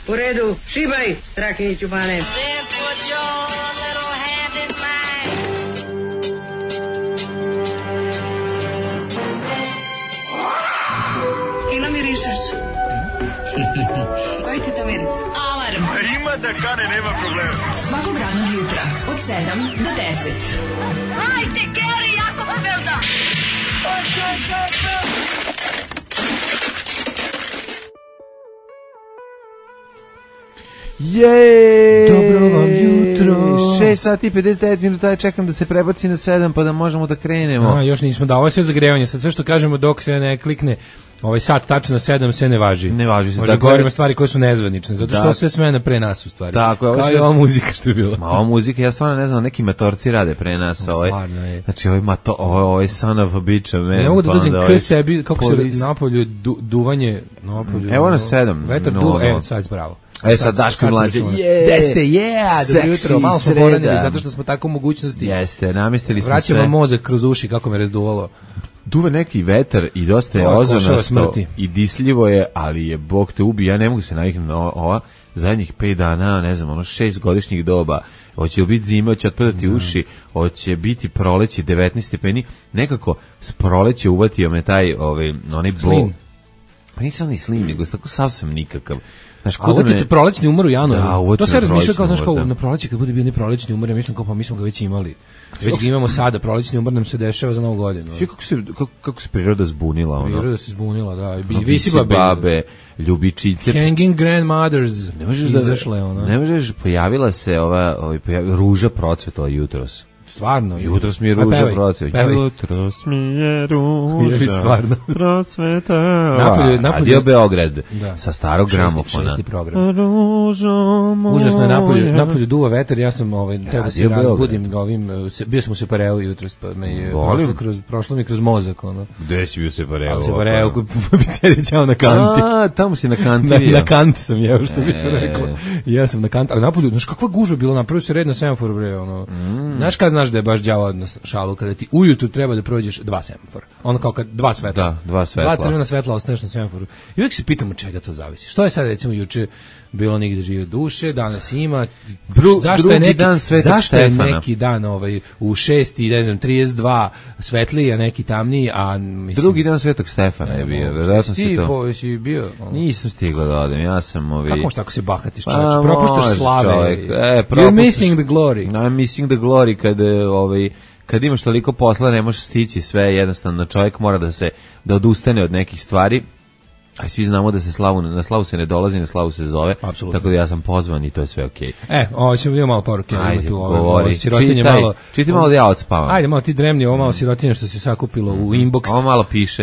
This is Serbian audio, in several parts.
U redu, šibaj, Strakiniću Bane. Fino mirišeš. Koji ti to miris? Alarm. Ima da kane, nema problema. Svakog radnog jutra od 7 do 10. Hajde, Geri, jako se velda. Jej! Dobro vam jutro. 6 sati i 59 minuta, ja čekam da se prebaci na 7 pa da možemo da krenemo. Još nismo da, ovo je sve zagrevanje, sad sve što kažemo dok se ne klikne ovaj sat tačno na 7 sve ne važi. Ne važi se. Možda govorimo stvari koje su nezvanične, zato što sve smene pre nas u stvari. Tako, kao i ova muzika što je bila. Ma ova muzika, ja stvarno ne znam, neki matorci rade pre nas. Stvarno je. Znači, ovaj son of a bitch, man. Ne mogu da dođem k sebi, kako se napolju duvanje, napolju. Evo na 7. Vetar duva, sad bravo. Sad Daško mlađe, Deste, dobro jutro, malo smo poranili, zato što smo tako u mogućnosti. Jeste, namestili smo sve. Vraćamo mozak kroz uši, kako me razduvalo. Duva neki vetar i dosta je ozonasto i disljivo je, ali je Bog te ubi, ja ne mogu se naviknuti na ova zadnjih 5 dana, ne znam, 6 godišnjih doba, hoće li biti zima, hoće otpadati uši, hoće biti proleće 19 stepeni, nekako s proleće uvatio me taj, onaj bol. Pa nisam ni slim, nego tako savsem nikakav. Znaš, a uvatite prolećni umor u januaru. To se razmišlja kao, znaš, kao na proleće, kad bude bio prolećni umor, ja mislim kao, pa mi smo ga već imali. Već ga imamo sada, prolećni umor nam se dešava za Novu godinu. Kako se priroda zbunila, ono? Priroda se zbunila, da. Visi babe, ljubičice. Hanging grandmothers. Izašle, ono. Ne možeš, pojavila se ruža procvetala jutros. Stvarno. Jutros mi je ruža procvetala. Jutros mi je ruža procvetala. Radio Beograd sa starog gramofona. Šesti program. Užasno je napolju duva vetar, ja sam teo da se razbudim bio sam u Separeu jutros, pa me je prošlo mi kroz mozak. Gde si bio u Separeu? U Separeu, kod pizzerića na kanti. Tamo si na kanti. Na kanti sam jeo, što bi se reklo. Ja sam na kanti, ali napolju, znaš kakva gužva bilo, napravio se red na semaforu, bre, znaš kad znaš da je baš đavo odnos šalu, kada ti ujutru treba da prođeš 2 semafora. Ono kao kad 2 svetla. Da, 2 svetla. 2 crvena svetla ostaneš na semaforu. I uvijek se pitam od čega to zavisi. Što je sad, recimo, juče bilo nigde žive duše, danas ima. Zašto je neki dan u 6:32 svetliji, a neki tamniji, a mislim... Drugi dan Svetog Stefana je bio, verovatno si to. Si bio? Nisam stigao da odem, ja sam Kako možeš tako se bahatiš, čovječ? Propuštaš slave. You're missing the glory. I'm missing the glory kad imaš toliko posla ne možeš stići sve, jednostavno čovjek mora da odustane od nekih stvari. A svi znamo da se na slavu se ne dolazi, na slavu se zove. Apsolutno. Tako da ja sam pozvan i to je sve okej. Ćemo imamo malo poruke. Ajde, govori. Čitaj malo da ja odspavam. Ajde, malo ti dremni, ovo malo sirotinje što se sakupilo u inbox.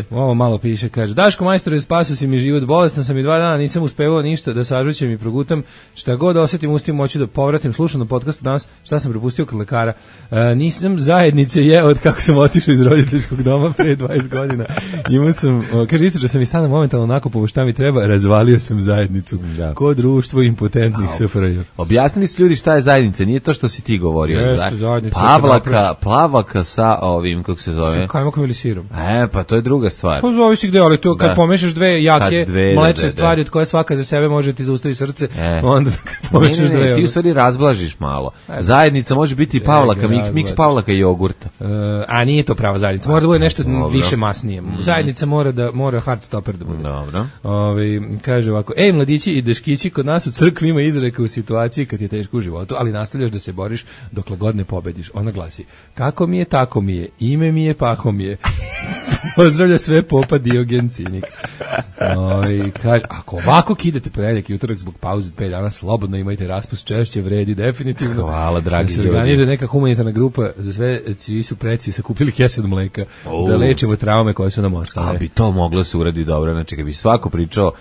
Ovo malo piše. Kaže, Daško majstore, spasio si mi život, bolestan sam i 2 dana, nisam uspevao ništa da sažućem i progutam. Šta god osetim, ustim moći da povratim. Slušam na podcastu danas, šta sam propustio kod lekara. Nisam zajednice jeo od kako sam otišao iz roditeljskog doma pre 20 godina. Imao sam, kaže, isto sam i stana momentalno po šta mi treba, razvalio sam zajednicu. Ko društvo impotentnih SFRJ. Objasnili su ljudi šta je zajednica, nije to što si ti govorio. Plavaka sa ovim, kako se zove? Sa kajmakom ili sirom. Pa to je druga stvar. Pa zavisi gde, ali to kad pomešaš dve jake mlečne stvari od koje svaka za sebe može ti zaustavi srce, onda pomešaš dve. Ti u stvari razblažiš malo. Zajednica može biti pavlaka, miks pavlaka i jogurta. A nije to prava zajednica, mora da bude nešto više masnije. Zajednica mora hard stopper da bude. Dobro. Kaže ovako, mladići i deškići, kod nas u crkvi ima izreka u situaciji kad je teško u životu, ali nastavljaš da se boriš dokle god ne pobediš. Ona glasi, kako mi je, tako mi je, ime mi je, paho mi je. Pozdravlja sve popa Diogen Cinik. Kaže, ako ovako kidate ponedjeljak i utorak zbog pauze 5 dana, slobodno imajte raspust, češće vredi, definitivno. Hvala, dragi ljudi. Organizuje neka humanitarna grupa za sve čiji su preci sakupili kese od mleka, da lečimo traume koje su nam ostale. A bi to moglo se uradi dobro, znači kad bi svako pričao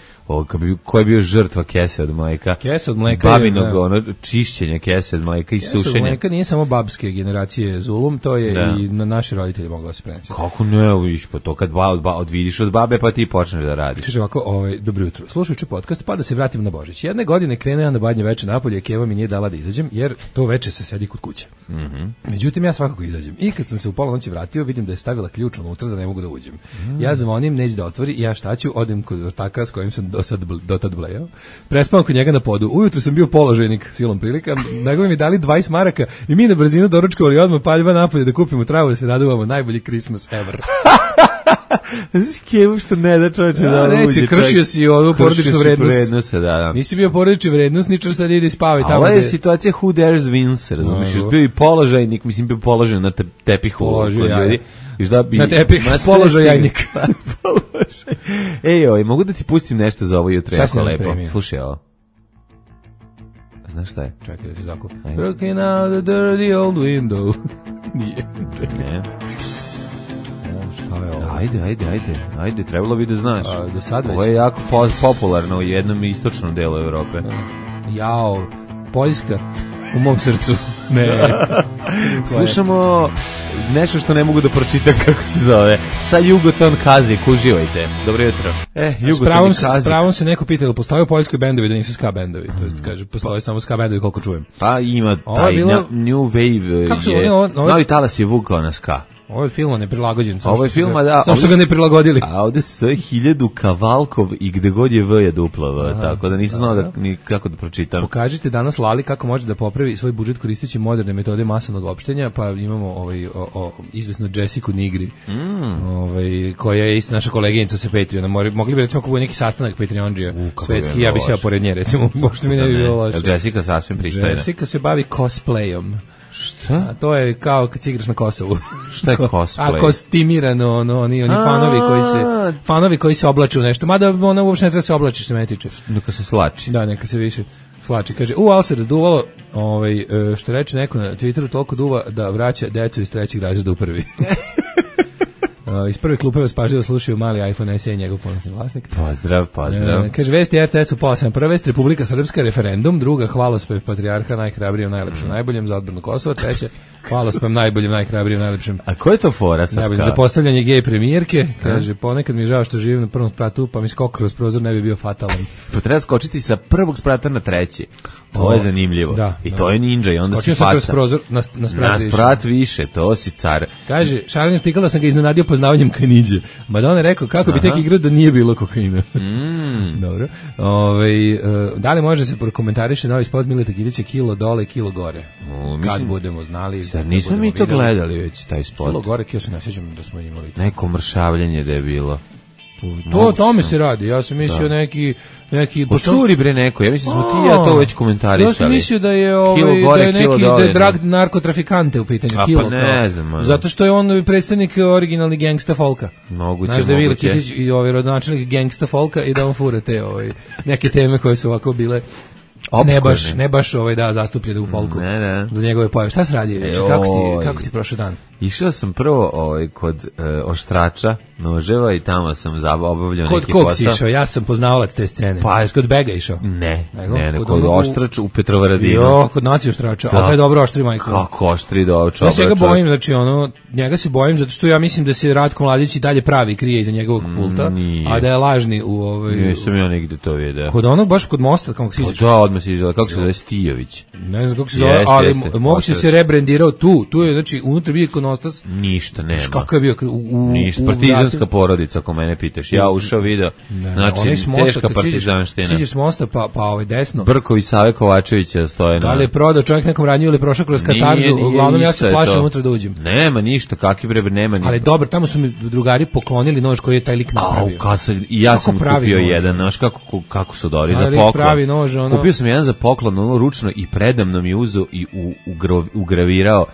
ko je bio žrtva kese od mleka. Kese od mleka. Babinog čišćenja kese od mleka i sušenja. Kese od mleka nije samo babske generacije zulum, to je i na naše roditelje moglo se prenesti. Kako ne, vidiš, pa to kad odvidiš od babe pa ti počneš da radiš. Kaže ovako, dobro jutro, slušajući podcast pa da se vratim na Božić. Jedne godine krenuo ja na badnje veče napolje, Keva mi nije dala da izađem jer to veče se sedi kod kuće. Međutim, ja svakako izađem. I kad sam se u pola noći vratio, vidim da je stavila ključ unutra da ne mogu da uđem. Ja zvonim, neće da otvori, ja šta ću, odem kod ortaka s kojim sam dotad blejao. Prespao kod njega na podu. Ujutru sam bio položajnik silom prilika. Nego mi dali 20 maraka i mi na brzinu doručkovali odmah paljba napolje da kupimo travu da se raduvamo. Najbolji Christmas ever. Skevu što ne da čovječe da uđe. Neće, kršio si ovu porodičnu vrednost. Da. Nisi bio porodični vrednosničar, sad ide spavaj tamo. A ovo je situacija who dares wins, razumiješ? Bio i položajnik, mislim bio položaj na tepihu. Na tepih, položajnik. Ej, mogu da ti pustim nešto za ovo jutro, jako lepo. Slušaj ovo. Znaš šta je? Čekaj da ti zakup. Looking out the dirty old window. Nije, čekaj. Ne. Šta je ovo? Ajde, trebalo bi da znaš. Do sad već. Ovo je jako popularno u jednom istočnom delu Evrope. Jao, Poljska u mom srcu. Ne. Slušamo nešto što ne mogu da pročitam kako se zove. Sa Jugoton Kazik, uživajte. Dobro jutro. Jugoton Kazik. S pravom se neko pitalo, postoje u Poljskoj bendovi da nisu ska bendovi. To jest, kaže, postoje samo ska bendovi koliko čujem. Pa ima taj New Wave je... Novi talas je vukao na ska. Ovo je filma neprilagođen. Ovo je filma, da. Samo što ga ne prilagodili. A ovde stoje 1000 Kavalkov i gde god je V je dupla V, tako da nisam znao ni kako da pročitam. Pokažite danas Lali kako može da popravi svoj budžet koristeći moderne metode masovnog opštenja, pa imamo izvesno Jessiku Nigri, koja je isto naša koleginica sa Patreona. Mogli bi recimo ako bude neki sastanak Patreondžija svetski, ja bi se pored nje recimo, pošto mi ne bi bilo loše. Jessica sasvim pristojna. Jessica se bavi cosplayom. Šta? A to je kao kad igraš na Kosovu. Šta je cosplay? A kostimirano, oni fanovi koji se oblače u nešto. Mada ona uopšte ne treba se oblači, se me tiče. Neka se slači. Da, neka se više slači. Kaže, ali se razduvalo, što reče neko na Twitteru, toliko duva da vraća decu iz 3. razreda u 1. Iz prve klupe vas pažljivo slušaju mali iPhone SE i njegov ponosni vlasnik. Pozdrav. Kaže, vesti RTS u pola 7. Prva vest, Republika Srpska, referendum. Druga, hvalospev patrijarha, najhrabrijem, najlepšem, najboljem za odbranu Kosova. Treća, hvalospev najboljem, najhrabrijem, najlepšem. A ko je to fora sad? Najbolje za postavljanje gej premijerke. Kaže, ponekad mi je žao što živim na prvom spratu, pa mi skok kroz prozor ne bi bio fatalan. Pa treba skočiti sa prvog sprata na 3. To je zanimljivo. I to je ninja i onda skočio si faca. Kroz prozor na sprat više, to si car. Kaže, Šarlin štikala sam ga iznenadio poznavanjem Kaniđe. Madonna je rekao kako bi tek igrao da nije bilo kokaina. Dobro. Da li može se prokomentariše novi spot Mileta Kilića, kilo dole, kilo gore? Kad budemo znali. Nismo mi to gledali već, taj spot. Kilo gore, kio se ne sjećam da smo imali. Neko mršavljanje da je bilo. To tome se radi. Ja sam mislio neki curi bre neko. Ja mislim smo ti ja to već komentarisali. Ja sam mislio da je neki drag narkotrafikante u pitanju. Pa ne znam. Zato što je on predstavnik originalni gangsta folka. Moguće. Znaš da je Kitić i rodonačelnik gangsta folka i da on fura te neke teme koje su ovako bile ne baš zastupljene u folku. Do njegove pojave. Šta se radi? Kako ti prošao dan? Išao sam prvo kod oštrača noževa i tamo sam obavljao neki posao. Kod kog si išao? Ja sam poznavalac te scene. Pa, kod Bega išao? Ne, kod oštrač u Petrovaradinu. Kod naci oštrača. A to je dobro oštri, majko. Kako oštri dobro čovjek? Ja se ga bojim, znači njega se bojim zato što ja mislim da se Ratko Mladić i dalje pravi krije iza njegovog pulta, a da je lažni u Nisam ja nigde to vidio. Kod onog, baš kod mosta, kako si izaš? Da, odmah si izaš, kako se zove Stijović? Ne znam kako se zove, ali moguće se rebrendirao tu je, znači, unutra bio ikonostas. Ništa nema. Kako je bio? Ništa, partizanska porodica, ako mene pitaš. Ja ušao video, znači, teška partizanština. Siđeš s mosta, pa desno. Brkovi Save Kovačevića stoje na... Da li je prodao čovjek nekom ranju ili prošao kroz katarzu? Uglavnom, ja se plašim unutra da uđem. Nema ništa, kakvi bre, nema ništa. Ali dobro, tamo su mi drugari poklonili nož koji je taj lik napravio. I ja sam kupio jedan, znaš kako su dobri za poklon. Kupio sam jedan za poklon, ručno i predamno mi uzeo i ugravirao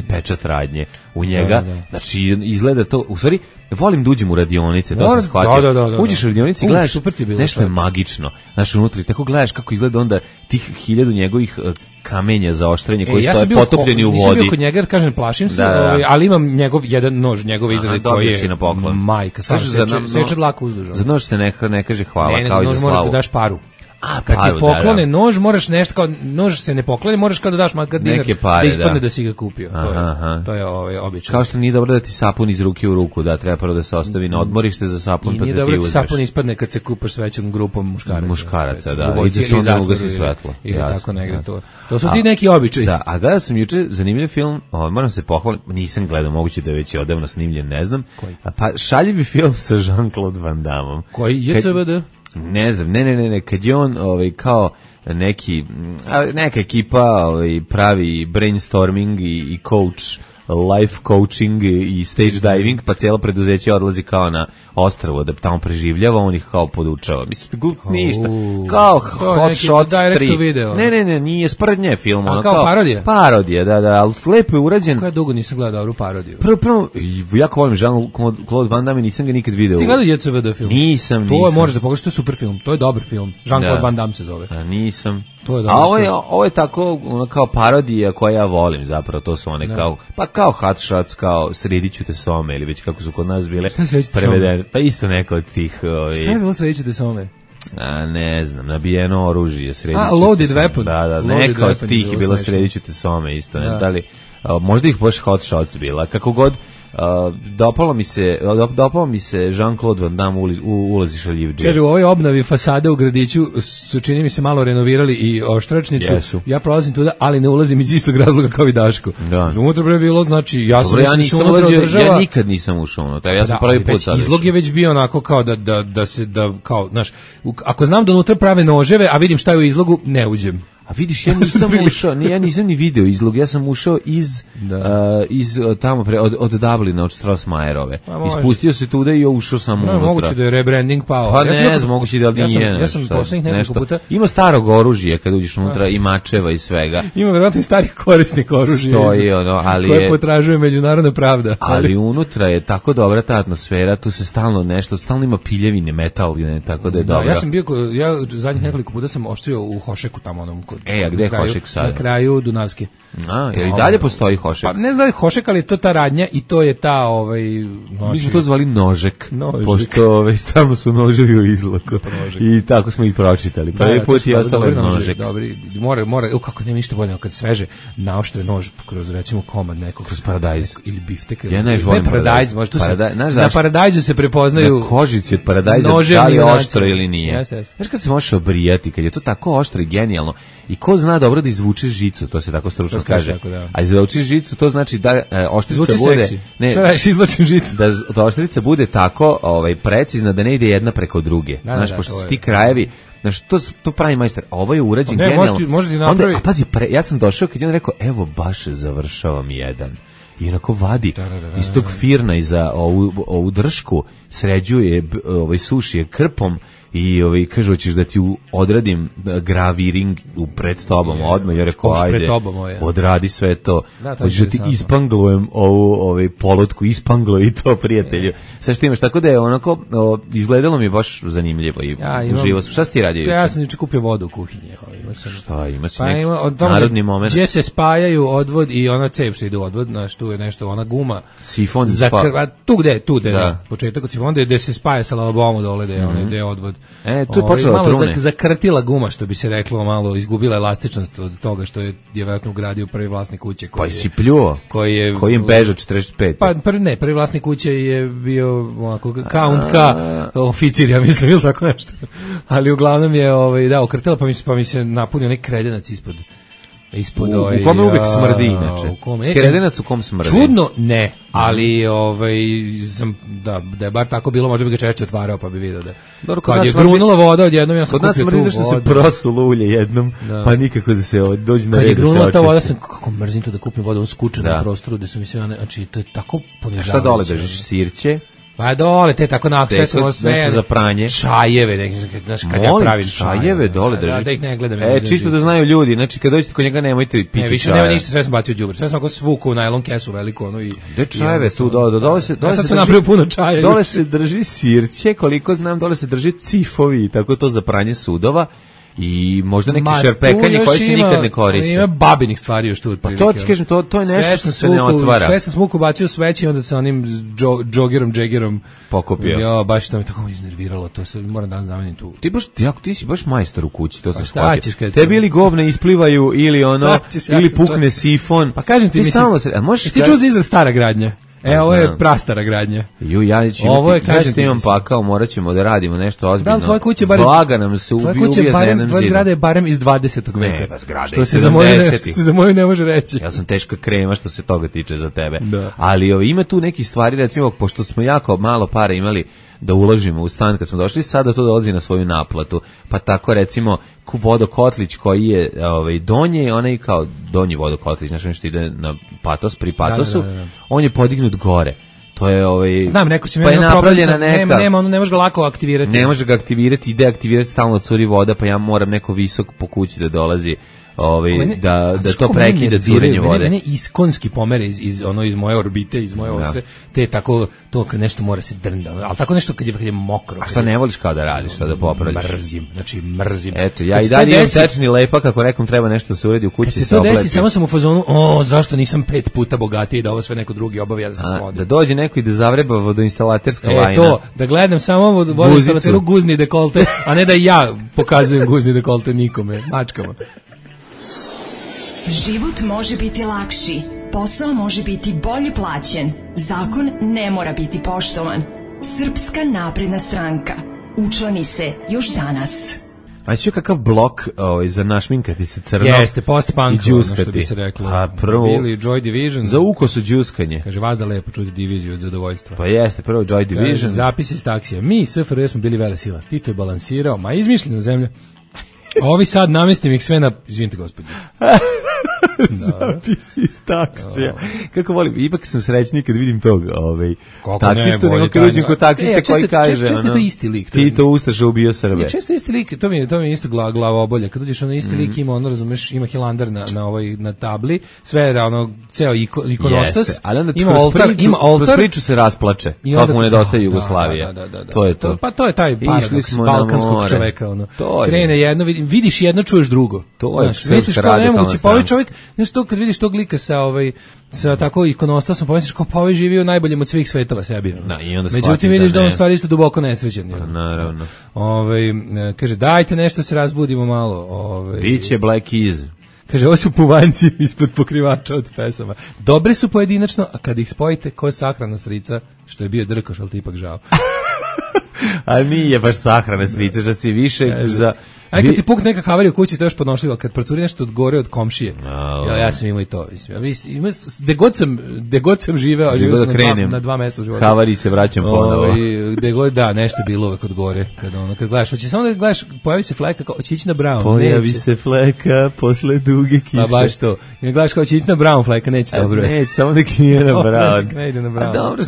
pečat radnje u njega. Znači, izgleda to, u stvari, volim da uđem u radionice, to sam shvatio. Da. Uđeš u radionice i gledaš, nešto je magično. Znači, unutra, tako gledaš kako izgleda onda tih 1000 njegovih kamenja za oštrenje koji stoje potopljeni u vodi. Nisam bio kod njega, kažem, plašim se, ali imam jedan nož, njegove izrade koji je majka. Seče dlaku uzdužno. Za nož se ne kaže hvala, kao i za slavu. Nož možeš da daš paru. Kad ti poklone nož, moraš nešto kao, nož se ne poklone, moraš kao da daš makar dinar da ispadne da si ga kupio. To je običaj. Kao što nije dobro da ti sapun iz ruke u ruku, da treba prvo da se ostavi na odmorište za sapun, pa da ti uzmeš. I nije dobro da ti sapun ispadne kad se kupaš s većom grupom muškaraca. Da. I da se onda ugasi svetlo. Ili tako negde to. To su ti neki običaji. Da, a gledao sam juče zanimljiv film, moram se pohvaliti, nisam gledao, moguće da je već odavno snimljen, ne znam. Koji? Pa šaljivi film sa Jean-Claude Van Damme. Koji je CVD? Ne znam, ne, kad je on kao neka ekipa pravi brainstorming i coach, life coaching i stage diving, pa cijelo preduzeće odlazi kao na ostrvo da tamo preživljava, on ih kao podučava. Mislim, ništa. Kao Hot Shots 3. Ne, nije sprednje film. A kao parodija? Parodija, da, ali lepo je urađen. Koja dugo nisam gledao dobru parodiju? Prvo, jako volim Jean-Claude Van Damme, nisam ga nikad video. Ti gledao JCVD film? Nisam. To je, možeš da pogledaš, to je super film, to je dobar film. Jean-Claude Van Damme se zove. Nisam. To je ovo je tako kao parodija koja ja volim zapravo, to su one kao Hot Shots, kao Srediću te some ili već kako su kod nas bile prevedene. Pa isto neko od tih... Šta je bilo Srediću te some? Ne znam, nabijeno oružje, Srediću te Loaded Weapon. Da, neka od tih je bilo Srediću te some isto. Da li, možda ih baš Hot Shots bila, kako god. Dopalo mi se Jean-Claude Van Damme ulazi šaljiv džep. Kaže, u ovoj obnovi fasade u gradiću su, čini mi se, malo renovirali i oštračnicu. Jesu. Ja prolazim tuda, ali ne ulazim iz istog razloga kao i Daško. Unutra je bilo, znači, ja nikad nisam ušao unutra, ja sam prvi put sad. Izlog je već bio onako kao kao, znaš, ako znam da unutra prave noževe, a vidim šta je u izlogu, ne uđem. A vidiš, ja nisam ušao, ja nisam ni video izlog, ja sam ušao iz tamo od Dublina, od Strossmayerove. Ispustio se tuda i ušao sam unutra. Moguće da je rebranding pao. Pa ne znam, moguće da nije. Ja sam poslednjih nekoliko puta... Ima starog oružja kad uđeš unutra i mačeva i svega. Ima vjerojatno i starih korisnik oružja. Koje potražuje međunarodna pravda. Ali unutra je tako dobra ta atmosfera, tu se stalno ima piljevine, metal, tako da je dobro. Ja zadnjih nekoliko puta sam oštrio u Hošeku tamo onom. A gde je Hošek sad? Na kraju Dunavske. Jer i dalje postoji Hošek? Pa ne znam da je Hošek, ali to ta radnja i to je ta... Mi smo to zvali Nožek. Pošto tamo su noževi u izloku. I tako smo ih pročitali. Prvi put je ostalo Nožek. Dobri, mora, kako nema ništa bolje, kad sveže naoštre nož kroz, recimo, komad nekog. Kroz paradajz. Ili biftek. Ja ne volim paradajz. Na paradajzu se prepoznaju... Na kožici od paradajza, da li je oštro ili nije. Znaš kad se možeš obrijati, kad je to tako oštro i genijalno, i ko zna dobro da izvuče žicu, to se tako stručno kaže. A izvuče žicu, to znači da oštrica bude... Šta radiš, izvlačim žicu? Da oštrica bude tako precizna da ne ide jedna preko druge. Znaš, pošto su ti krajevi... Znaš, to pravi majstor. A ovo je urađen genijalno. Može ti napravi... A pazi, ja sam došao kad je on rekao, evo baš završavam jedan. I onako vadi iz tog firna iza ovu dršku, sređuje, suši je krpom i kaže, hoćeš da ti odradim graviring pred tobom odmah, jer rekao, ajde, odradi sve to, hoćeš da ti ispanglujem ovu polutku, ispanglo i to, prijatelju. Sve što imaš, tako da je onako, izgledalo mi je baš zanimljivo i uživo. Šta si ti radio? Ja sam juče kupio vodu u kuhinji. Šta, ima si neki narodni moment? Gdje se spajaju odvod i ona cev što ide u odvod, tu je nešto, ona guma. Sifon tu gde, početak od sifona, gde se spaja sa lavabom dole, gde je odvod. Tu je počela malo zakrtila guma, što bi se reklo, malo izgubila elastičnost od toga što je vjerojatno ugradio prvi vlasnik kuće. Pa si pljuo? Kojim beža 45? Pa prvi vlasnik kuće je bio onako count K oficir, ja mislim, ili tako nešto. Ali uglavnom je okrtila, pa mi se napunio neki kredenac ispod. U kome uvek smrdi inače? Kredenac u kom smrdi? Čudno ne, ali da je bar tako bilo, možda bi ga češće otvarao pa bi vidio da kad je grunula voda odjednom, ja sam kupio tu vodu. Kod nas smrdi zašto se prosulo ulje jednom, pa nikako da se dođe na red da se očisti. Kad je grunula ta voda, sam kako mrzim to da kupim vodu u skučenom prostoru, da su mi sve, znači to je tako ponižavajuće. Šta dole držiš, sirće? Pa dole, te tako na sve za pranje. Čajeve, znaš, kad ja pravim čajeve dole drži. Da ih ne gledam. Čisto da znaju ljudi, znači kad dođete kod njega nemojte piti čaja. Ne, više nema ništa, sve sam bacio u đubre. Sve sam ako svuku u najlon kesu veliku, i... Gde čajeve tu dole se... Ja sam napravio puno čaja. Dole se drži sirće, koliko znam, dole se drži cifovi, tako to za pranje sudova. i možda neki šerpekanje koje se nikad ne koriste. Ima babinih stvari još tu otprilike. Pa to ti kažem, to je nešto što se ne otvara. Sve sam smuku bacio sveći, onda sa onim džegerom pokupio. Ja, baš to me tako iznerviralo, to se moram danas zameniti tu. Ti si baš majstor u kući, to se shvatio. Tebi ili govne isplivaju ili ono, ili pukne sifon. Pa kažem ti, mislim, ti čuo za izraz stara gradnja? Ovo je prastara gradnja. Ja ću imam pakao, morat ćemo da radimo nešto ozbiljno. Da, tvoja kuća Vlaga nam se ubije dnevnom tvoja zgrada je barem iz 20. veka. Ne, zgrada što se za moju ne može reći. Ja sam teška krema što se toga tiče za tebe. Da. Ali ima tu neki stvari, recimo, pošto smo jako malo para imali da uložimo u stan kad smo došli, sada to dolazi na svoju naplatu. Pa tako, recimo, vodokotlić koji je donji, onaj kao donji vodokotlić, znači nešto ide na Patos, pri Patosu, da. On je podignut gore. To je znam, neko si pa je napravljena neka. Nema, ne može ga lako aktivirati. Ne može ga aktivirati, ide aktivirati, stalno curi voda, pa ja moram neko visok po kući da dolazi. Da to prekida curenje vode. Mene iskonski pomere iz moje orbite, iz moje ose, te tako to kad nešto mora se drnda, ali tako nešto kad je mokro. A šta ne voliš kao da radiš, šta da popravljaš? Mrzim. Eto, ja i dalje imam tečni lepak, ako nekom treba nešto se uredi u kući, se obleti. Kad se to desi, samo sam u fazonu, zašto nisam 5 puta bogatiji da ovo sve neko drugi obavlja da se svodi. Da dođe neko i da zavreba vodoinstalaterska lajna. To, da gledam samo vodoinstalateru guzni dekolte, a ne da ja pokazujem guzni dekolte nikome, mačkama. Život može biti lakši, posao može biti bolje plaćen, zakon ne mora biti poštovan. Srpska napredna stranka. Učlani se još danas. A si kakav blok za našminkati se crno? Jeste, post-punk, ono što bi se reklo. A prvo, Bili Joy Division. Za uko su džuskanje. Kaže, vas da lepo čuti diviziju od zadovoljstva. Pa jeste, prvo Joy Division. Kaže, zapis iz taksija. Mi, SFRJ, smo bili velesila. Tito je balansirao, ma izmišljena zemlja. A ovi sad namestim ih sve na... Izvinite, gospodin. Zapis iz taksija. Kako volim, ipak sam srećniji kad vidim tog taksistu, nego kad uđem kod taksiste koji kaže često je to isti lik. Tito Ustaša ubio Srbe. Često je isti lik, to mi je isto glava obolja. Kad uđeš isti lik ima, razumeš, ima hilandar na tabli, sve je ceo ikonostas, ima oltar. Kroz priču se rasplače, kako mu nedostaje Jugoslavija. To je to. Pa to je taj paradoks balkanskog čoveka. Krene jedno, vidiš jedno, čuješ drugo. To je srpska radikalna strana. Čovjek, nešto kad vidiš tog lika sa tako ikonostasom, pomisliš kao pa ovaj živi u najboljem od svih svetova sebi. Međutim vidiš da on stvari isto duboko nesrećan. Naravno. Kaže dajte nešto se razbudimo malo. Biće Black Keys. Kaže ovo su puvanjci ispod pokrivača od pesama. Dobre su pojedinačno, a kad ih spojite ko sahrana strica, što je bio Drkoš, ali ti ipak žao. A nije baš sahrana strica, što si više za... Aj kad ti pukne neka havarija u kući, to je još podnošljivo, kad procuri nešto od gore od komšije. Ja sam imao i to. Gde god sam živeo, živeo sam na 2 mesta u životu. Havari se vraćam ponovo. Gde god, da, nešto je bilo uvek od gore. Kad gledaš, hoće samo da gledaš, pojavi se fleka, kao će ići na Brown. Pojavi se fleka posle duge kise. Pa baš to. I gledaš kao će ići na Brown fleka, neće dobro. Neće, samo nek nije na Brown. Ne ide na Brown. Dobro,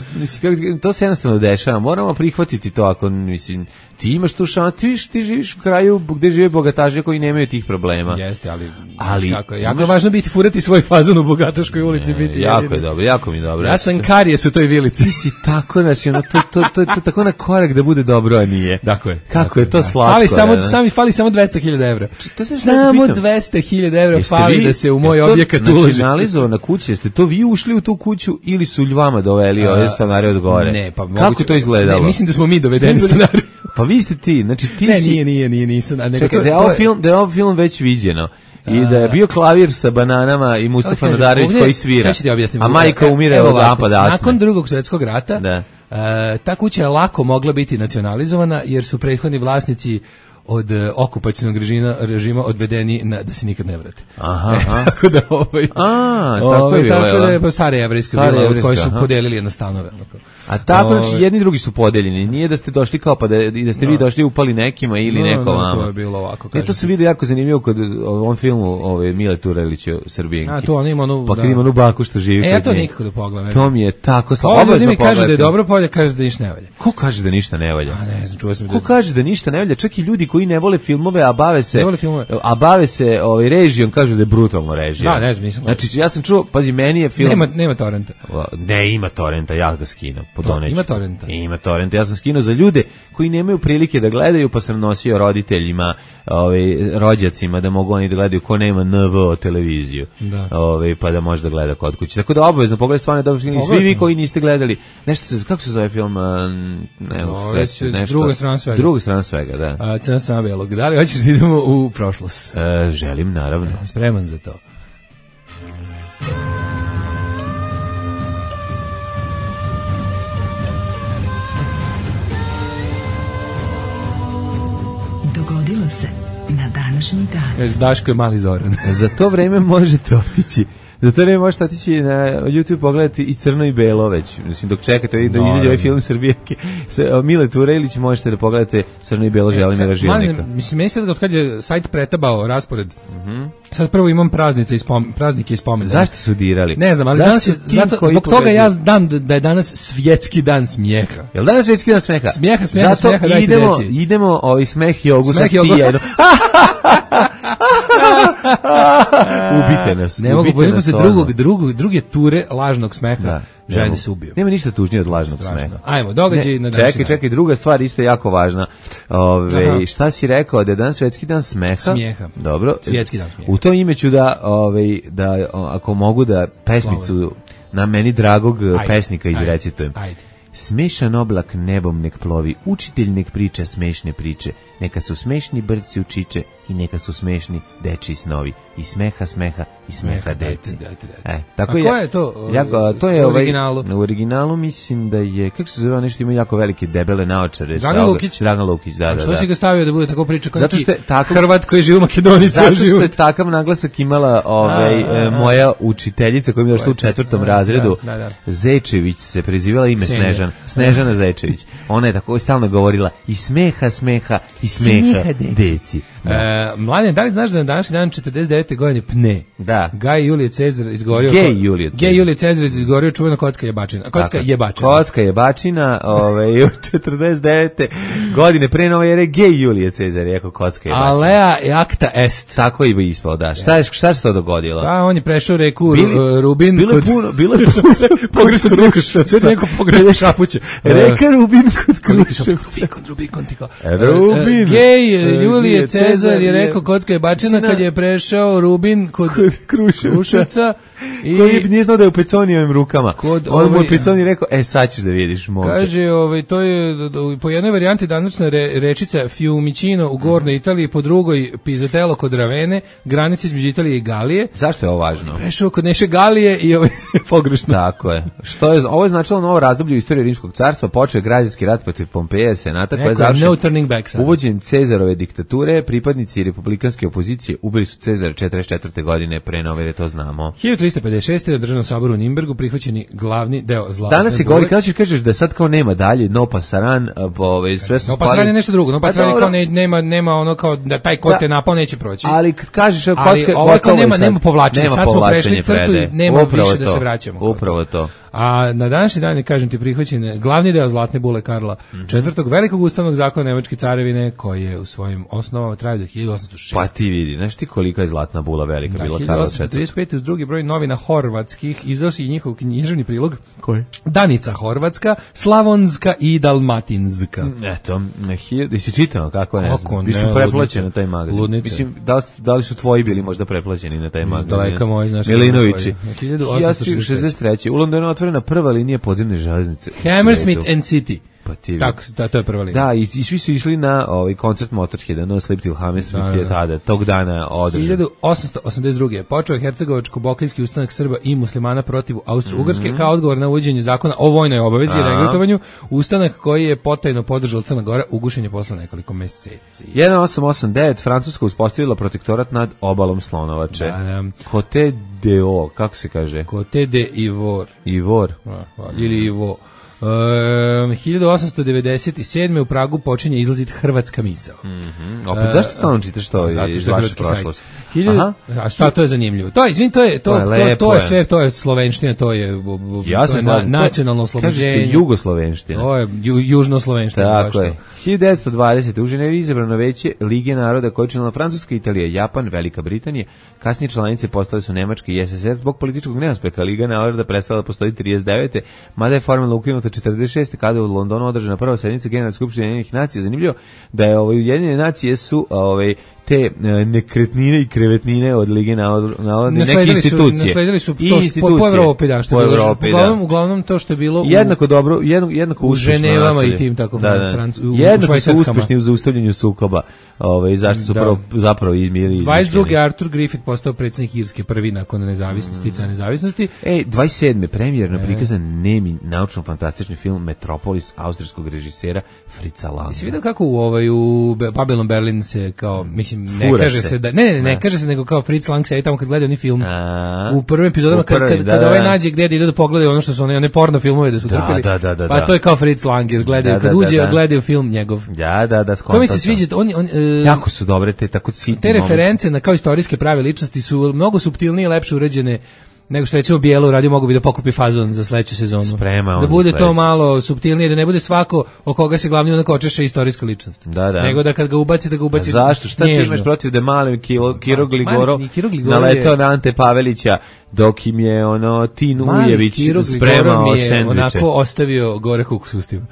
to se jednostavno dešava. Moramo prihvatiti to ako, mislim, ti imaš tu šansu, ti živiš u kraju gde žive bogataši koji nemaju tih problema. Jeste, ali kako je jako važno biti furati svoj fazon u bogataškoj ulici, biti jako je dobro, jako mi je dobro. Ja sam karijes u toj vilici. Ti si tako, znači, to tako na korak da bude dobro, a nije. Tako je. Kako je to slatko. Fali samo 200.000 evra. Samo 200.000 evra fali da se u moj objekat uloži. Nacionalizovana kuća, jeste to vi ušli u tu kuću ili su ljubama doveli ove stanare od gore? Ne, pa kako to izgledalo? Ne, mislim da smo mi dovedeni stanari. Pa vi ste ti, znači ti si... Nije, nisam. Čekaj, da je ovo film već viđeno. I da je bio klavir sa bananama i Mustafa Nadarević koji svira. A majka umire od napada astme. Nakon Drugog svjetskog rata, ta kuća je lako mogla biti nacionalizovana jer su prethodni vlasnici od okupacionog režima odvedeni da se nikad ne vrate. Tako da tako je bilo stare jevrejske vile od koje su podelili jedno stanove. A tako, znači, jedni drugi su podeljeni. Nije da ste došli kao pa da ste vi došli upali nekima ili neko vama. To je bilo ovako. To se vidi jako zanimljivo kod ovom filmu Mile Turelića Srbijenki. To on ima onu... Pa kad ima onu baku što živi kod nje. Ja to nikako da pogledam. To mi je tako slabo. Ovo ljudi mi kaže da je dobro polje, kaže da ništa ne valja. Ko kaže da ništa ne valja? Ne znam, čuo sam. Ko kaže da ništa ne valja? Čak i ljudi koji ne vole filmove, a bave se režijom, kažu da je brutalno režija. Da, ne znam, nisam. Znači, ja sam čuo, pazi, meni je film... Nema torrenta. Ne, ima torrenta, ja ga skinem. Ima torrenta. Ima torrenta, ja sam skinuo za ljude koji nemaju prilike da gledaju, pa sam nosio roditeljima, rođacima, da mogu oni da gledaju ko nema NVO televiziju. Da. Pa da može da gleda kod kuće. Tako da obavezno pogledaj stvarno dobro film. Svi vi koji niste gledali, kako se zove film? Druga strana svega, da. Crna strana belog. Da li hoćeš da idemo u prošlost? Želim, naravno. Spreman za to. Dogodilo se na današnji dan. Daško je mali Zoran. Za to vreme možete otići. Zato ne možete otići na YouTube pogledati i crno i belo već. Mislim, dok čekate da izađe ovaj film Srbijake Mile Turejlić, možete da pogledate crno i belo Želimira Žilnika. Mislim, meni se da od kad je sajt pretabao raspored, sad prvo imam praznike i spomene. Zašto su dirali? Ne znam, ali zbog toga ja znam da je danas svjetski dan smijeha. Je li danas svjetski dan smijeha? Smijeha, zato idemo smeh jogu sa tija. Ubite nas. Ne mogu bojiti se druge ture lažnog smeha. Želim da se ubiju. Nema ništa tužnije od lažnog smeha. Ajmo, događaj na današnji. Čekaj, druga stvar isto je jako važna. Šta si rekao da je danas svjetski dan smeha? Smijeha. Dobro. Svjetski dan smijeha. U tom ime ću da ako mogu da pesmicu na meni dragog pesnika izrecitujem. Ajde. Smešan oblak nebom nek plovi, učitelj nek priča smešne priče, neka su smešni brci u čiče i neka su smešni dečiji snovi. I smeha deci. Tako a ko je to? To je u originalu? U originalu mislim da je, kako se zove, nešto ima jako velike debele naočare. Dragan Lukić, da. Što si ga stavio da bude tako priča kao neki Hrvat koji živi u Makedoniji? Zato što je takav naglasak imala moja učiteljica koja mi je došla u 4. razredu. Zečević se prezivala ime Snežana Zečević. Ona je tako stalno govorila i smeha deci. Mladen, da li znaš da na današnji dan 49. godine pne? Da. Gaj Julije Cezar izgorio... Gej Julije Cezar izgorio čuvena kocka jebačina. Kocka jebačina, u 49. godine pre nove ere Gej Julije Cezar je kocka jebačina. Alea acta est. Tako je ispao, da. Šta se to dogodilo? On je prešao reku Rubin. Bilo je pogrešno Kruševac. Sve neko pogrešno šapuće. Reka Rubin kod Kruševca. Rubin. Gej Julije Cezar je rekao kocka jebačina kad je prešao Rubin kod Kruševca. Koji nije znao da je u Peconijevim rukama. On mu je Peconi rekao, sad ćeš da vidiš, momče. Kaže, to je po jednoj varijanti današnja rečica Fiumicino u Gornoj Italiji, po drugoj Pizzatello kod Ravene, granici između Italije i Galije. Zašto je ovo važno? Prešao kod Neše Galije i ovo je pogrešno. Tako je. Ovo je značilo novo razdoblje u istoriji Rimskog carstva, počeo je građanski rat protiv Pompeja, senata, koja je završen uvođenjem Cezarove diktature, pripadnici republikanske opozicije ubili su Cezara 44. godine pre nove, jer to znamo. 1356. na Državnom saboru u Nimbergu prihvaćeni glavni deo zlatne Danas se govori, kažeš da sad kao nema dalje, no pasaran, sve su no pasaran je nešto drugo, no pasaran je kao nema ono kao da taj kod te napao neće proći. Ali kad kažeš ovo kao nema povlačenja, sad smo prešli crtu i nema više da se vraćamo. Upravo to. A na današnji dan je, kažem ti, prihvaćen glavni deo zlatne bule Karla IV. Velikog ustavnog zakona Nemačke carevine, koji je u svojim osnovama trajao do 1806. Pa ti vidi, znaš ti kolika je zlatna bula velika bila Karla IV. 1835. uz drugi broj novina horvatskih izdao si i njihov književni prilog. Koji? Danica horvatska, slavonska i dalmatinska. Eto, jesi čitao kako ne znam? Biš su preplaćeni na taj magazin. Ludnice. Mislim, da li su tvoji bili možda preplaćeni na taj magazin? Daleka moj, znaš. Milinovići. 1863. U Londonu otvorena prva linija podzemne železnice. Hammersmith and City. Pa ti tako, to je prva linija. Da, i svi su išli na koncert Motorheada, No Sleep Till Hammersmith je tada, tog dana održan. 1882. počeo je Hercegovačko-Bokanski ustanak Srba i muslimana protiv Austro-Ugarske kao odgovor na uvođenje zakona o vojnoj obavezi i regrutovanju, ustanak koji je potajno podržala Crna Gora, ugušen je posle nekoliko meseci. 1889. Francuska uspostavila protektorat nad obalom Slonovače. Côte d'Ivoire, kako se kaže? Côte d'Ivoire. Ivor. Ili Ivo. 1897. u Pragu počinje izlaziti Hrvatska misao. Opet, zašto stalno čitaš to iz vaše prošlosti? A šta to je zanimljivo? To je sve, to je slovenština, to je nacionalno oslobođenje. Kaže se jugoslovenština. To je južnoslovenština. Tako je. 1920. u Ženevi izabrano veće Lige naroda koje je činila Francuska, Italija, Japan, Velika Britanija. Kasnije članice postale su Nemačka i SSR. Zbog političkog neuspeha Liga naroda prestala da postoji 39. mada je formalno ukinuta 46. kada je u Londonu održana prva sednica Generalne skupštine Ujedinjenih nacija. Zanimljivo da je Ujedinjene nacije su te nekretnine i krevetnine od Lige naroda neke institucije. Nasledili su to po Evropi, da, što je bilo. Uglavnom to što je bilo jednako dobro, jednako uspešno. U Ženevama i tim tako jednako su uspešni u zaustavljanju sukoba. Zašto su zapravo izmijeli 22. Arthur Griffith postao predsjednik Irske, prvi nakon nezavisnosti, nezavisnosti. 27. premijerno prikazan nemi naučno-fantastični film Metropolis austrijskog režisera Fritza Langa. Jesi vidio kako u Babylon Berlin se kao, mislim, ne kaže se da ne kaže se nego kao Fritz Lang se tamo kad gleda oni film u prvim epizodama kada ovaj nađe gdje ide da pogledaju ono što su one porno filmove da su trpili. Pa to je kao Fritz Lang jer gledaju kad uđe gledaju film njegov. To mi se sviđa, jako su dobre te tako sitne. Te reference na kao istorijske prave ličnosti su mnogo suptilnije i lepše uređene nego što recimo Bijelo uradio, mogu bi da pokupi fazon za sledeću sezonu. Da bude to malo suptilnije, da ne bude svako o koga se glavni onako očeše istorijska ličnost. Nego da kad ga ubaci, da ga ubaci nježno. Zašto? Šta ti imaš protiv da mali Kiro Gligorov naletao na Ante Pavelića dok im je Tin Ujević spremao sendviče. Onako ostavio gore kukus ustima.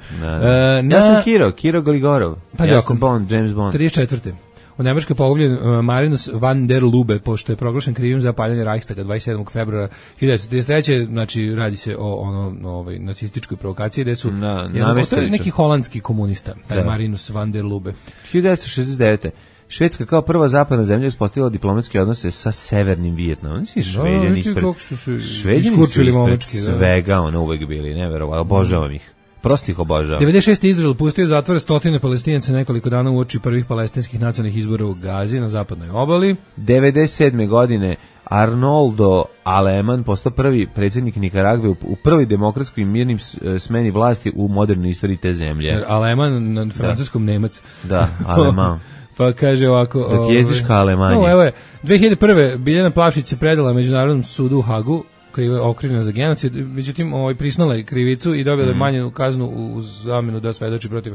Ja sam Kiro Gligorov. Ja sam James Bond. 34. U Nemačkoj pogubljen Marinus van der Lubbe, pošto je proglašen krivim za paljanje Reichstaga 27. februara 1933. Znači, radi se o nacističkoj provokaciji, gde su neki holandski komunista, taj Marinus van der Lubbe. 1969. Švedska kao prva zapadna zemlja uspostavila diplomatske odnose sa Severnim Vijetnamom. Šveđani ispred svega uvek bili, neverovatno, obožavam ih. Prosto ih obožavam. 96. Izrael pustio zatvore stotine Palestinaca nekoliko dana uoči prvih palestinskih nacionalnih izbora u Gazi na zapadnoj obali. 97. godine Arnoldo Aleman postao prvi predsjednik Nikaragve u prvoj demokratskoj i mirnim smeni vlasti u modernoj istoriji te zemlje. Aleman na francuskom Nemac. Da, Aleman. Pa kaže ovako... Dok jezdiš ka Alemaniji. Evo je, 2001. Biljana Plavšić se predala Međunarodnom sudu u Hagu, okrivljena za genocid, međutim priznala je krivicu i dobila je manju kaznu u zamenu da svedoči protiv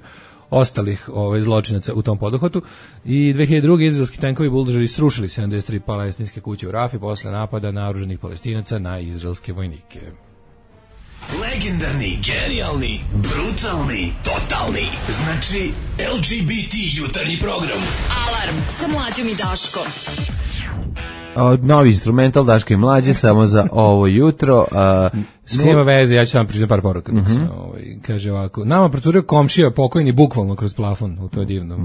ostalih zločinaca u tom poduhvatu. I 2002. izraelski tenkovi buldožeri srušili 73 palestinske kuće u Rafi posle napada naoružanih Palestinaca na izraelske vojnike. Legendarni, genijalni, brutalni, totalni. Znači LGBT jutarnji program. Alarm sa Mlađom i Daškom. Novi instrumental Daško i Mlađe samo za ovo jutro. Nema veze, ja ću vam pričati par poruka. Kaže ovako, nama procurio komšija pokojni bukvalno kroz plafon, to je divno.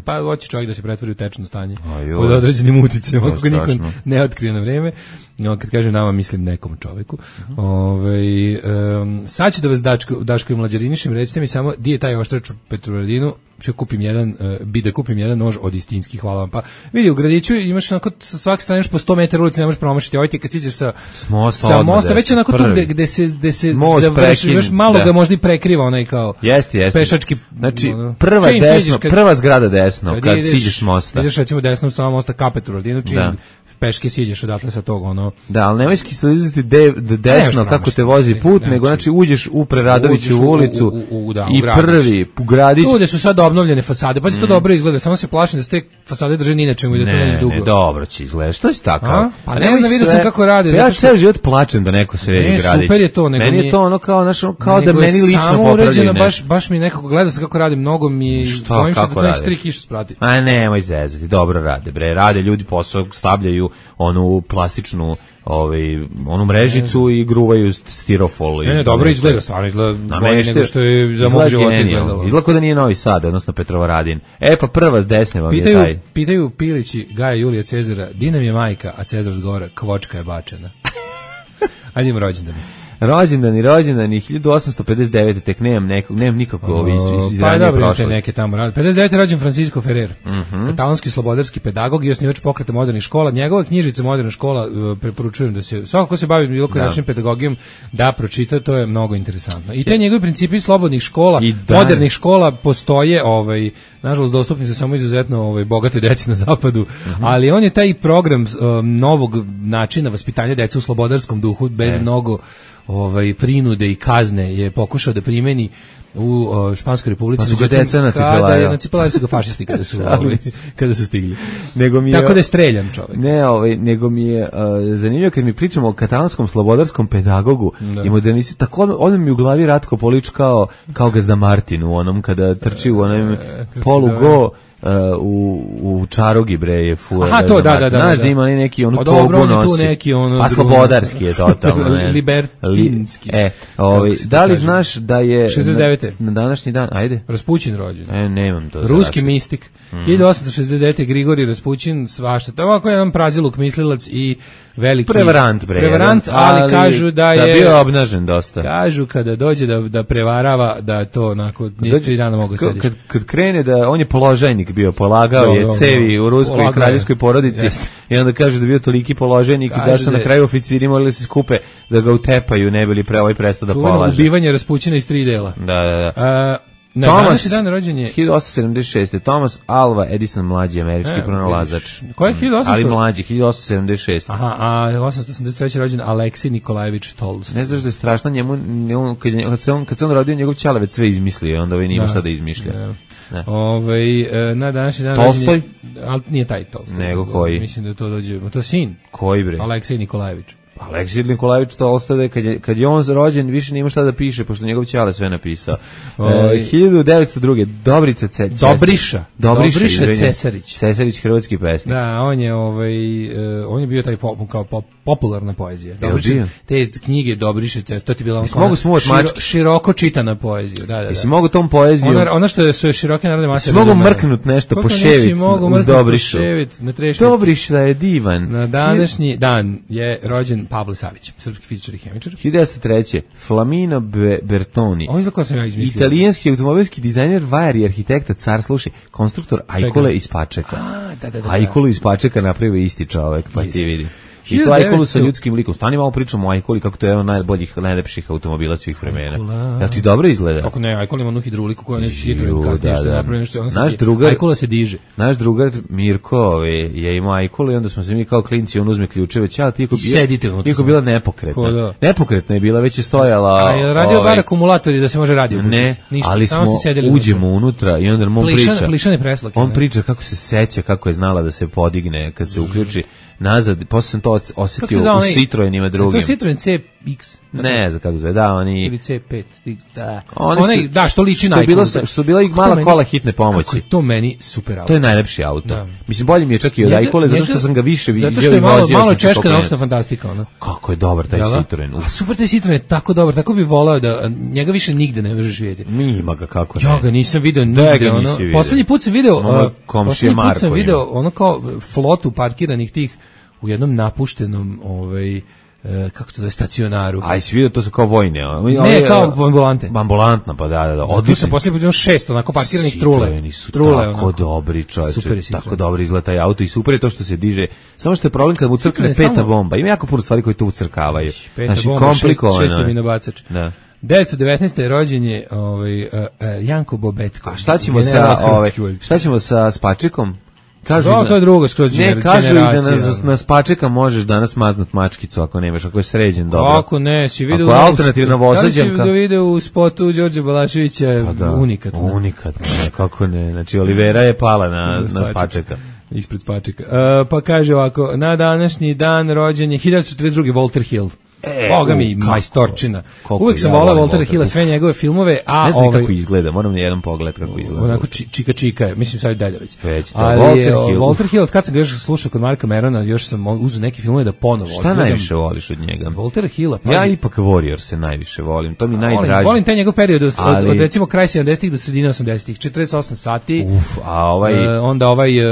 Pa hoće čovjek da se pretvori u tečno stanje pod određenim uticajima, ako niko ne otkrije na vreme. Kad kaže nama, mislim nekom čoveku. Sad ću da vas Daško i Mlađarinišem, recite mi samo di je taj oštrač u Petrovaradinu, ću kupim jedan nož od istinskih, hvala vam. Pa vidi, u gradiću imaš onako svake strane po 100 metara ulici, ne možeš promašiti. Ovo ti kad siđeš sa mosta, već onako tu gde se završi, još malo ga možda i prekriva onaj kao pešački. Znači, prva zgrada desno, kad siđeš s mosta. Ideš recimo desno sa mosta ka Petrovaradinu, čim peške siđeš odatle sa tog Da, ali nemoj slizati desno kako te vozi put, nego znači uđeš u Preradoviću ulicu i prvi u gradić. Tu gde su sad obnovljene fasade, pa će to dobro izgleda, samo se plašim da se te fasade drže ni na čemu i da to ne izdugo. Ne, dobro će izgledati, što si tako? Pa ne znam, vidio sam kako rade. Ja ceo život plačem da neko sredi gradić. Super je to. Meni je to ono kao da meni lično popravljaju nešto. Baš mi nekako gleda se kako radi, mnogo mi bojim se da to neće 3 kiše sprati. A nemoj zezati, dobro rade, bre, rade ljudi posao, stavljaju onu plastičnu onu mrežicu i gruvaju stirofol. Ne, dobro izgleda, stvarno izgleda bolje nego što je za mog života izgledalo. Izgleda da nije Novi Sad, odnosno Petrovaradin. Pa prva s desne vam je taj. Pitaju Pilići Gaja Julija Cezara, di nam je majka, a Cezar odgovara, kvočka je bačena. Ajde im rođendan. rođendani 1859. tek nemam nikako iz ranije prošlosti. Neke tamo 59. rođen Francisco Ferrer, katalonski slobodarski pedagog i osnivač pokreta modernih škola. Njegova knjižica Moderna škola preporučujem da se svako ko se bavi bilo koji način pedagogijom da pročita, to je mnogo interesantno. I te njegovi principi slobodnih škola, modernih škola postoje, nažalost dostupni su samo izuzetno bogate deci na zapadu, ali on je taj program novog načina vaspitanja dece u slobodarskom duhu bez mnogo prinude i kazne je pokušao da primeni u Španskoj republici. Pa su ga deca nacipelaju. Nacipelaju su ga fašisti kada su stigli. Tako da je streljan čovjek. Nego mi je zanimljivo kad mi pričamo o katalonskom slobodarskom pedagogu i modernisti, tako on mi u glavi Ratko Polić kao Gazda Martin u onom kada trči u onom polugo u čarogi bre je fura. Aha, to da. Znaš da ima neki onu togu nosi. Pa slobodarski je totalno. Libertinski. Da li znaš da je 69. na današnji dan, ajde. Raspućin rođen. Nemam to. Ruski mistik. 1869. Grigorij Raspućin, svašta. To je ovako jedan praziluk, mislilac i veliki prevarant, ali kažu da je bio obnažen dosta. Kažu kada dođe da prevarava, da to onako nije 3 dana mogu sediti. Kad krene da on je položajnik bio, polagao je cevi u ruskoj kraljevskoj porodici i onda kaže da bio toliki položajnik i da su na kraju oficiri morali se skupe da ga utepaju, ne bili prestao da polaže. Čuveno ubivanje Raspućina iz 3 dela. Da. Thomas, dan rođenje 1876. Thomas Alva Edison, mlađi američki pronalazač. Ko je 1800? Ali mlađi, 1876. Aha, a 883. rođen Aleksej Nikolajević Tolstoj. Ne znaš da je strašno njemu, kad se on rodio, njegov ćalavec sve izmislio, onda nije imao šta da izmišlja. Na današnji dan Tolstoj? Ali nije taj Tolstoj. Nego koji? Mislim da to dođe, to je sin. Koji bre? Aleksej Nikolajević. Aleksij Nikolajević Tolstoj, kad je on rođen, više nema šta da piše, pošto njegov ćale sve napisao. 1902. Dobriša Cesarić, hrvatski pesnik. Da, on je bio taj kao popularna poezija. Te knjige Dobriše Cesarić, to ti bila široko čitana poezija. Da. Jesi mogu tom poeziju... Ono što su široke narodne mase... Jesi mogu mrknut nešto po ševic uz Dobrišu? Dobriša je divan. Na današnji dan je rođen Pavle Savić, srpski fizičar i hemičar. 1903. Flamino Bertoni. Ovo je za ko sam ja izmislio. Italijanski automobilski dizajner, vajar i arhitekta, car, slušaj, konstruktor Ajkule iz Pačeka. Ajkulu iz Pačeka napravio isti čovek, pa ti vidi. I to Ajkulu sa ljudskim likom. Stani malo pričamo o Ajkuli, kako to je jedan najboljih, najlepših automobila svih vremena. Jel ti dobro izgleda? Kako ne, Ajkula ima onu hidroliku koja neće Citroen kasnije što napravi nešto. Ajkula se diže. Naš drugar Mirko je imao Ajkulu i onda smo se mi kao klinci, on uzme ključeve, iako bila nepokretna. Nepokretna je bila, već je stojala. A je radio bar akumulatori da se može radio? Ne, ali smo uđemo unutra i onda on priča. Plišane preslake. On priča kako se seća, kako je znala da se podigne kad se uključi nazad, posle sam to osetio u Citroenima drugim. To je Citroen CX. Ne znam kako zove, da, oni... Ili C5, da. Što liči na Ajkulu. Što bila i mala kola hitne pomoći. Kako je to meni super auto. To je najlepši auto. Da. Mislim, bolje mi je čak i od Ajkule, zato što sam ga više vidio i vozio. Zato što je malo češka naučna fantastika, ono. Kako je dobar taj Citroen. A super, taj Citroen je tako dobar, tako bi volao da njega više nigde ne možeš vidjeti. Ima ga, kako ne. Ja ga nisam video nigde, ono. Poslednji put sam video ono kao flotu parkiranih tih u jednom napuštenom kako se zove, stacionaru. Aj, si vidio, to su kao vojne. Ne, kao ambulante. Ambulantna, pa da. Tu sam poslije vidio 6 onako parkiranih trule. Citroeni su tako dobri, čovječe. Tako dobro izgleda taj auto i super je to što se diže. Samo što je problem kad mu crkne peta bomba. Ima jako puno stvari koje to ucrkavaju. Znači, komplikovano. 6. nabacač. Da. 1919. rođen je Janko Bobetko. A šta ćemo sa Spačekom? Kažu to je drugo skroz generacija. Ne, kažu i da na Spačeka možeš danas maznut mačkicu ako nemaš, ako je sređen dobro. Kako ne, si vidio... Ako je alternativna vozađanka... Da li si ga vidio u spotu Đorđe Balaševića, unikatno. Unikatno, kako ne. Znači, Olivera je pala na Spačeka. Ispred Spačeka. Pa kaže ovako, na današnji dan rođen je 1942. Walter Hill. Boga mi, majstorčina. Uvijek sam volao Waltera Hilla, sve njegove filmove, a ne znam kako izgleda, moram na jedan pogled kako izgleda. Onako čika je, mislim sad dalje već. Ali Walter Hill, kad sam ga još slušao kod Marka Merona, još sam uzeo neke filmove da ponovo. Šta najviše voliš od njega? Waltera Hilla. Ja ipak Warrior se najviše volim, to mi najdraži. Volim taj njegov period od recimo kraj 70-ih do sredine 80-ih, 48 sati. A onda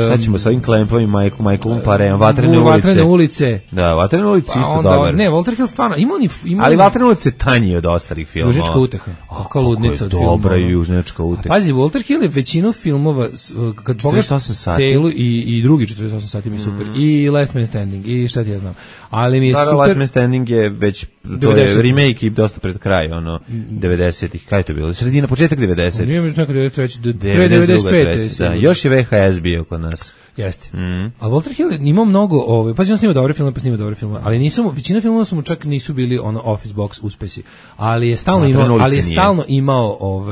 sad ćemo sa ovim klempovima Michaelom Parem, Vatrene ulice. Da, Vatrene ulice isto dobar. Ne, Walter Hill stvarno, ima ali Vatrenovac je tanji od ostalih filmova. Južnjačka uteha. Kakva ludnica od filmova. Dobra je Južnjačka uteha. Pazi, Walter Hill je većinu filmova, kad pogledaš celu i drugi 48 sati mi super. I Last Man Standing, i šta ti ja znam. Ali mi je super. Last Man Standing je već, to je remake i dosta pred kraj, 90-ih. Kaj je to bilo? Sredina, početak 90-ih. Nije mi nekako 93. Pre 95. Da, još je VHS bio kod nas. Jeste. A Walter Hill imao mnogo, pazi, on snima dobre filmove, ali većina filmova su mu čak nisu bili Office Box uspesi. Ali je stalno imao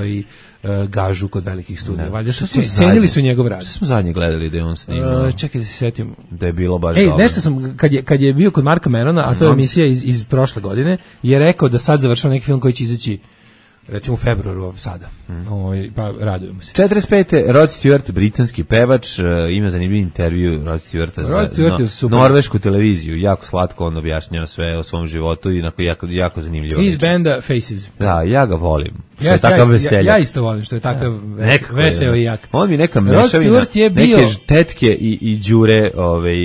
gažu kod velikih studija. Valjda što cenili su njegov rad. Što smo zadnje gledali da je on snimao? Čekaj da se setim. Da je bilo baš dobro. Nešto sam, kad je bio kod Marka Merona, a to je emisija iz prošle godine, je rekao da sad završava neki film koji će izaći recimo u februaru sada. Pa radujemo se. 45. Rod Stewart, britanski pevač, ima zanimljiv intervju Rod Stewarta za norvešku televiziju. Jako slatko on objašnjava sve o svom životu i jako zanimljivo. Iz benda Faces. Da, ja ga volim. Što je takav veselja. Ja isto volim što je takav veseo i jak. On mi neka mešavina, neke tetke i đure.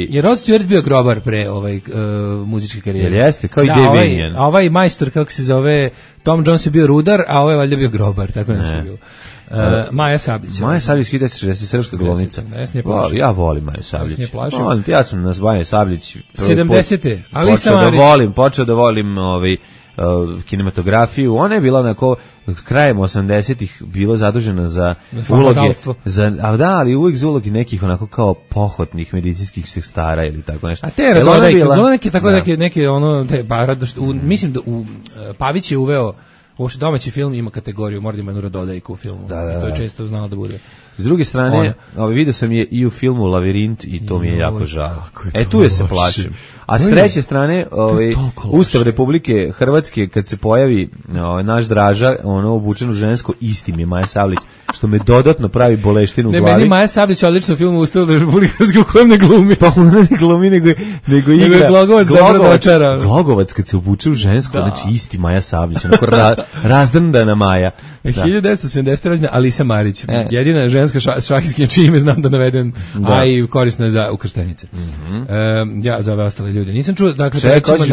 Je Rod Stewart bio grobar pre muzičke karijere. Jeste, kao i Dave Vinian. A ovaj majstor, kako se zove, Tom Jones je bio rudar, a ovaj je valjda bio grobar, tako nešto je bilo. Maja Sablić. Maja Sablić, 1960, srpska glumica. Ja volim Maju Sablić. Ja sam nas Maja Sablić 70. Počeo da volim kinematografiju. Ona je bila krajem 80-ih bila zadužena za uloge, ali uvijek za uloge nekih onako kao pohotnih medicinskih sestara ili tako nešto. A te neke mislim da Pavić je uveo uopšte domaći film ima kategoriju, mora da ima Nurododajku u filmu. To je često znalo da bude. S druge strane, vidio sam je i u filmu Lavirint i to mi je jako žao. Tu je se plašim. A s treće strane, Ustav Republike Hrvatske, kad se pojavi naš Draža, obučen u žensko, isti mi je Maja Sablić, što me dodatno pravi boleštinu u glavi. Meni Maja Sablić odlično u filmu Ustav Republike Hrvatske u kojem ne glumi. Pa ona ne glumi, nego igra. Glogovac kad se obuče u žensko, znači isti Maja Sablić, onako razdrndana Maja. 1970. rođena Alisa Marić, jedina ženska šahistkinja čije ime znam da naveden, a i korisna je za ukrštenice. Ja za ove ostale ljude nisam čuo.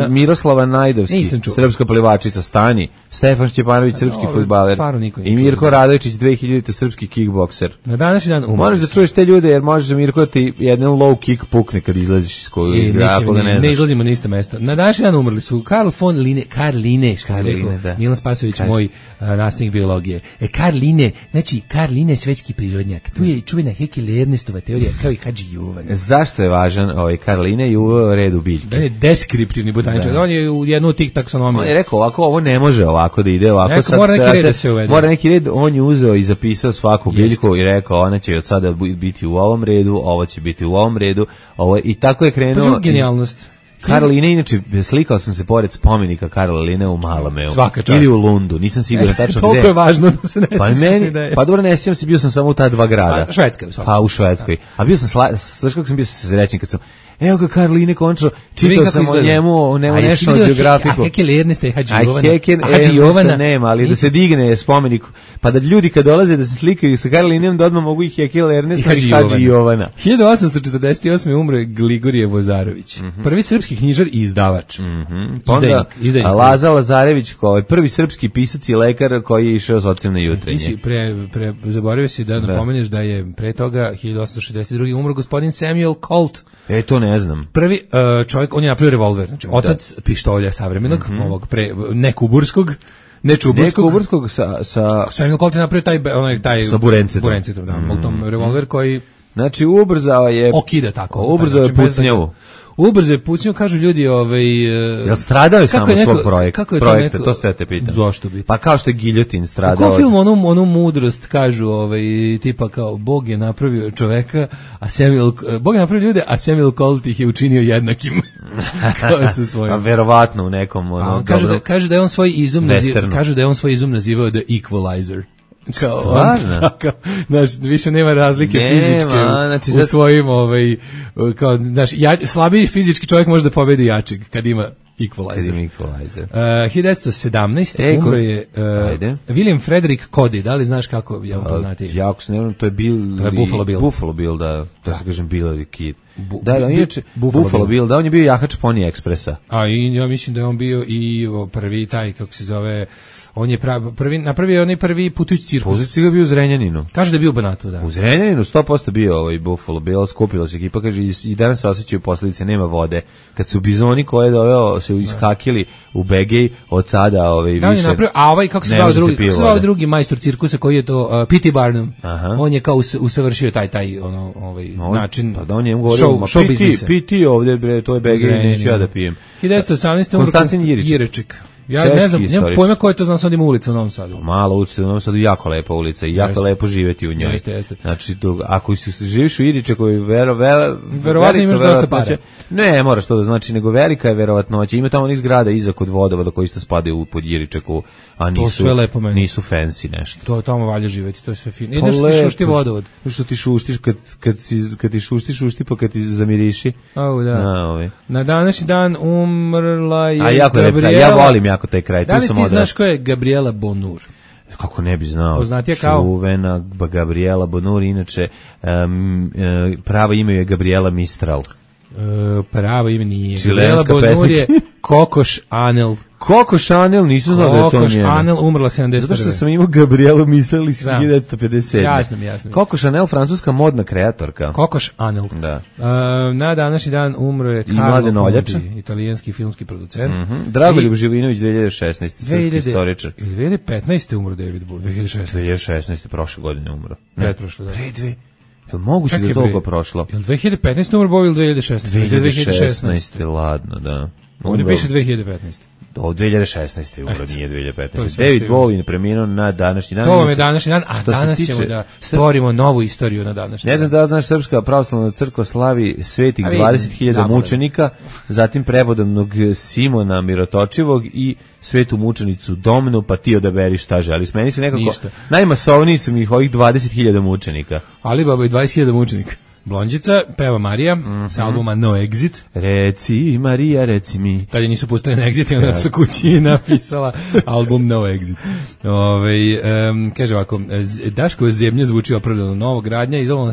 Miroslava Najdovski, srpska plivačica, Stani, Stefan Šćepanović, srpski fudbaler, i Mirko Radovičić, 2000. srpski kickbokser. Na današnji dan umrli. Možeš da čuješ te ljude, jer možeš da Mirko ti jedan low kick pukne kad izlaziš iz koju izgrada. Ne izlazimo na iste mesta. Na današnji dan umrli su Karl Line, Milan Spasović, moj nastavnik biologije. Karl Line svetski prirodnjak. Tu je čuvena Haeckel Ernestova teorija, kao i Hadži Jovan. Zašto je važan Karl Line i uveo red u biljke? On je deskriptivni botaničar. On je u jednu od tih taksonomija. On je rekao ovako, ovo ne može ovako da ide ovako. Mora neki red da se uvede. Mora neki red, on je uzeo i zapisao svaku biljku i rekao, ona će od sada biti u ovom redu, ovo će biti u ovom redu. I tako je krenuo. Pa genijalnost. Karl Line, inače, slikao sam se pored spomenika Karla Line u Malameu. Svaka čast. Ili u Lundu, nisam siguran tačno gde. Toliko je važno da se ne sjećam. Pa dobro, ne sjećam se, bio sam samo u ta dva grada. Švedska. Pa u Švedskoj. A bio sam, znaš kako sam bio srećen kad sam, evo ga Karl Line končno, čitao sam o njemu National Geographicu. A Haeckel Ernesta i Hadži Jovana nema, ali da se digne spomenik, pa da ljudi kad dolaze da se slikaju sa Karl Lineom, da odmah mogu i Haeckel Ernesta i Hadži Jovana. 1848. umre Gligorije Vozarović, prvi srpski knjižar i izdavač. Onda Laza Lazarević, prvi srpski pisac i lekar koji je išao s ocem na jutrenje. Zaboravio si da napomeneš da je pre toga 1862. umro gospodin Samuel Colt. To ne znam. Prvi čovjek, on je napravio revolver, znači otac pištolja savremenog, ovog nekuburskog, nečuburskog sa Samuel Colt je napravio taj sa burencetom, revolver koji znači ubrzao je okida tako. Ubrzao je pucnjavu. Ubrze pucnju, kažu ljudi, jel stradao je samo svog projekta, to ste te pitam. Zašto bi? Pa kao što je Giljotin stradao. Kako film onu mudrost kažu, tipa kao Bog je napravio čoveka, Bog je napravio ljude, a Samuel Colt ih je učinio jednakim. Kao sa svojim. A verovatno u nekom kažu da je on svoj izum nazivao The Equalizer. Stvarno? Znaš, više nema razlike fizičke u svojim, slabiji fizički čovjek može da pobedi jačeg, kad ima Equalizer. 1917. umro je William Frederick Cody. Da li znaš kako je on poznati? Jako se ne, to je Buffalo Bill. Buffalo Bill, da se kažem Bill the Kid. Buffalo Bill, da on je bio jahač Pony Expressa. A i ja mislim da je on bio i prvi taj, kako se zove, on je napravio onaj prvi putujući cirkus. Putujući ga bio u Zrenjaninu. Kaže da je bio u Banatu, da. U Zrenjaninu 100% bio ovaj Buffalo Bill, skupila se ekipa, kaže i danas se osjećaju posljedice, nema vode. Kad su bizoni koje doveo se iskakili u Begej, od tada više. On je napravio, a ovaj kako se zvao drugi majstor cirkusa koji je to P.T. Barnum. On je kao usavršio taj način. Pa da on je show biznisa. P.T. ovdje bre, to je Begej, neću ja da pijem. 1918. Konstantin Jiriček. Ja ne znam, nemam pojma koja je to, znam sad ima ulica u Novom Sadu. Mala ulica u Novom Sadu, jako lepa ulica i jako lepo živjeti u njoj. Jeste. Znači, ako živiš u Iričeku, verovatno imaš dosta para. Ne, moraš to da znači, nego velika je verovatnoća. Ima tamo onih zgrada iza kod vodovoda koji isto spadaju pod Iričeku, a nisu fancy nešto. To tamo valja živjeti, to je sve fino. Ideš ti šušti vodovod. Što ti šuštiš, kad ti šušti, pa kad ti zamiriši. Na današnji dan umrla je Gabriela. Ja volim jako taj kraj. Da li ti znaš ko je Gabriela Bonur? Kako ne bi znao. Poznatija kao? Čuvena Gabriela Bonur, inače pravo ime je Gabriela Mistral. Pravo ime nije. Gabriela Bonur je Coco Chanel. Coco Chanel, nisam znao da je to njena. Coco Chanel umrla 71. Zato što sam imao Gabrielu Mistral iz 1957. Jasno. Coco Chanel, francuska modna kreatorka. Coco Chanel. Da. Na današnji dan umro je Carlo Conti, italijanski filmski producent. Dragoljub Živinović 2016. Srpski istoričar. 2015. umro David Bowie. 2016. prošle godine umro. Pretprošle, da. Jel moguće da je toliko prošlo? Jel 2015. umro Bowie ili 2016? 2016. Ladno, da. Ovdje piše 2015. Od 2016. umro, nije 2015. David Bowie preminuo na današnji dan. To vam je današnji dan, a danas ćemo da stvorimo novu istoriju na današnji dan. Ne znam da znaš, Srpska pravoslavna crkva slavi svetih 20.000 mučenika, zatim prepodobnog Simona Mirotočivog i svetu mučenicu Domnu, pa ti odaberi šta želiš. Meni se nekako najmasovniji su mi ovih 20.000 mučenika. Ali baba i 20.000 mučenika. Blondžica, peva Marija, s albuma No Exit. Reci, Marija, reci mi. Tada nisu pustili na Exit i onda su kući napisala album No Exit. Kaže ovako, Daško zemlje zvuči opravdano, novogradnja, izolovana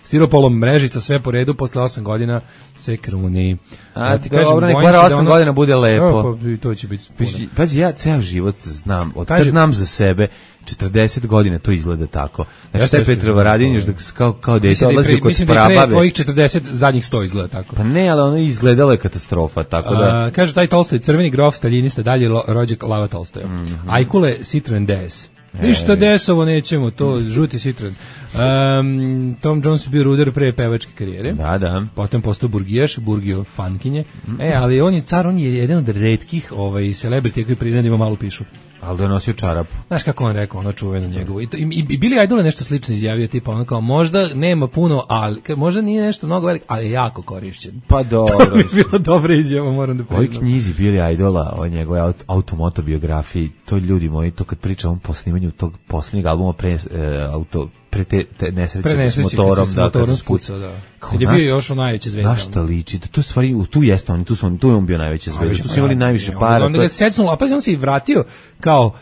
stiropolom mrežica, sve po redu, posle 8 godina se kruni. A ti kažem, nek bara 8 godina bude lepo. To će biti Pazi, ja ceo život znam, od kad znam za sebe, 40 godina to izgleda tako. Znači, taj Petrovaradin još kao dete odlazi kod prababe. Mislim da tvojih 40 zadnjih 100 izgleda tako. Pa ne, ali ono izgledalo je katastrofa, tako da... Kaže, taj Tolstoj, crveni grof, staljinista, dalje rođak Lava Tolstoja. Ajkule, Citroen DS. Ništa DS-ovo nećemo, to žuti Citroen. Tom Jones je bio ruder pre pevačke karijere. Da. Potom postao burgijaš, burgio fankinje. Ali on je car, on je jedan od retkih celebrity koji priznaje da ima malu pišu. Ali da je nosio čarapu. Znaš kako on rekao, ono čuveno njegovo. I Billy Idol je nešto slično izjavio, tipa ono kao, možda nema puno, ali možda nije nešto mnogo veliko, ali je jako korišćen. Pa dobro. To bi bilo dobra izjava, moram da priznam. Ovoj knjizi Billy Idola, o njegove automotobiografiji, to ljudi moji, to kad pričam po snimanju tog posljednjeg albuma pre te nesreće s motorom, kad se spucao, da. Kad je bio još najveće zvezda. Na šta liči? To je stvari, tu jeste on, tu je on bio najveća zvezda. Tu su imali najviše para. Onda ga secnulo, a pa on se i vratio kao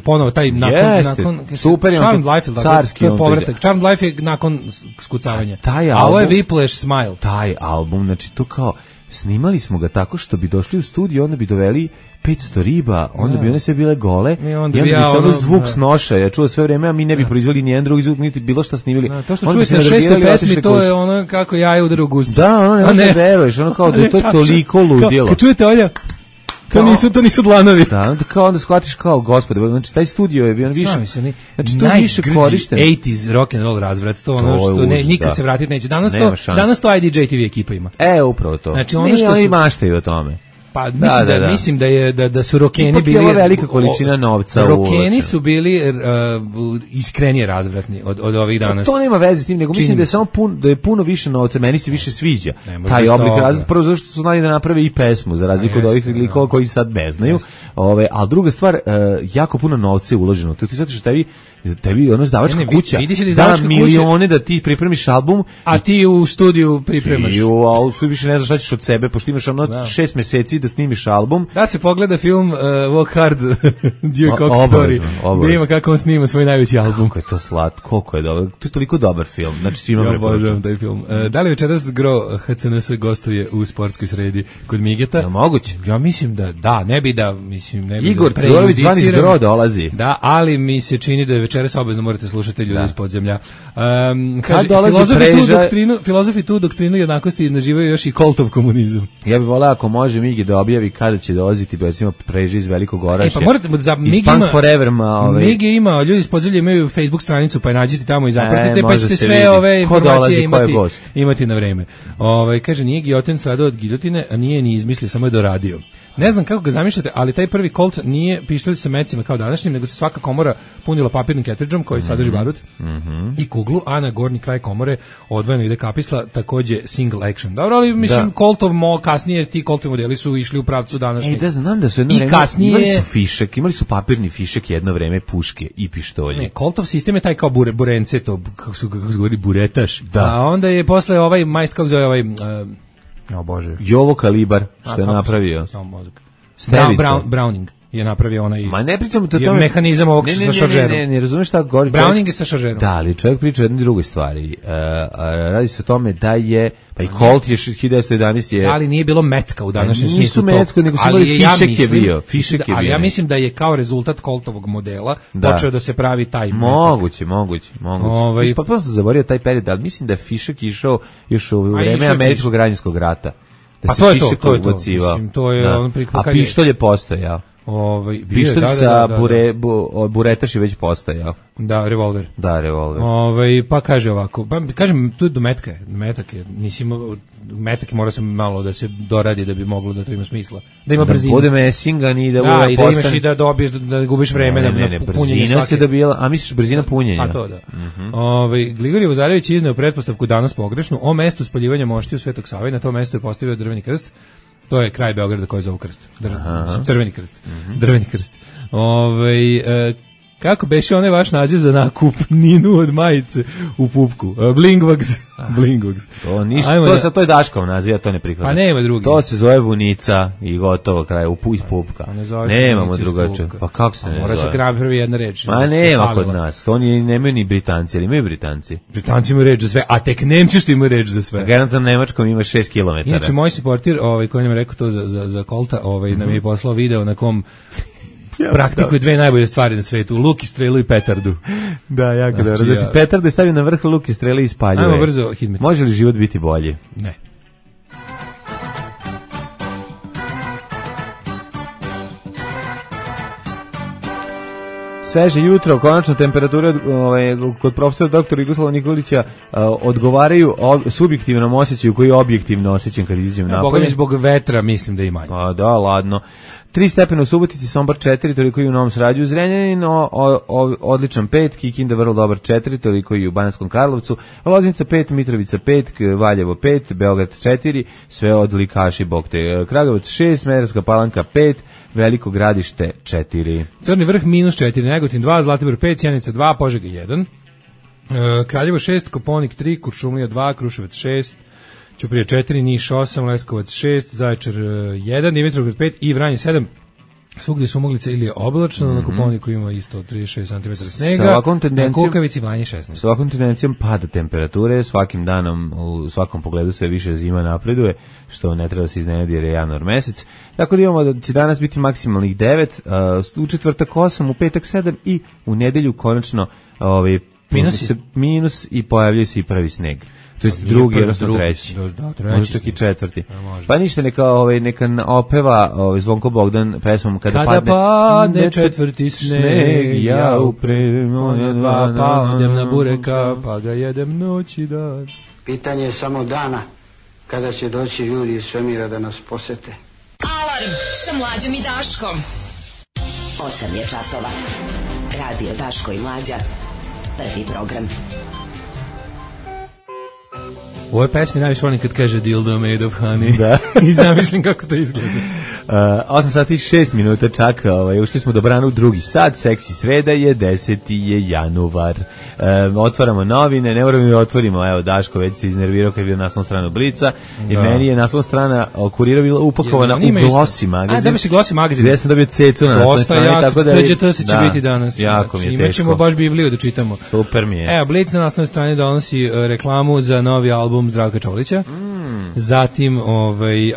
ponovo taj nakon super je Charmed Life, carski je povratak. Charmed Life je nakon skucavanja. A ovo je Whiplash Smile. Taj album, znači to kao snimali smo ga tako što bi došli u studio, onda bi doveli 500 riba, onda bi one sve bile gole i onda bi samo zvuk snoša, ja čuo sve vreme, a mi ne bi proizveli nijedan drugi zvuk, niti bilo šta snimili. To što čuješ na 600 pesmi, to je ono kako jaje udara u gustu. Da, ono ne veruješ, ono kao da je to toliko ludilo. Kad čujete ovdje, to nisu dlanovi. Da, onda shvatiš kao gospode, znači taj studio je bio više. Znači to više korišten. 80s rock and roll razvrat, to ono što nikad se vratiti neće. Danas to IDJ TV ekipa ima. Upravo to. Znači ono što oni maštaju o tome. Pa mislim da su rokeni bili velika količina novca. Rokeni su bili iskrenije razvratni od ovih danas. To nema veze s tim, nego mislim da je samo da je puno više novca, meni se više sviđa taj oblik razvrata, prvo zato što su znali da naprave i pesmu za razliku od ovih likova koji sad ne znaju. Ali druga stvar, jako puno novca je uloženo. To ti zato što tebi ono izdavačka kuća da milione da ti pripremiš album, a ti u studiju pripremaš. A u studiju više ne znaš šta ćeš od sebe, pošto imaš ono 6 meseci da snimiš album. Da se pogleda film Walk Hard, Dewey Cox Story, gde ima kako on snima svoj najveći album. Kako je to slatko, koliko je dobro. To je toliko dobar film. Znači, svima ja obožavam taj film. Da li večeras Gro HNS gostuje u sportskoj sredi kod Migeta? Ja, moguće. Ja mislim da, ne bi da, ne bi Igor da Todorović zvani iz Gro dolazi. Da, ali mi se čini da večeras obavezno morate slušati ljudi iz podzemlja. Kaže, filozofi tu doktrinu jednakosti naživaju još i Koltov komunizam. Ja bih voleo ako može Migi da objavi kada će dolaziti, recimo Preži iz Velikog Orašja. Pa morate da Migi ima, ljudi iz podzemlja imaju Facebook stranicu, pa je nađite tamo i zapratite, pa ćete sve ove informacije imati na vreme. Kaže, nije Giljotin stradao od giljotine, a nije ni izmislio, samo je doradio. Ne znam kako ga zamišljate, ali taj prvi Colt nije pištolj sa mecima kao današnjim, nego se svaka komora punila papirnim ketridžom koji sadrži barut i kuglu, a na gornji kraj komore odvojeno ide kapisla, takođe single action. Dobro, ali mislim Coltov kasnije ti Coltovi modeli su išli u pravcu današnjih. Da znam da su jedno vreme imali su fišek, imali su papirni fišek jedno vreme, puške i pištolje. Ne, Coltov sistem je taj kao burence, to kako se govori buretaš. Da. A onda je posle ovaj majst kako zove ovaj Bože. Jovo Kalibar, što je napravio. Browning je napravio onaj. Ma ne pričamo to mehanizam ovog sa šaržerom. Ne razumeš šta govori. Browning je sa šaržerom. Da, ali čovjek priča o jednoj drugoj stvari. Radi se o tome da je pa i Colt je 1911 je. Ali nije bilo metka u današnjem smislu. Nisu metka, nego su imali fišek je bio. Fišek je bio. Ali ja mislim da je kao rezultat Coltovog modela počeo da se pravi taj metak. Moguće. Pa sam zaboravio taj period, ali mislim da je fišek išao još u vreme američkog građanskog rata. Pa to je to. Mislim, to je a pištolj je postojao. Pištolj sa buretaš je već postojao. Da, revolver. Da, revolver. Pa kaže ovako, kažem, tu je do metak je, metak mora se malo da se doradi da bi moglo da to ima smisla. Da ima brzinu. Da bude mesingan i da bude i da imaš i da dobiješ, da gubiš vreme na punjenje brzina se dobila, a misliš brzina punjenja? A to da. Grigorije Vozarević izneo pretpostavku danas pogrešnu o mestu spaljivanja moštiju Svetog Save, na to mesto je postavio drveni krst. To je kraj Beograda koji zove krst. Crveni krst. Drveni krst. Kako beše onaj vaš naziv za nakupninu od majice u pupku? Blingwags. To ništa, to je Daškov naziv, ja to ne prihvatam. Pa nema drugi. To se zove vunica i gotovo kraj iz pupka. Nemamo drugačije. Pa kako se ne zove? Mora se krabi prvi jedna reč. Ma nema kod nas. To nemaju ni Britanci, ali imaju Britanci. Britanci imaju reč za sve, a tek Nemci što imaju reč za sve. Garantno Nemačkom ima 6 km. Inače, moj supportir, koji nam je rekao to za Kolta, nam je poslao video na kom praktikuje dve najbolje stvari na svetu, luk i strelu i petardu. Da, jako dobro. Znači, petardu je stavio na vrh, luk i strelu i spaljuje. Ajmo brzo, Hidmet. Može li život biti bolji? Ne. Sveže jutro, konačno temperature kod profesora dr. Jugoslava Nikolića odgovaraju subjektivnom osjećaju koji je objektivno osjećan kad izađem napolje. Boga mi zbog vetra mislim da ima. Pa da, ladno. 3 stepena u Subotici, Sombor 4, toliko i u Novom Sradu, Zrenjanin, odličan 5, Kikinda vrlo dobar 4, toliko i u Bananskom Karlovcu, Loznica 5, Mitrovica 5, Valjevo 5, Beograd 4, sve odlikaši bog te. Kragujevac 6, Smederevska Palanka 5, Veliko Gradište 4. Crni vrh -4, Negotin 2, Zlatibor 5, Sjenica 2, Požega 1, Kraljevo 6, Koponik 3, Kuršumlija 2, Kruševac 6, Ćuprija 4, Niš 8, Leskovac 6, Zaječar 1, Dimitrovgrad 5 i Vranje 7. Svugdje su Umoglice ili je oblačno, na Koponiku ima isto 36 cm snega, na Kukavici Vranje 16. S ovakvom tendencijom pada temperature, svakim danom u svakom pogledu sve više zima napreduje, što ne treba se iznenadi jer je januar mesec. Tako da imamo da će danas biti maksimalnih 9, u četvrtak 8, u petak 7 i u nedelju konačno minus i pojavljuje se i prvi sneg. To je drugi, odnosno treći. Može čak i četvrti. Pa ništa, neka opeva Zvonko Bogdan pesmom Kada padne četvrti sneg, ja uprem one dva, pa odem na bureka, pa ga jedem noć i dan. Pitanje je samo dana kada će doći ljudi iz svemira da nas posete. Alarm sa Mlađom i Daškom. 8 je časova. Radio Daško i Mlađa. Prvi program. U ovoj pesmi najviše volim kad kaže dildo made of honey. Da. I zamišljam kako to izgleda. 8 sati i 6 minuta čak, ušli smo dobrano u drugi sat, seksi sreda je 10. je januar. Otvaramo novine, ne moramo da otvorimo, evo Daško već se iznervirao kad je bio naslovna strana Blica i meni je naslovna strana Kurira bila upakovana u Glossy magazin. Da bi se Glossy magazin. Gde sam dobio cecu na naslovnoj strani, tako da... To će biti danas. Jako mi je teško. Imaćemo baš Bibliju da čitamo. Super mi je. Evo, Blic na naslovnoj strani donosi reklamu za novi album Zdravka Čolića. Zatim,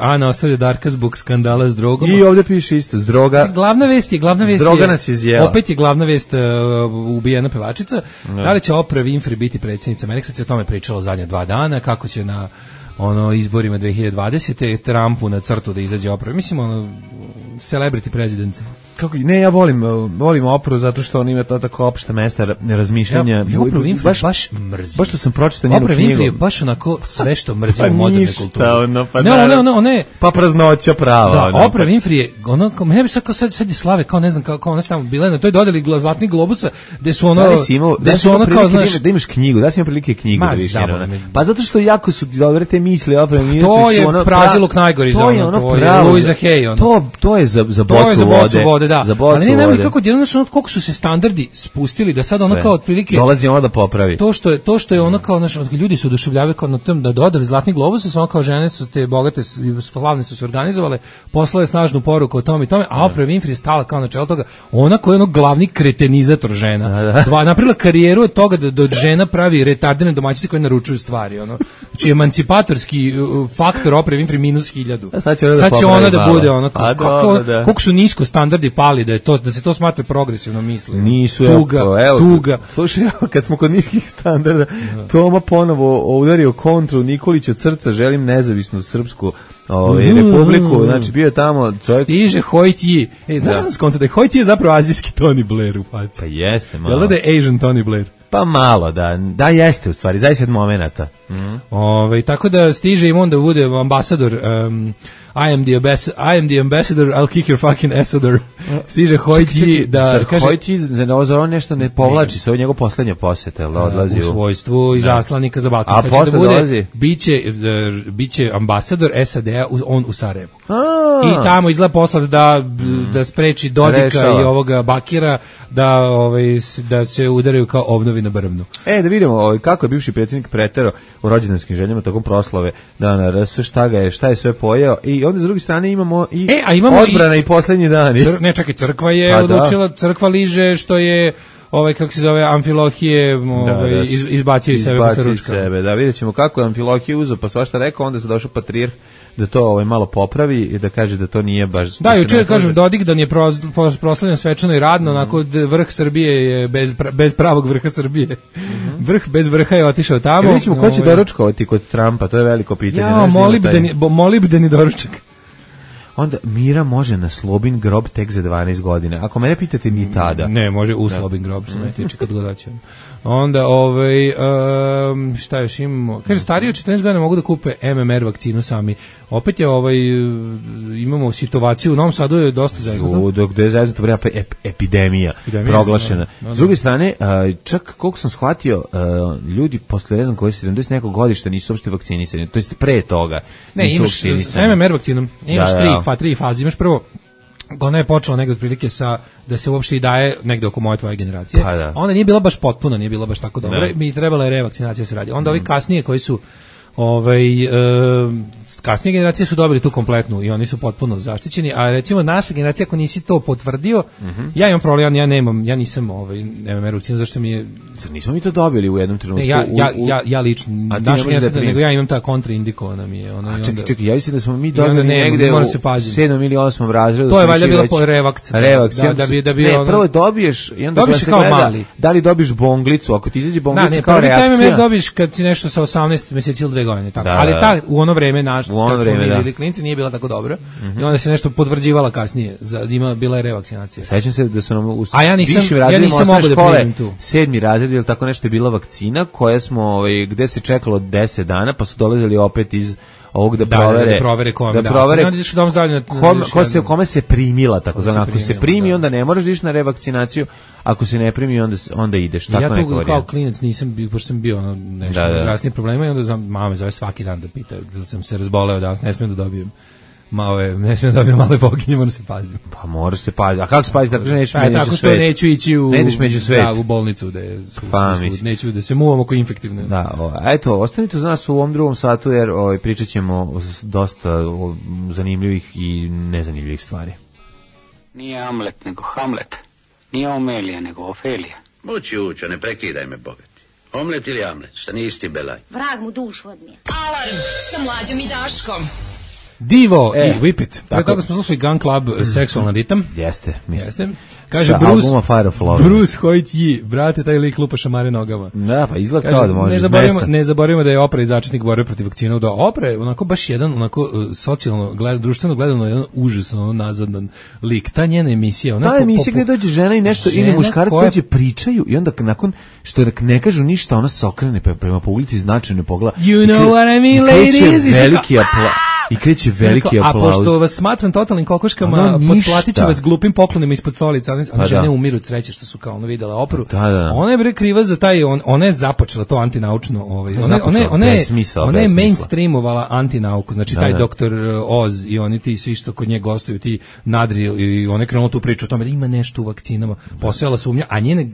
Ana ostavlja Darka zbog skandala s drogom. I ovdje piše isto, s droga. Glavna vest je, droga nas izjela. Opet je glavna vest ubijena pevačica. Da li će Oprah Winfrey biti predsjednica Amerike? Sad se o tome pričalo zadnje 2 dana, kako će na izborima 2020. Trumpu na crtu da izađe Oprah. Mislim, celebrity president. Kako, ne, ja volim Opru zato što on ima to tako opšte mesta razmišljanja. Ja Oprah Winfrey baš mrzim. Baš što sam pročitao njenu knjigu. Oprah Winfrey je baš onako sve što mrzim u moderne kulturi. Ne, pa praznoća prava. Da, Oprah Winfrey je mene bi sad je slave, kao ne znam, kao ona tamo bila na toj dodeli Zlatnih globusa, gde su kao, znaš, da imaš knjigu, da si imao prilike knjigu da više. Pa zato što jako su dobre te misli Oprah Winfrey. To je praziluk najgori za ono, to je Louisa Hay. To je za bocu vode. Da. Ali ne znam kako koliko su se standardi spustili da sad ono kao otprilike dolazi ona da popravi. To što je ono kao ljudi su oduševljavaju kao na tom da dodali Zlatni globus, samo kao žene su te bogate i slavne su se organizovale, poslale snažnu poruku o tome i tome, a Oprah Winfrey stala kao na čelo toga, ona koja je glavni kretenizator žena. Napravila karijeru od toga da od žena pravi retardene domaćice koje naručuju stvari, Znači emancipatorski faktor Oprah Winfrey -1000. Sad će ona da bude ono kako su nisko standardi pali da se to smatra progresivno misli. Nisu, tuga. Slušaj, kad smo kod niskih standarda, Toma ponovo udario kontru Nikolića Crca, želim nezavisnu srpsku republiku, znači bio je tamo čovjek... Stiže Hojtji. Znaš da sam skontao da je Hojtji zapravo azijski Tony Blair u faci? Pa jeste, malo. Jel da je Asian Tony Blair? Pa malo, da jeste u stvari, zaista od momenata. Tako da stiže im onda bude ambasador, I am the ambassador, I'll kick your fucking assador. Stiže Hojtji da kaže... Hojtji za on nešto ne povlači, se ovo njegov poslednja poseta, jel da odlazi u svojstvu izaslanika za Balkan. A posle dolazi? Biće ambasador SAD-a on u Sarajevu. I tamo izgleda poslat da spreči Dodika i ovoga Bakira da se udaraju kao ovnovi na brvnu. Da vidimo kako je bivši predsjednik pretero u rođendanskim željama tokom proslave Dana RS, šta je sve pojeo i onda s druge strane imamo i odbrana i posljednji dani. Čekaj, crkva je odlučila, crkva liže što je kako se zove Amfilohije izbacio iz sebe posle ručka. Da, vidjet ćemo kako je Amfilohije uzeo pa svašta rekao, onda se došao patrijarh da to malo popravi i da kaže da to nije baš... Da, jučer kažem Dodik da je proslavljen svečano i radno, onako vrh Srbije je bez pravog vrha Srbije. Vrh bez vrha je otišao tamo. Vidjet ćemo ko će doručkovati kod Trumpa, to je veliko pitanje. Molibdeni doručak. Onda Mira može na Slobin grob tek za 12 godina. Ako mene pitate, ni tada. Ne, može u Slobin grob, se ne tiče kad gledaćemo. Onda, šta još imamo? Kaže, stariji od 14 godina mogu da kupe MMR vakcinu sami. Opet je, imamo situaciju, u Novom Sadu je dosta zajedno. Dok je zajedno, to vrema epidemija proglašena. S druge strane, čak koliko sam shvatio, ljudi posle, ne znam koji 70 nekog godišta nisu uopšte vakcinisani, to jest pre toga. Ne, imaš s MMR vakcinom, imaš tri faze, imaš prvo, ona je počela negde otprilike da se uopšte i daje negde oko moje tvoje generacije. Onda nije bila baš potpuna, nije bila baš tako dobra, mi trebala je revakcinacija se radi. Onda ovi kasnije koji su kasnije generacije su dobili tu kompletnu i oni su potpuno zaštićeni, a recimo naša generacija ako nisi to potvrdio, ja imam problem, ja nisam MMR vakcinu, zašto mi je... Nismo mi to dobili u jednom trenutku. Ja lično, naša generacija, nego ja imam ta kontraindikovana mi je. Čekaj, ja mislim da smo mi dobili negde u 7. ili 8. razredu. To je valjda bilo po revakciju. Prvo dobiješ i onda se gleda da li dobiš bonglicu, ako ti izađe bonglica kao reakcija. Dobiš kad si nešto sa 18 mjeseci ili 2 godine, tako. Ali u ono vreme kad smo mi bili klinci nije bila tako dobra i onda se nešto potvrđivala kasnije, bila je revakcinacija. Sećam se da su nam u višim razredima osnovne škole 7. razred ili tako nešto je bila vakcina koja smo, gde se čekalo 10 dana pa su dolazili opet iz ovog da provere kome se primila, tako zvano. Ako se primi, onda ne moraš da ideš na revakcinaciju, ako se ne primi, onda ideš. Tako ja tu kao klinac nisam, pošto sam bio nešto zdravstvenih problema i onda mama me zove svaki dan da pita da sam se razboleo danas, ne smijem da dobijem ne smijem da dobijem male boginje, moram se paziti. Pa moraš se paziti. A kako se paziti? Tako nećeš među tako svet. Što neću ići među svet. Da, u bolnicu, neću da se muvam oko infektivne. Da, eto, ostanite uz nas u ovom drugom satu, jer pričat ćemo dosta zanimljivih i nezanimljivih stvari. Nije Amlet, nego Hamlet. Nije Omelija, nego Ofelija. Ući, ne prekidaj me, bogati. Omlet ili Amlet, šta nije isti belaj. Vrag mu dušu odnije. Alarm sa Mlađom i Daškom. Divo i Whip It. Pre toga smo slušali Gun Club, seksualan ritam. Jeste. Kaže Bruce Hoyt, brate, taj lik lupa šamare nogama. Da, pa izgleda kao da može ne zaboravimo da je Opra i začetnik borbe protiv vakcina. Da, Opra je onako baš jedan, socijalno, društveno gledano, jedan užasno nazadan lik. Ta njena emisija. Ta emisija gde dođe žena i nešto, ili muškarac dođe, pričaju i onda nakon što ne kažu ništa, ona se okrene prema publici, značajno pogleda. You know what I mean, ladies? Veliki aplauz. I kreće veliki aplauz. A pošto vas smatram totalnim kokoškama, potplatit ću vas glupim poklonima ispod stolica. One žene umiru od sreće što su kao videla Opru. Ona je bre kriva za taj, ona je započela to antinaučno. Ona je mainstreamovala antinauku. Znači taj doktor Oz i oni ti svi što kod nje gostuju, ti Nadri, i ona je krenula tu priču o tome da ima nešto u vakcinama. Postojala sumnja, a njene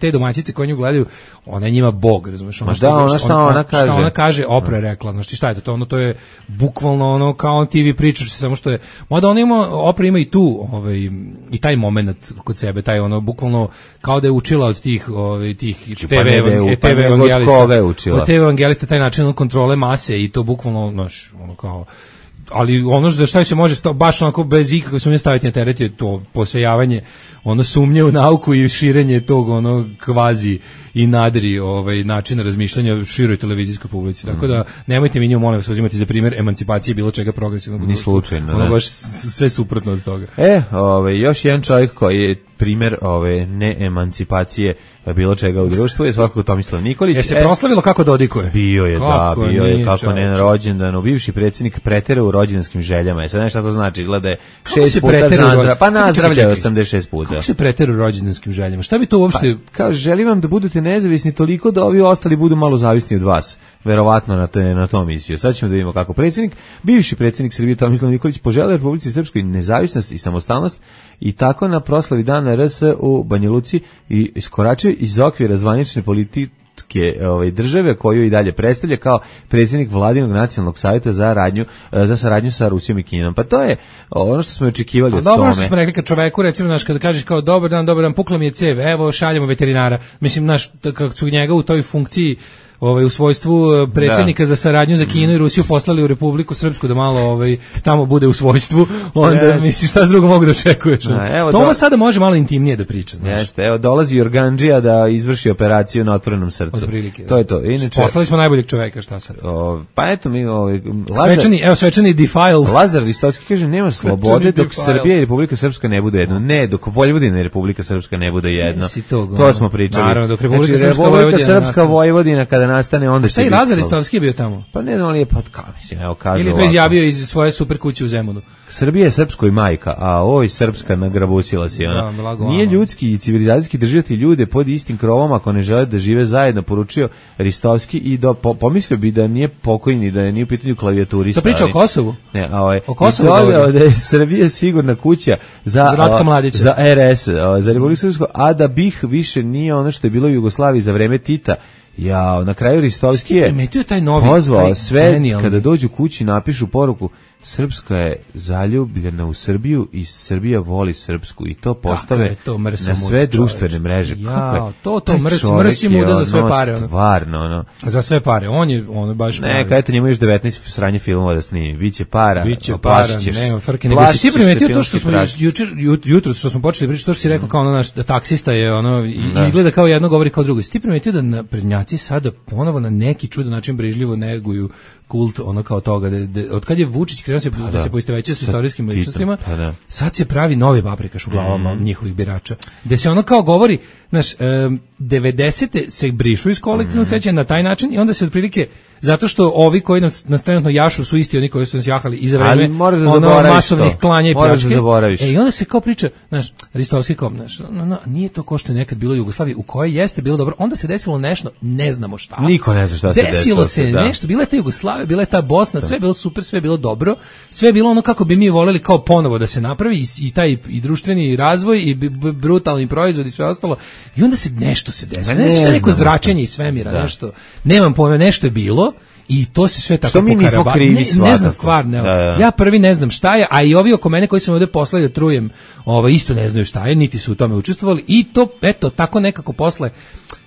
te domaćice koje nju gledaju, ona je njima bog, razumeš? Ona kaže, Opra je rekla. Znači šta je to? To je bukvalno kao TV pričaš, samo što je, mada Opra ima i tu i taj moment kod sebe, taj bukvalno kao da je učila od tih TV evangelista, taj način kontrole mase i to bukvalno kao, ali za šta se može baš onako bez ikakve sumnje staviti na teret je to posejavanje sumnje u nauku i širenje tog kvazi i nadri načina razmišljanja široj televizijskoj publici. Tako da nemojte mi nju, molim vas, uzimati za primjer emancipacije bilo čega progresivnog društva. Ni slučajno. Baš sve suprotno od toga. Još jedan čovjek koji je primjer neemancipacije bilo čega u društvu je svakako Tomislav Nikolić. Je se proslavilo kako dodikuje? Bio je kako ne na rođendanu. Bivši predsjednik preterao u rođendanskim željama. Sad nešto to znači, gleda 6 puta nazdravlja 86 puta. Kako se preterao u rođendanskim željama? Šta bi to uopšte... Kao, želim vam da budete nezavisni toliko da ovi ostali budu malo zavisni od vas. Verovatno na tom misiju. Sad ćemo da vidimo kako bivši predsjednik Srbije Tomislav Nikolić poželeo Republici Srpskoj nezavisnost i samostalnost i tako na proslavi dana RS u Banja Luci i iskoračio iz okvira zvanične politike države koju i dalje predstavlja kao predsjednik Vladinog nacionalnog savjeta za saradnju sa Rusijom i Kinom. Pa to je ono što smo očekivali od tome. Dobro što smo rekli kad čoveku, recimo, kada kažeš kao dobar dan, pukla mi je cev, evo šaljemo veterinara. Mislim, kako su njega u toj funkciji u svojstvu predsjednika za saradnju za Kinu i Rusiju poslali u Republiku Srpsku da malo tamo bude u svojstvu, onda misliš šta s drugo mogu da očekuješ. Toma sada može malo intimnije da priča. Jeste, evo dolazi Organdžija da izvrši operaciju na otvorenom srcu. To je to. Inače, poslali smo najboljeg čoveka, šta sad? Pa eto mi svečani defile. Lazar Ristovski kaže nema slobode dok Srbija i Republika Srpska ne bude jedno. Ne, dok Vojvodina i Republika Srpska ne bude jedno. To smo pričali. Naravno, dok Republika Srpska Vojvodina kada nastane, onda šta i Lazar Ristovski je bio tamo? Pa ne znam li je mislim, evo kažu ili to izjavio iz svoje super kuće u Zemunu. Srbija je srpskoj majka, a oj srpska nagrabusila si ona. Nije ljudski i civilizacijski držati ljude pod istim krovom ako ne žele da žive zajedno, poručio Ristovski i pomislio bi da nije pokojni, da nije u pitanju klavijaturista. To priča o Kosovu? Ne, o Kosovu da je Srbija sigurna kuća za RS, za Republiku Srpsku, a da BiH više nije ono što je bilo u Jugoslaviji za vreme Tita. Na kraju Ristovski je pozvao sve kada dođu kući napišu poruku Srpska je zaljubljena u Srbiju i Srbija voli Srpsku i to postave na sve društvene mreže. Mrsi muda za sve pare. Stvarno, za sve pare. On je baš... Neka, eto njemu još 19 sranje filmova da snimi. Biće para, nema frke. Nego si ti primetio to što smo jutro što smo počeli pričati, to što si rekao kao naš taksista je izgleda kao jedno, govori kao drugo. Si ti primetio da naprednjaci sada ponovo na neki čudan način brižljivo neguju kult kao toga, od kad je Vučić krenuo da se poistovećuje s istorijskim ličnostima, sad se pravi novi paprikaš u glavama njihovih birača, gde se kao govori, 90. se brišu iz kolektivnog sećanja na taj način i onda se otprilike zato što ovi koji nas trenutno jašu su isti oni koji su nas jahali i za vreme masovnih klanja i pljačke. I onda se kao priča, znaš, Ristovski kao, znaš, nije to ko što je nekad bilo u Jugoslaviji, u kojoj jeste bilo dobro, onda se desilo nešto, ne znamo šta. Niko ne zna šta se desilo. Desilo se nešto, bila je ta Jugoslavija, bila je ta Bosna, sve je bilo super, sve je bilo dobro, sve je bilo ono kako bi mi voljeli kao ponovo da se napravi i taj i društveni razvoj i brutalni proizvod i sve ostalo. I onda se nešto se desilo. Neko zračenje iz svemira, nešto. Nemam pojma, nešto je bilo. I to se sve tako što mi nismo krivi, ne znam stvarno. Ja prvi ne znam šta je, a i ovi oko mene koji su me ovde poslali da trujem, isto ne znaju šta je, niti su u tome učestvovali i to, eto, tako nekako posle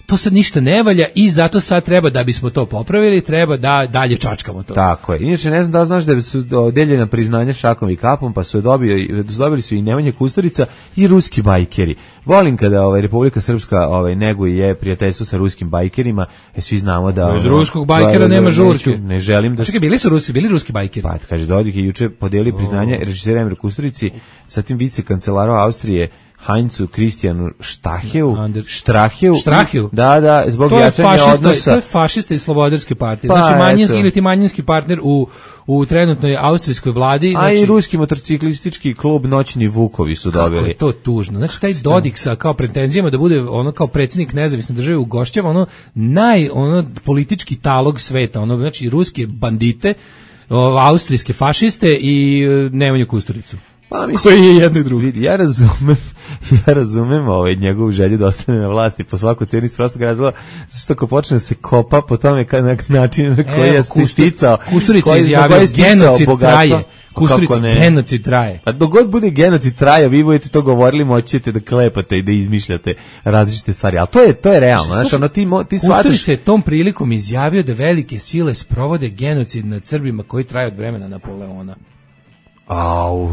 to sad ništa ne valja i zato sad treba da bismo to popravili, treba da dalje čačkamo to. Tako je. Inače, ne znam da znaš da su deljena priznanja šakom i kapom, pa su dobili su i Nemanja Kusturica i ruski bajkeri. Volim kada Republika Srpska neguje prijateljstvo sa ruskim bajkerima, svi znamo da... Iz ruskog bajkera nema žurke. Ne želim da... Čekaj, bili ruski bajkeri? Pa, kaže, Dodik je juče podelio priznanje režisera Emre Kusturici, zatim vicekancelaru Austrije, Heinzu Kristijanu Štraheu. Da, zbog jačanja odnosa. To je fašista iz Slobodarske partije. Znači manjinski partner u trenutnoj austrijskoj vladi. A i ruski motorciklistički klub Noćni Vukovi su dobili. Kako je to tužno. Znači taj Dodik sa kao pretenzijama da bude ono kao predsjednik nezavisne države u Gošćama, politički talog sveta, znači ruske bandite, austrijske fašiste i Nemanju Kusturicu. Pa, koji je jedno i drugo. Ja razumem njegovu želju da ostane na vlasti po svaku cenu iz prostog razloga, što ako počne da se kopa po tome na način na koji je sticao. Kusturica izjavio genocid traje. Kusturica genocid traje. Pa dok god bude genocid traje, vi budete to govorili, moćete da klepate i da izmišljate različite stvari. Ali to je realno. Znači, ti Kusturica je tom prilikom izjavio da velike sile sprovode genocid nad Srbima koji traje od vremena Napoleona.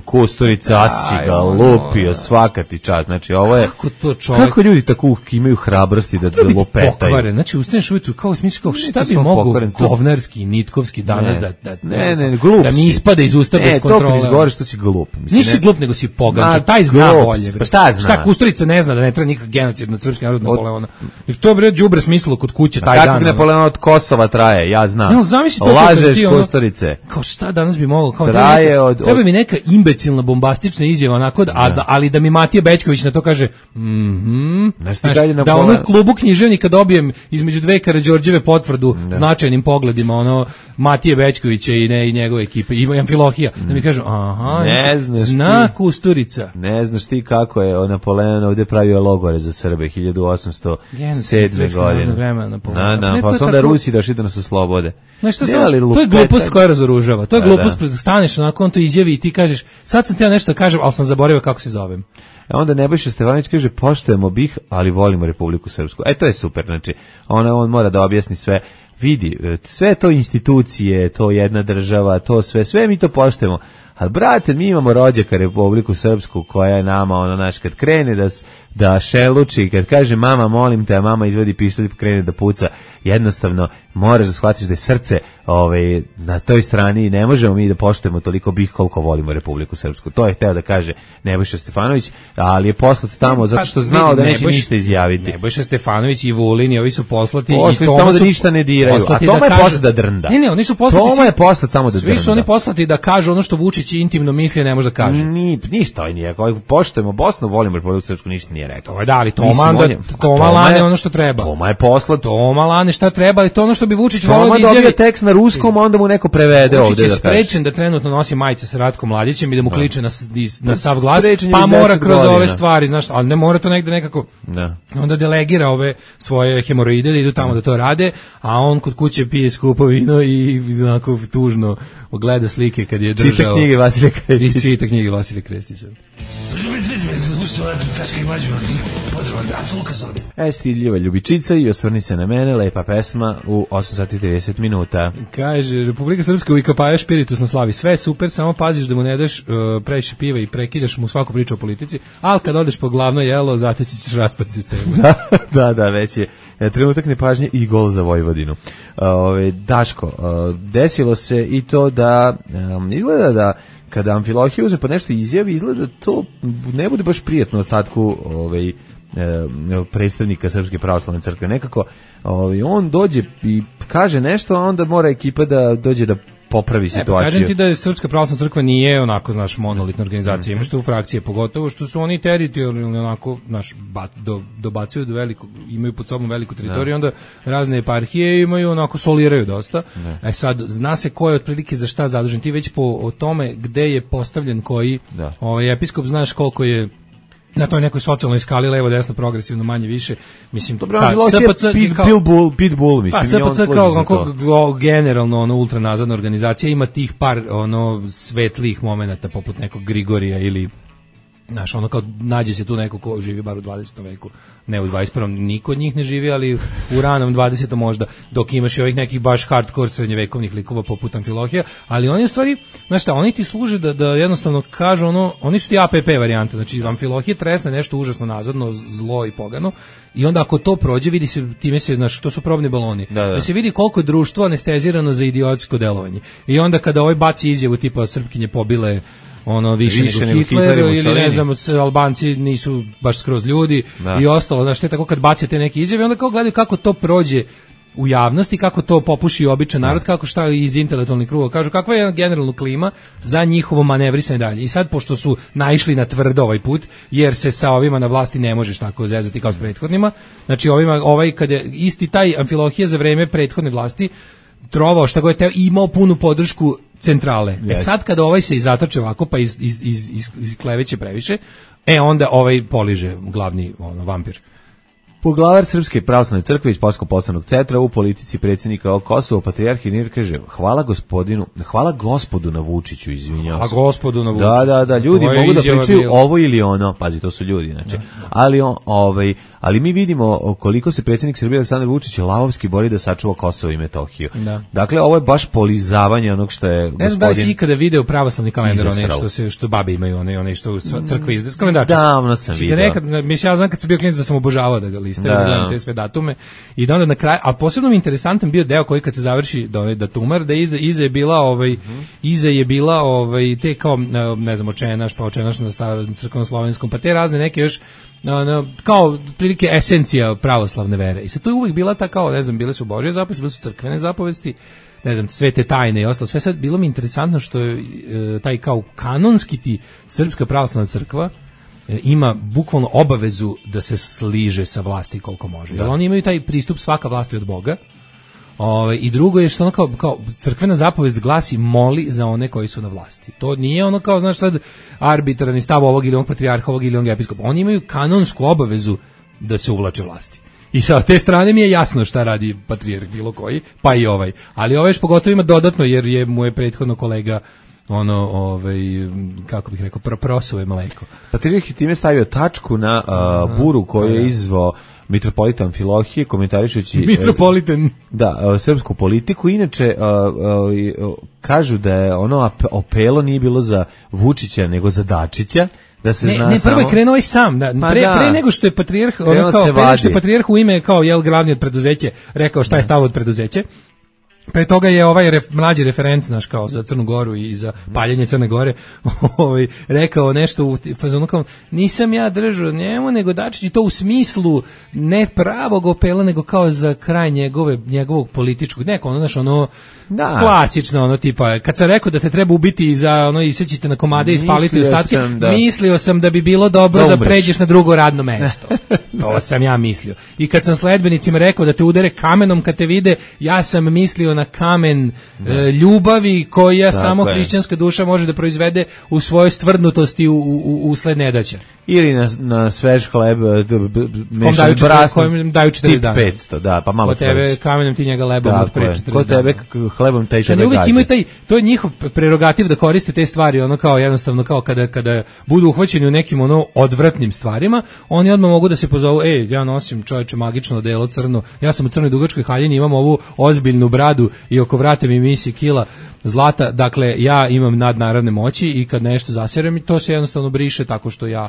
Kusturica Asić ga lupio, svaka ti čast. Znači, ovo je... Kako ljudi tako imaju hrabrosti da lopetaju? Pokvaren. Znači, ustaneš ujutru kao smisli kao šta bi mogu govnarski, nitkovski danas da mi ispada iz usta bez kontrole. Ne, to izgovoriš što si glup. Nisi glup, nego si pogančan. Taj zna bolje. Šta zna? Šta Kusturica ne zna da ne treba nikak genocid nad srpskim narodom Napoleona. To je đubre smislilo kod kuće taj dan. Kako Napoleon od Kosova traje, ja znam. Lažeš Kusturice. Kao šta danas bi moglo? Treba mi neka imbecilna bombastična izjava onako, ali da mi Matija Bećković na to kaže da onu klubu književnika dobijem između dve Karađorđeve potvrdu značajnim pogledima Matije Bećkovića i njegove ekipe i Amfilohija, da mi kažu zna Kusturica. Ne znaš ti kako je Napoleon ovdje pravio logore za Srbe 1807. godine. Pa su onda Rusi došli da nas oslobode. To je glupost koja razoružava. To je glupost, staneš onako, on to izjavi i ti kažeš, sad sam htio nešto da kažem, ali sam zaboravio kako se zovem. Onda Nebojša Stefanović kaže, poštujemo BiH, ali volimo Republiku Srpsku. To je super, znači, on mora da objasni sve. Vidi, sve to institucije, to jedna država, to sve mi to poštujemo. Ali, brate, mi imamo rođaka Republiku Srpsku koja je nama, kad krene da šeluči, kad kaže mama molim te, a mama izvadi pištolj i krene da puca, jednostavno moraš da shvatiš da je srce na toj strani i ne možemo mi da poštujemo toliko BiH koliko volimo Republiku Srpsku. To je hteo da kaže Nebojša Stefanović, ali je poslat tamo zato što znao da neće ništa izjaviti. Nebojša Stefanović i Vulin i ovi su poslati i tamo da ništa ne diraju, a Toma je poslat da drnda. Ne, oni su poslati. Toma je poslat tamo da drnda. Svi su oni poslati da kažu ono što Vučić intimno misli, ne može da kaže. Ništa nije, poštujemo Bosnu, volimo Republiku Srpsku, ništa nije rekao. Da, ali Toma lane ono što treba. Toma je poslat. Toma lane šta treba, ali to ono što bi Vučić volio da izjavi. Toma dobio tekst na ruskom, onda mu neko prevede ovde. Vučić je sprečen da trenutno nosi majice sa Ratkom Mladićem i da mu kliče na sav glas, pa mora kroz ove stvari, znaš, ali ne mora to negde nekako. Onda delegira ove svoje hemoroide da idu tamo da to rade, a on kod kuće pije skupo vino i onako tužno gleda slike kad je držao. Čita knjige Vasilija Krestića. I čita knjige Vasilija Krestića. Stidljiva ljubičica i osvrni se na mene, lepa pesma u 8 sati i 30 minuta. Kaže, Republika Srpska u Ikapaja špiritus na slavi. Sve super, samo paziš da mu ne daš previše piva i prekidaš mu svaku priču o politici, ali kad odeš po glavno jelo, zateći ćeš raspad sistema. Da, već je trenutak nepažnje i gol za Vojvodinu. Daško, desilo se i to da izgleda da kada Amfilohije uzme pa nešto izjavi, izgleda da to ne bude baš prijatno ostatku predstavnika Srpske pravoslavne crkve. Nekako on dođe i kaže nešto, a onda mora ekipa da dođe da popravi situaciju. Kažem ti da je Srpska pravoslavna crkva nije onako, znaš, monolitna organizacija, imaš tu frakcije, pogotovo što su oni teritorijalno onako, znaš, dobacuju do velikog, imaju pod sobom veliku teritoriju, onda razne eparhije imaju onako, soliraju dosta. Sad, zna se ko je otprilike za šta zadužen, ti već o tome gde je postavljen koji episkop, znaš koliko je na toj nekoj socijalnoj skali, levo, desno, progresivno, manje, više, mislim, SPC Pitbull, mislim, SPC kao generalno ultranazadna organizacija ima tih par svetlih momenata poput nekog Grigorija ili znaš, ono kao nađe se tu neko ko živi bar u 20. veku, ne u 21. Niko od njih ne živi, ali u ranom 20. možda, dok imaš i ovih nekih baš hardcore srednjevekovnih likova poput Amfilohija, ali oni u stvari, znaš šta, oni ti služe da jednostavno kažu oni su ti APP varijante, znači Amfilohije tresne nešto užasno nazadno, zlo i pogano, i onda ako to prođe, vidi se, time se, znaš, to su probni baloni, da se vidi koliko je društvo anestezirano za idiotsko delovanje. I onda kada ovaj baci izjavu tipa Srpkinje pobile više nego Hitler ili ne znam, Albanci nisu baš skroz ljudi i ostalo, znaš, te tako kad bacite neke izjave, onda kao gledaju kako to prođe u javnosti, kako to popuši običan narod, kako šta iz intelektualnih kruga kažu, kakva je generalna klima za njihovo manevrisanje dalje. I sad, pošto su naišli na tvrdo ovaj put, jer se sa ovima na vlasti ne možeš tako zezati kao s prethodnima, znači kad je isti taj Amfilohije za vreme prethodne vlasti trovao šta god je teo, imao punu podršku centrale. Sad kada ovaj se izatoče ovako pa iskleveće previše, onda ovaj poliže glavni vampir. Poglavar Srpske pravoslavne crkve iz Polsko-poslovnog centra u politici predsjednika Kosova, patrijarh Irir, kaže: hvala gospodu na Vučiću, izvinjavam se. Hvala gospodu na Vučiću. Da, ljudi mogu da pričaju ovo ili ono, pazi, to su ljudi, znači. Ali mi vidimo koliko se predsjednik Srbije Aleksandar Vučić lavovski bori da sačuva Kosovo i Metohiju. Dakle, ovo je baš polizavanje onog što je gospodin... Ne znam da li si ikada video pravoslavni kalendar, što babe imaju, one što crkve izde, kalendarčice. Davno sam vidio. Ja znam kad sam bio klinac da sam obožavao da ga listaju, da gledam te sve datume. I da onda na kraju, a posebno mi interesantan bio deo koji kad se završi da tumar, da iza je bila te kao, ne znam, očenaš na starom crkveno-slovenskom, pa te razne neke još kao prilike esencija pravoslavne vere. I sad to je uvijek bila ta kao, ne znam, bile su Božje zapovesti, bile su crkvene zapovesti, ne znam, svete tajne i ostalo. Sve sad bilo mi interesantno što je taj kao kanonski ti Srpska pravoslavna crkva ima bukvalno obavezu da se sliže sa vlasti koliko može. Jer oni imaju taj pristup svaka vlasti od Boga. I drugo je što ono kao crkvena zapovest glasi moli za one koji su na vlasti. To nije ono kao, znaš, sad arbitrarni stav ovog ili onog patrijarha, ovog ili onog episkopa. Oni imaju kanonsku obavezu da se uvlače vlasti. I sa te strane mi je jasno šta radi patrijarh bilo koji, pa i ovaj. Ali ovaj još pogotovo ima dodatno, jer mu je prethodno kolega kako bih rekao, prosuo je mleko. Patrijarh je time stavio tačku na buru koju je izvao mitropolita Amfilohije, komentarišući srpsku politiku. Inače, kažu da je opelo nije bilo za Vučića, nego za Dačića, da se zna. Ne, prvo je krenuo i sam, pre nego što je patrijarh, patrijarh u ime kao glavni od preduzeće rekao šta je stav od preduzeće. Pre toga je ovaj mlađi referent naš kao za Crnu Goru i za paljenje Crne Gore rekao nešto u fazonu kao nisam ja držao njemu nego Dačić, i to u smislu ne pravog opela nego kao za kraj njegovog političkog klasično tipa kad sam rekao da te treba ubiti za isećite na komade i spaliti ostatke, mislio sam da bi bilo dobro da pređeš na drugo radno mesto. To sam ja mislio. I kad sam sledbenicima rekao da te udare kamenom kad te vide, ja sam mislio na kamen ljubavi koja samo hrišćanska duša može da proizvede u svojoj stvrdnutosti usled nedaća. Ili na svež hleb mešan brasnom daju 40 dana. 500, da, pa malo. Kod tebe kamenom ti njega lebom od pre 40 dana. Kod tebe hlebom taj tebe gađa. To je njihov prerogativ da koriste te stvari, kao jednostavno kao kada budu uhvaćeni u nekim odvratnim stvarima, oni odmah mogu da se pozovu, ja nosim čoveče magično odelo crno, ja sam u crnoj dugačkoj haljini, imam ovu ozbiljnu bradu i oko vrata mi misi kila zlata, dakle ja imam nadnaravne moći i kad nešto zaserem i to se jednostavno briše tako što ja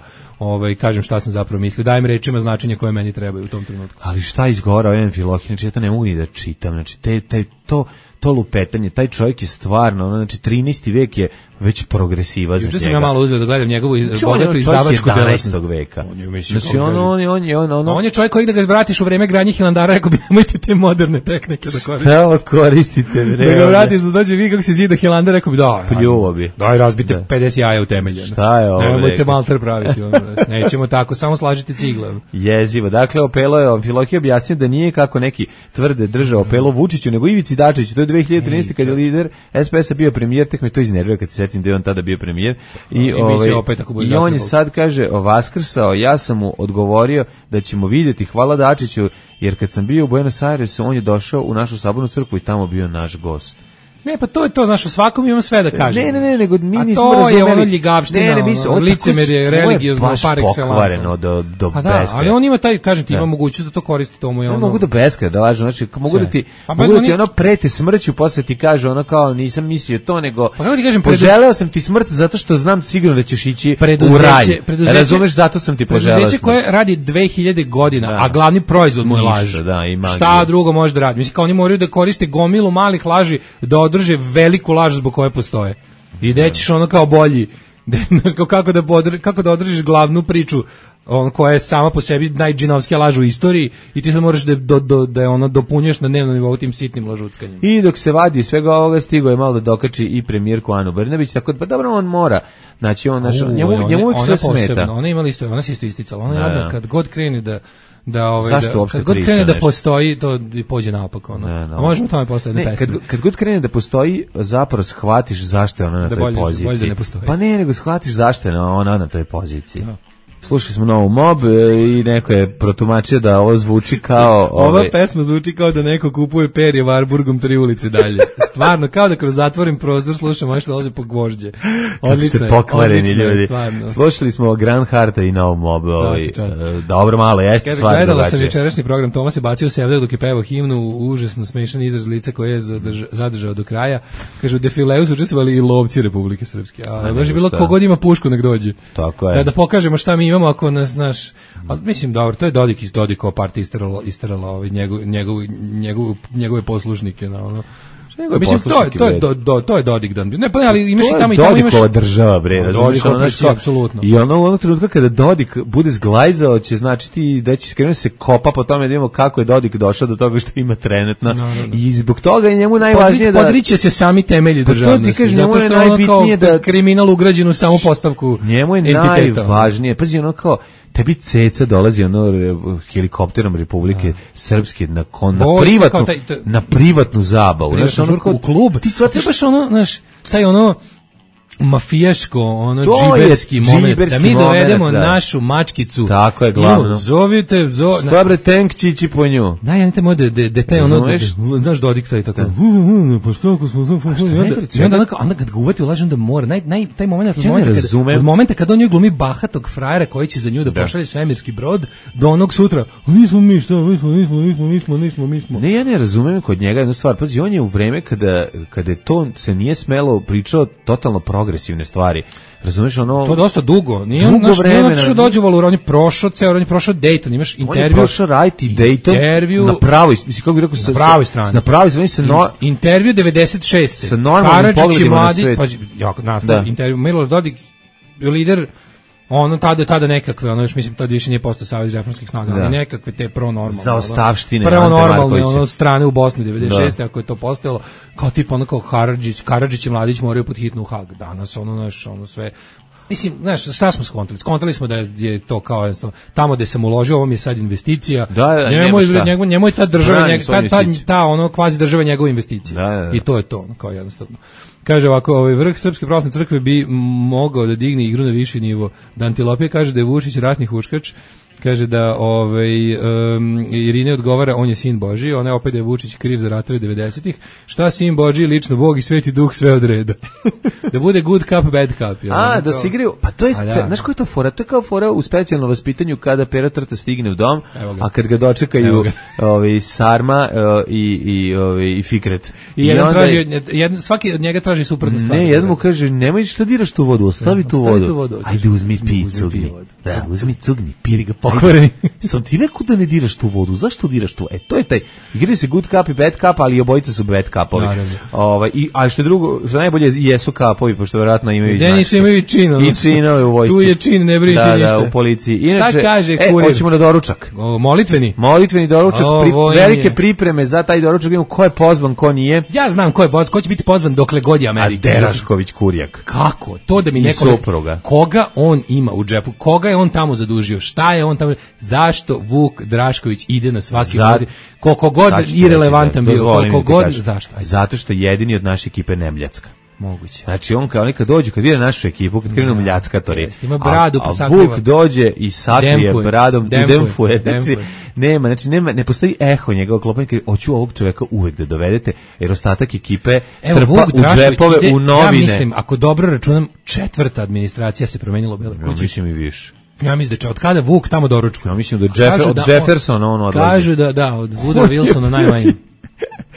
kažem šta sam zapravo mislio, dajem rečima značenje koje meni trebaju u tom trenutku. Ali šta izgora ovaj Amfilohije, znači ja to ne mogu ni da čitam, znači to lupetanje, taj čovjek je stvarno, znači 13. vek je već progresiva za njega. Juče sam ja malo uzeo da gledam njegovu bogatu izdavačku delatnost. Veka. On je čovjek koji da ga vratiš u vreme gradnje Hilandara, rekao bi nemojte te moderne tehnike da koristite. Šta koristite? Da ga vratiš da dođe vidi kako se zida Hilandar, rekao bi da. Pljuvo bi. Daj razbite 50 jaja u temelje. Šta je ovo? Nemojte malter praviti. Nećemo tako, samo slažite cigle. Jezivo. Dakle, Opelo je Amfilohije objasnio da nije kako neki tvrde držao Opelo Vučiću, nego Ivici Dačiću. To je 2013. kad je lider SPS-a bio premijer, tek me to iznervio kad se setim da je on tada bio premijer. I on je sad, kaže, vaskrsao, ja sam mu odgovorio da ćemo vidjeti, hvala Dačiću, jer kad sam bio u Buenos Airesu, on je došao u našu sabornu crkvu i tamo bio naš gost. Ne, pa to je to, znaš, u svakom imamo sve da kažemo. Ne, nego mi nismo razumeli. A to razumeli. Je ono ljigavština, licemerje, religiozno, par excellence. Pokvareno do beskraja. Ali on ima taj, kažem ti, ima mogućnost da to koristi tomu. Ne mogu da beskraja, da lažu, znači, mogu da ti ono prete smrću, posle ti kaže ono kao nisam mislio to, nego poželeo sam ti smrt zato što znam sigurno da ćeš ići u raj. Razumeš, zato sam ti poželeo smrt. Preduzeće koje radi 2000 godina, a glavni proizvod mu je laž. Šta drugo može da radi? Mislim, kao oni moraju da koriste gomilu malih laži da održe veliku laž zbog koje postoje. I da ćeš ono kao bolji, kako da održiš glavnu priču koja je sama po sebi najđinovskija laž u istoriji i ti sad moraš da je ono dopunjuješ na dnevnom nivou tim sitnim lažuckanjem. I dok se vadi svega ovoga stigo je malo da dokači i premijerku Anu Brnabić, tako da pa dobro on mora. Znači on njemu uvijek sve smeta. Ona imala isto, ona se isto isticala. Ona je kad god krene kad god krene da postoji, to pođe naopako. A možemo tamo postaviti na pesmu. Kad god krene da postoji, zapravo shvatiš zašto je ona na toj poziciji. Pa ne, nego shvatiš zašto je ona na toj poziciji. Slušali smo novu Mob i neko je protumačio da ovo zvuči kao... Ova pesma zvuči kao da neko kupuje perje Varburgom 3 ulice dalje. Stvarno, kao da kroz zatvoren prozor slušamo ono što dolaze po gvožđe. Odlično ste pokvareni ljudi. Slušali smo Grand Harta i novu Mob. Dobro, malo, jeste stvarno drugačije. Gledala sam večerašnji program, Toma se bacio sevljak dok je pevao himnu, užasno smešan izraz lica koje je zadržao do kraja. Kažu, u defileu su učestvovali i lovci Republike Srpske. A baš je bilo kogod ima pušku nek dođe. Tako je. Da pokažemo šta mi imamo ako nas naš, ali mislim dobro, to je Dodik iz Dodikova partija istarala njegove poslušnike na ono. Mislim to je Dodik dan. Ne, pa ali imaš i tamo Dodikova država, bre, razumiješ, apsolutno. I ono u onog trenutka kada Dodik bude zglajzao će značiti da će krenuti se kopa po tome da vidimo kako je Dodik došao do toga što ima trenutno. I zbog toga je njemu najvažnije da podriče se sami temelji državnosti. Zato što je ono kao kriminal ugrađen u samu postavku. Njemu je najvažnije, pazi ono kao tebi ceca dolazi helikopterom Republike Srpske na privatnu zabavu. U klub. Ti baš ono, znaš, taj ono mafijaško, ono džiberski moment, da mi dovedemo našu mačkicu. Tako je glavno. Zovite, Dobre, Tenkčići po nju. Da, ja nite mode, da taj ono, znaš Dodik taj tako. Pa što ako smo... I onda kad ga uvati ulaži, onda mora. Taj moment, od momenta kad on nju glumi bahatog frajera koji će za nju da pošalje svemirski brod, do onog sutra, nismo mi, šta, mi smo. Ne, ja ne razumem kod njega jednu stvar. Pazi, on je u vreme kada to se nije smelo pričao totalno progresivne stvari. Razumeš ono? To je dosta dugo. Nije on što dođe Valur, on je prošao ceo, on je prošao Dayton, imaš intervju. On je prošao Right i Dayton na pravoj, mislim kako bih rekao, na pravoj strani. Na pravoj strani se intervju 96. Sa normalnim pogledima na svet. Jako nastav intervju. Milorad Dodik, lider, ono tada nekakve, ono još mislim tad više nije postao Savez reformskih snaga, ali nekakve te pronormalne. Za ostavštine. Pronormalne, ono strane u Bosni 96. Ako je to postojalo, kao tipa ono kao Karadžić i Mladić moraju pod hitnu u Hag. Danas ono sve. Mislim, znaš, šta smo skontali? Skontali smo da je to kao tamo gde sam uložio, ovo mi je sad investicija. Njemu je ta država, ta ono kvazi država njegova investicija. I to je to, kao jednostavno. Kaže ovako, vrh Srpske pravoslavne crkve bi mogao da digne igru na viši nivo. Dantilopija kaže da je Vučić ratni huškač. Kaže da Irine odgovara, on je sin Božji, ona je opet da je Vučić kriv za ratove 90-ih. Šta sin Božji, lično Bog i Sveti Duh sve odreda. Da bude good cup, bad cup. Da se igraju, pa to je znaš koja je to fora? To je kao fora u specijalnom vaspitanju kada Pera Trta stigne u dom, a kad ga dočekaju Sarma i Fikret. Svaki od njega traži traži suprotnu stvar. Ne, jedan mu kaže, nemoj šta diraš tu vodu, ostavi tu vodu. Ajde, uzmi cugni. Da, uzmi cugni, piri ga pokvareni. Sam ti rekao da ne diraš tu vodu, zašto diraš tu? To je taj, igraju se good cup i bad cup, ali obojica su bad cupovi. A što drugo, što najbolje jesu kapovi, pošto vjerojatno imaju značke. Nisu imaju i čin. I činove u vojsci. Tu je čin, ne brinite ništa. Da, u policiji. Inače, šta kaže kurir? Hoćemo na doručak. Molitveni? Molitveni doručak, velike pripreme za taj doručak, vidimo ko je pozvan, ko nije. Ja znam ko je pozvan, ko će biti pozvan dokle god je Amerika. A Derašković Kurjak. Kako? To da mi neko... Koga on ima u džepu? Koga je on tamo zadužio? Šta je on tamo... Zašto Vuk Drašković ide na svaki koliko god irelevantan bio, koliko god... Zašto? Zato što je jedini od naše ekipe Nemljacka. Moguće. Znači on kao nekad dođe, kad vide našu ekipu, kad krenu mljackatori, ima bradu, a Vuk dođe i sakrije bradom i demfuje. Nema, znači ne postoji eho njegovog klopanja, hoću ovog čoveka uvek da dovedete, jer ostatak ekipe trpa u džepove, u novine. Ja mislim, ako dobro računam, 4. administracija se promenila u Bele kući. Ja mislim i više. Ja mislim da od kada Vuk tamo doručkuje. Ja mislim da od Jeffersona on odlazi. Kažu da, od Woodrow Wilsona najmanje.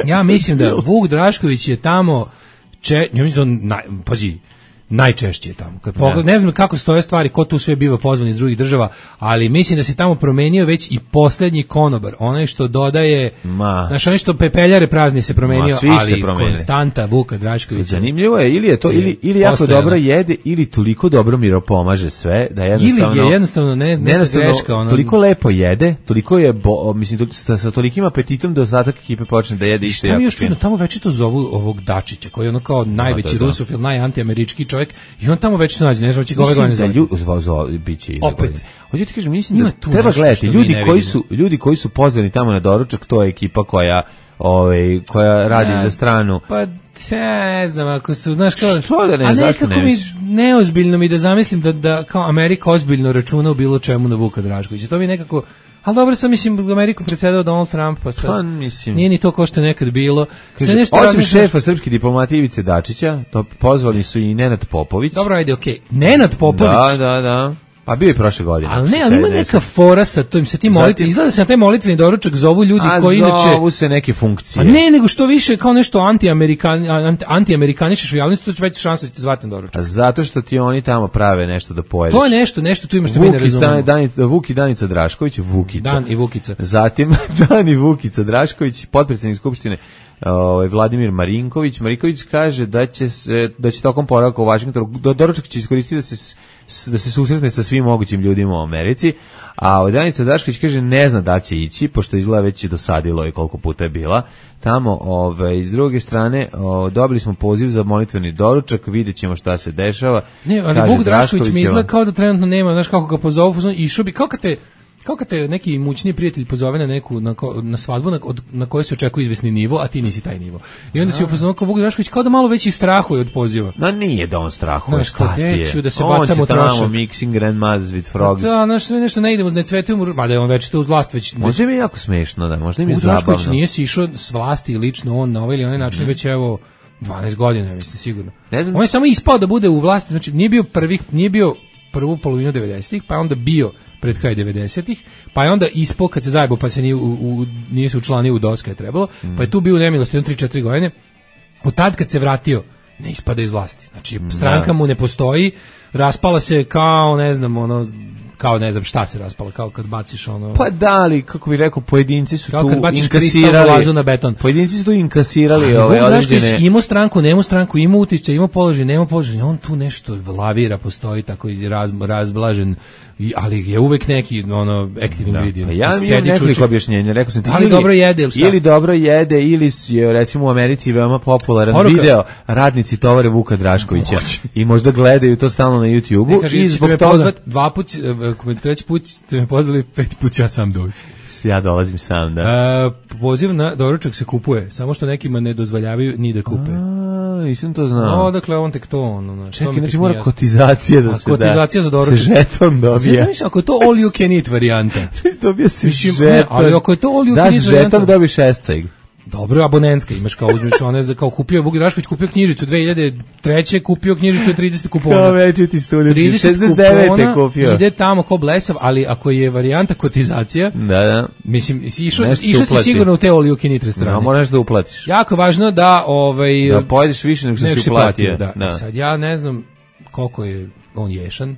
Ja mislim da Vuk Drašković je tamo pazi, najčešće je tamo. Ne znam kako stoje stvari, ko tu sve biva pozvan iz drugih država, ali mislim da se tamo promenio već i posljednji konobar. Onaj što dodaje, znaš, onaj što pepeljare prazni se promenio, ali konstanta Vuka Draškovića. Zanimljivo je, ili je to, ili jako dobro jede, ili toliko dobro miropomaže sve, da jednostavno... Ili je jednostavno neka greška. Toliko lepo jede, toliko je, mislim, sa tolikim apetitom da ostatak ekipe počne da jede isto jako. Šta mi još čudno, tamo već to zovu ovog Dačića, koji je ono kao najveći rusofil, najantiamerički čovjek, i on tamo već se nađe, ne znam će ga ove godine zvati. Biće opet. Hoću ti kažem, mislim da treba gledati, ljudi koji su pozvani tamo na doručak, to je ekipa koja radi za stranu. Pa ne znam, ako su, znaš kao... Što da ne, zašto ne misliš? Neozbiljno mi da zamislim da kao Amerika ozbiljno računa u bilo čemu na Vuka Draškovića. To mi nekako... Ali dobro sam, mislim, Amerikom predsjedao Donald Trump, pa sad nije ni to ko što je nekad bilo. Osim šefa srpske diplomatije Ivice Dačića, to pozvali su i Nenad Popović. Dobro, ajde, okej. Nenad Popović? Da. Pa bio je prošle godine. Ali ima neka fora sa tim molitvenim. Izgleda se na taj molitveni doručak zovu ljudi koji inače... zovu se neke funkcije. A ne, nego što više kao nešto anti-amerikanišeš u javnosti, to će već šansa da ćete zvati na doručak. A zato što ti oni tamo prave nešto da pojedeš. To je nešto tu ima što mi ne razumemo. Vuk i Danica Drašković, Vukica. Dan i Vukica. Zatim Dan i Vukica Drašković, potpredsjednik Skupštine Vladimir Marinković. Marinković kaže da će tokom boravka u Vašingtonu doručak će iskoristiti da se susretne sa svim mogućim ljudima u Americi, a Danica Drašković kaže ne zna da će ići, pošto izgleda već je dosadilo i koliko puta je bila tamo. S druge strane dobili smo poziv za molitveni doručak, vidjet ćemo šta se dešava. Ne, ali Vuk Drašković mi izgleda kao da trenutno nema, znaš kako ga pozovu, išao bi, kao kad te neki imućni prijatelj pozove na neku na svadbu na kojoj se očekuje izvesni nivo, a ti nisi taj nivo. I onda si u fazonu kao Vuk Drašković kao da malo već i strahuje od poziva. No nije da on strahuje, šta ti je? Da se bacamo trošak. On će tamo mixing grandmas with frogs. Da, znaš, sve nešto ne idemo, ne cvetujemo, mada je on već to uz vlast već... Možda mi je jako smešno, da, možda mi je zabavno. Drašković nije si išao s vlasti lično, on na ovaj ili onaj način već evo 12 godina, mislim, sigurno. On je samo ispao da bude u vlasti, znači nije bio prvu polovinu 90-ih, pa je onda bio pred kraj 90-ih, pa je onda ispao kad se zajebao, pa se nije se učlanio u DOS kad je trebalo, pa je tu bio u nemilosti 3-4 godine. Od tad kad se vratio, ne ispada iz vlasti. Znači, stranka mu ne postoji, raspala se kao, ne znam, kao ne znam šta se raspala, kao kad baciš ono... Pa da li, kako bih rekao, pojedinci su kao tu inkasirali... na beton. Pojedinci su tu inkasirali ove određene... Imao stranku, nemao stranku, imao utišće, imao položaj, nemao položaj, on tu nešto lavira, postoji tako razblažen, ali je uvek neki active ingredient. Ja imam nekoliko objašnjenja, rekao sam ti, ili dobro jede, ili dobro jede, ili je recimo u Americi veoma popularan video radnici tovare Vuka Draškovića i možda gledaju to stalno na YouTube-u i zbog toga... Treći put ste me pozvali, 5 put ja sam doći. Ja dolazim sam, da. Poziv na doručak se kupuje, samo što nekima ne dozvoljavaju ni da kupe. Nisam to znao. Odakle on tek to. Čekaj, znači mora kotizacija da se da. Kotizacija za doručak. Se žeton dobije. Znači, ako je to all you can eat varijanta. Dobije se žeton. Ali ako je to all you can eat varijanta. Da žeton dobiš esceg. Dobro, abonentska, imaš kao uzmeš one za kao kupio Vuk Drašković kupio knjižicu 2003. kupio knjižicu 30 kupona. Kao večiti student, 69. kupio. Ide tamo ko blesav, ali ako je varijanta kotizacija, da. Mislim, išao si sigurno u te all you can eat restorane. No, moraš da uplatiš. Jako važno da da pojedeš više nego što si uplatio. Da. Sad ja ne znam koliko je on ješan.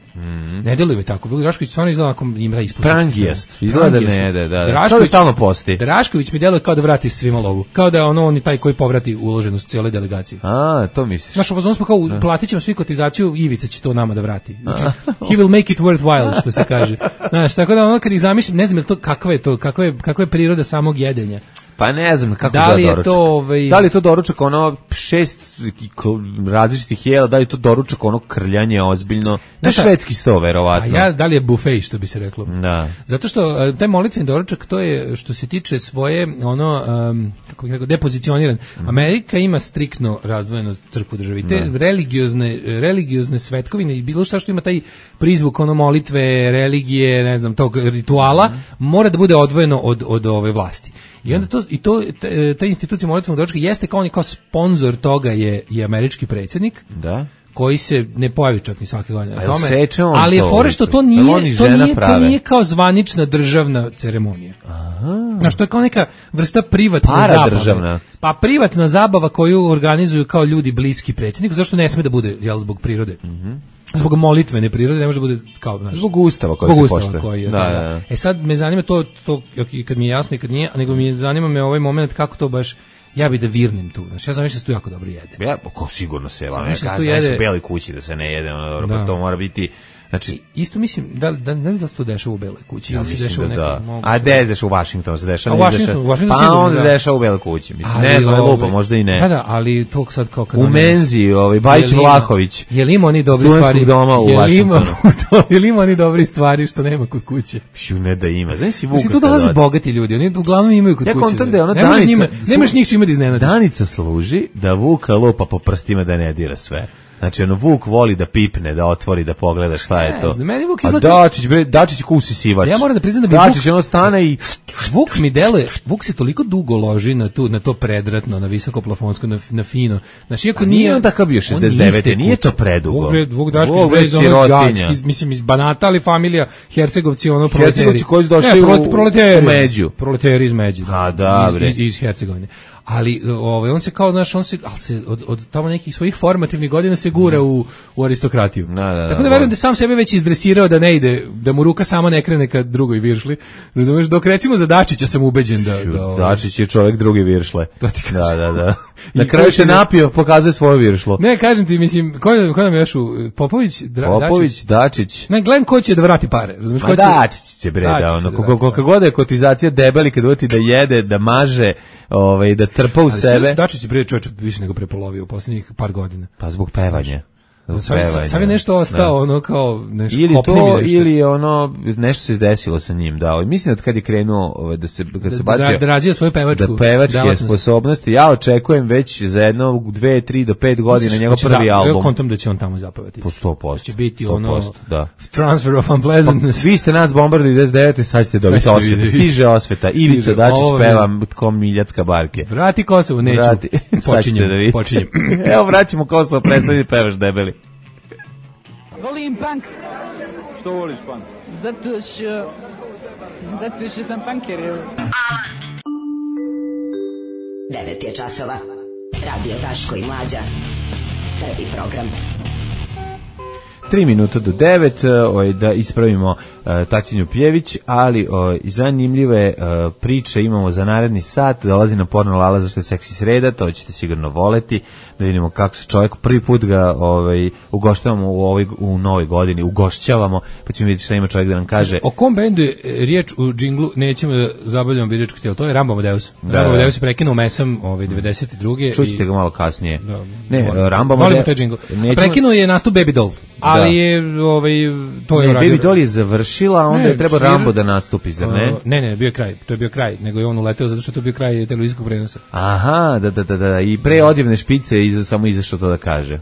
Ne deluje tako. Vuk Drašković stvarno izgleda ako ima taj ispust. Prangijest. Izgleda ne jede, da. Drašković stalno posti. Drašković mi deluje kao da vrati svima lovu. Kao da je on taj koji povrati uloženost cijele delegacije. To misliš. Znaš, ovo smo kao, platit ćemo svi kotizaciju, Ivica će to nama da vrati. Znači, he will make it worthwhile, što se kaže. Znaš, tako da ono kad ih zamišljam, ne znam kakva je priroda samog jedenja. Pa ne znam kako da li je to da li je to doručak ono 6 različitih jela, da li je to doručak ono krljanje ozbiljno, na švedski sto verovatno. A da li je bufej, što bi se reklo. Da. Zato što taj molitveni doručak, to je što se tiče svoje kako bih rekao, depozicioniran. Amerika ima striktno razdvojenu crkvu državi. Te religiozne svetkovine i bilo šta što ima taj prizvuk ono molitve, religije, ne znam, tog rituala, mora da bude odvojeno od ove vlasti. I onda ta institucija molitvenog doručka jeste kao sponzor toga je američki predsjednik. Da. Koji se ne pojavi čak ni svake godine na tome. Ali je fore što to nije kao zvanična državna ceremonija. Znaš, to je kao neka vrsta privatne zabave. Državna. Pa privatna zabava koju organizuju kao ljudi bliski predsjedniku, zašto ne sme da bude, zbog prirode. Zbog molitvene prirode ne može da bude kao, znaš, zbog ustava koji se poštuje. Da. Sad me zanima to kad mi je jasno i kad nije, nego mi zanima me ovaj moment kako to baš ja bi da virnim tu. Znači, ja znam što se tu jako dobro jede. Ja, sigurno se, ja kažem u Beloj kući da se ne jede, pa to mora biti. Znači, isto mislim da ne znam da se to dešava u Beloj kući, ili se dešava u nekom. A gde se u Washingtonu se dešava? Pa onda se dešava u Beloj kući, mislim. Ne znam, lupa, možda i ne. Da, ali to sad kao kad u menzi, Bajić Vlahović. Jel ima oni dobri stvari? Doma u Washingtonu. Jel ima oni dobri stvari što nema kod kuće? Ne da ima. Znaš si Vuka. Tu dolaze bogati ljudi, oni uglavnom imaju kod kuće. Ja kontam da je ona nemaš njih svima da iznenadiš. Danica služi da Vuka lupa po prstima da ne dira sve. Znači, Vuk voli da pipne, da otvori, da pogleda šta je to. Meni Vuk izgleda... A Dačić kusi sivač. Ja moram da priznam da bi Dačić ono stane i... Vuk mi deluje, Vuk se toliko dugo loži na to predratno, na visoko plafonsko, na fino. Znači, iako nije... on takav bio 69. Nije to predugo. Vuk Drašković bez ono gački, mislim, iz Banata, ali familija Hercegovci, ono proleteri. Hercegovci koji su došli u Među. Proleteri iz Među. A, da, bre. Iz Hercegovine. Ali on se kao, znaš, od tamo nekih svojih formativnih godina se gura u aristokratiju. Tako da verujem da sam sebe već izdresirao da ne ide, da mu ruka sama ne krene kad drugoj viršli. Razumeš, dok recimo za Dačića sam ubeđen da Dačić je čovjek drugi viršle. Da. Na kraju se napio, pokazuje svoje viršlo. Ne, kažem ti, mislim, ko nam je još Popović, Dačić. Ne, gledam ko će da vrati pare. Razumeš, ko će... Dačić će koliko god je kotizacija debeli kad uvati da jede, da maže, da trpa u sebe. Dačić je prije čovječa više nego prepolovio u posljednjih par godina. Pa zbog pevanja. Sad je nešto ostao, ono kao nešto ili to, ili ono nešto se izdesilo sa njim, da. Mislim da kad je krenuo da se bacio da razvija svoju pevačke sposobnosti, ja očekujem već za jedno 2, 3 do 5 godina njegov prvi album. Ja kontam da će on tamo zapevati. Po 100%. Će biti ono Transfer of Unpleasantness. Vi ste nas bombardili 99, sad ćete dobiti osvetu. Stiže osveta. Ivica Dačić peva ko Miljacka barke. Vrati Kosovo, neću. Počinjem. Evo vraćamo Kosovo, prestani pevaš debeli. Volim punk. Što voliš punk? Zato što sam punker. 9 je časova. Radio Daško i Mlađa. Prvi program. 3 minuta do 9, da ispravimo Tatjanu Pjević, ali zanimljive priče imamo za naredni sat. Dolazi na Porno Lala zašto je seksi sreda, to ćete sigurno voleti, da vidimo kako se čovjek prvi put ga ugoštavamo u novoj godini, ugošćavamo, pa ćemo vidjeti šta ima čovjek da nam kaže. O kom bendu je riječ u džinglu, nećemo da zabavljamo biračko tijelo, to je Rambo Amadeus. Rambo Amadeus je prekinuo mesam 92. Čućete ga malo kasnije. Rambo Amadeus. Prekinuo je nastup Baby Doll, ali je to je Baby Doll je završila, onda je treba Rambo da nastupi, zar ne? Ne, bio je kraj, to je bio kraj, nego je on uleteo zato što to je bio kraj televizijskog prenosa. Aha, da, i pre odjevne špice samo izašao to da kaže.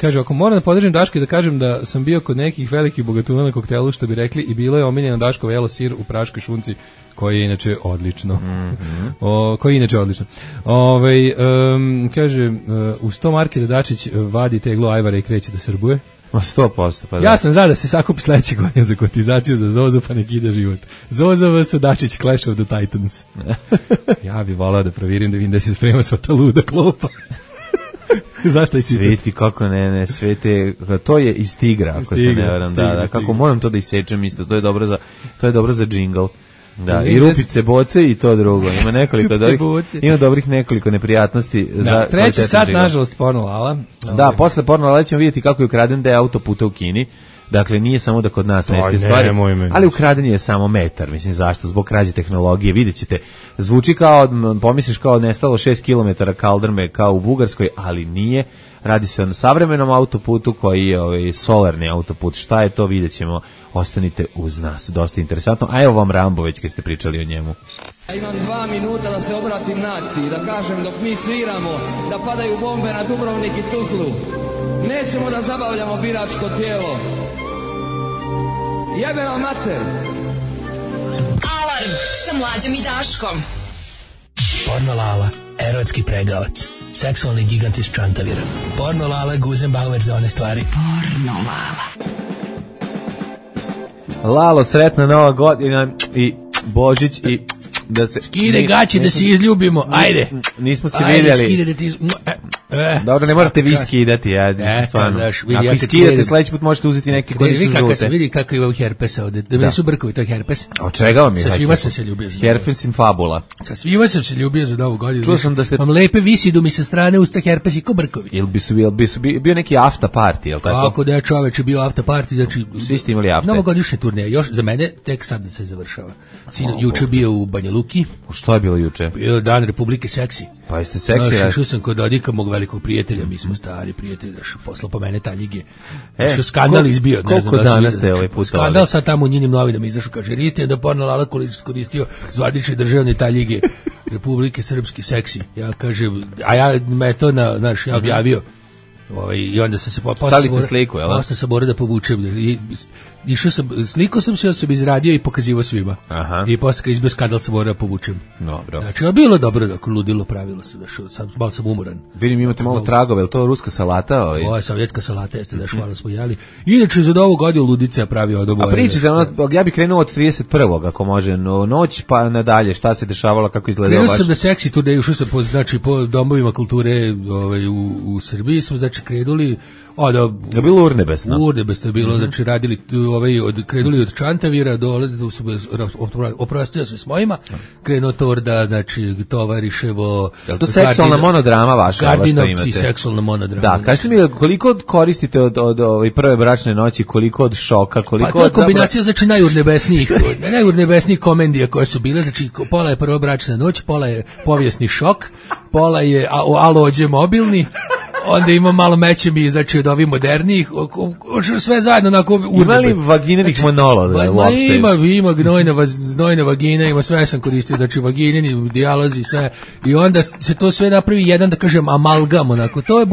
Kaže, ako moram da podržim Daška i da kažem da sam bio kod nekih velikih bogatuna na koktelu, što bi rekli, i bilo je omiljeno Daško jelo sir u praškoj šunci, koji je inače odlično. Kaže, u 100 marke da Dačić vadi teglo ajvara i kreće da srbuje. 100%. Pa da. Ja sam da se sakupi sledeće godine za kotizaciju za Zozu, pa nek ide život. Zoza vs. Dačić, Clash of the Titans. Ja bih volao da provirim, da vidim da se sprema sva ta luda klopa. Zašto je sveti, kako ne, svete, to je iz Tigra, ako se ne varam, da, kako moram to da isečem isto, to je dobro za džingl. Da, i rupice, boce i to drugo. Ima dobrih nekoliko neprijatnosti za treći sat, nažalost, porno lala. Da, posle porno lala ćemo vidjeti kako je ukraden deo autoputa u Kini. Dakle, nije samo da kod nas neste stvari, ali ukraden je samo metar. Mislim, zašto? Zbog krađe tehnologije. Vidjet ćete, zvuči kao, pomisliš kao nestalo 6 km kaldrme kao u Bugarskoj, ali nije. Radi se o savremenom autoputu koji je solarni autoput. Šta je to, vidjet ćemo. Ostanite uz nas, dosta interesantno. A evo vam Rambo, već kad ste pričali o njemu. Ja imam 2 minuta da se obratim naciji, da kažem dok mi sviramo, da padaju bombe na Dubrovnik i Tuzlu. Nećemo da zabavljamo biračko tijelo. Jebe vam mater! Alarm sa Mlađom i Daškom. Porno Lala, erotski pregavac, seksualni gigant iz Čantavira. Porno Lala, Guzenbauer za one stvari. Porno Lala. Lalo, sretna Nova godina i Božić i da se... Skide gaći da se izljubimo, ajde. Nismo se vidjeli. Ajde, skide da ti... Dobro, ne morate vi skidati, stvarno. Ako iskidate, sledeći put možete uzeti neki koji su žute. Vidi kako ima herpesa ovde. Da su brkovi, to je herpes. A od čega vam je? Sa svima sam se ljubio. Herpes in fabula. Sa svima sam se ljubio za Novu godinu. Čuo sam da ste... Mam lepe visidu mi sa strane usta herpes i ko brkovi. Ili bi bio neki after party, jel tako? Kako da je čoveče bio after party, znači... Svi ste imali after. Novogodišnje turneje, još za mene tek sad se završava. Juče bio u Banja Luki. Što je bilo juče? Bio dan Republike seksi. Pa jeste seksi, ja? Šao sam kod Dodika, mog velikog prijatelja, mi smo stari prijatelji, poslao po mene taljige. Što skandal izbio, ne znam da se vidi. Skandal sad tamo u njinim novinama izašao, kaže, istina da Porno Lala koristio zvanične državne taljige Republike Srpski seksi. Ja kažem, a ja me to ja objavio. I onda sam se stavite sliku, jel? Posle sam morao da povučem. Išao sam, sliko sam se izradio i pokazivao svima. Aha. I posle kad izbio skandal sam morao da povučem. Dobro. Znači, bilo dobro, da ludilo pravilo se, malo sam umoran. Vidim, imate malo tragove, je li to ruska salata? Ovo je sovjetska salata, jeste da malo smo jeli. Inače, za Novu godinu ludica pravi od oboje. A pričate, ja bih krenuo od 31. ako može, noć pa nadalje, šta se dešavalo, kako izgledalo baš? Krenuo sam da seksi turneju, ušao sam po domovima kulture u Srbiji, smo znači krenuli. Da bilo urnebesno. Urnebesno je bilo, znači radili krenuli od Čantavira dole, oprostio se s mojima, krenuo Torda, znači Tovariševo. Je li to seksualna monodrama vaša? Gardinovci, seksualna monodrama. Da, kažete mi koliko koristite od prve bračne noći, koliko od šoka, koliko od... Pa to je kombinacija, znači najurnebesnijih komedija koje su bile, znači pola je prva bračna noć, pola je povijesni šok, pola je alođe mobilni, onda ima malo mećemi, znači od ovih modernijih, sve zajedno onako urnebe. Ima li vaginenih monologa uopšte? Ima gnojna vagina, ima sve sam koristio, znači vagineni dijalozi, sve. I onda se to sve napravi jedan, da kažem, amalgam, onako, to je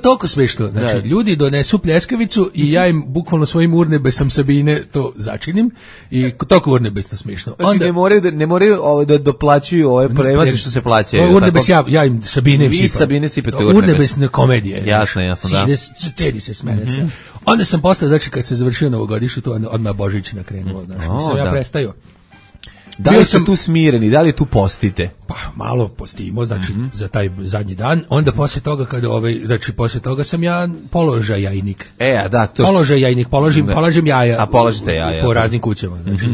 toliko smešno. Znači, ljudi donesu pljeskavicu i ja im bukvalno svojim urnebesam Sabine to začinim i toliko urnebesno smešno. Znači, ne moraju da doplaćuju ove prevaze što se plaćaju. Urnebes, ja im Sabine sipam. Vi Sabine sipate urnebes. Urnebesne komedije. Jasno, da. Cedi se s mene sve. Onda sam posle, znači, kad se završio novogodišnje, to odmah Božić nakrenuo. Znači, sam ja prestajao. Da li ste tu smireni, da li tu postite? Pa malo postimo, znači za taj zadnji dan, onda posle toga znači posle toga sam ja položajajnik. Položajajnik, položim jaja. A položite jaja. Po raznim kućama, znači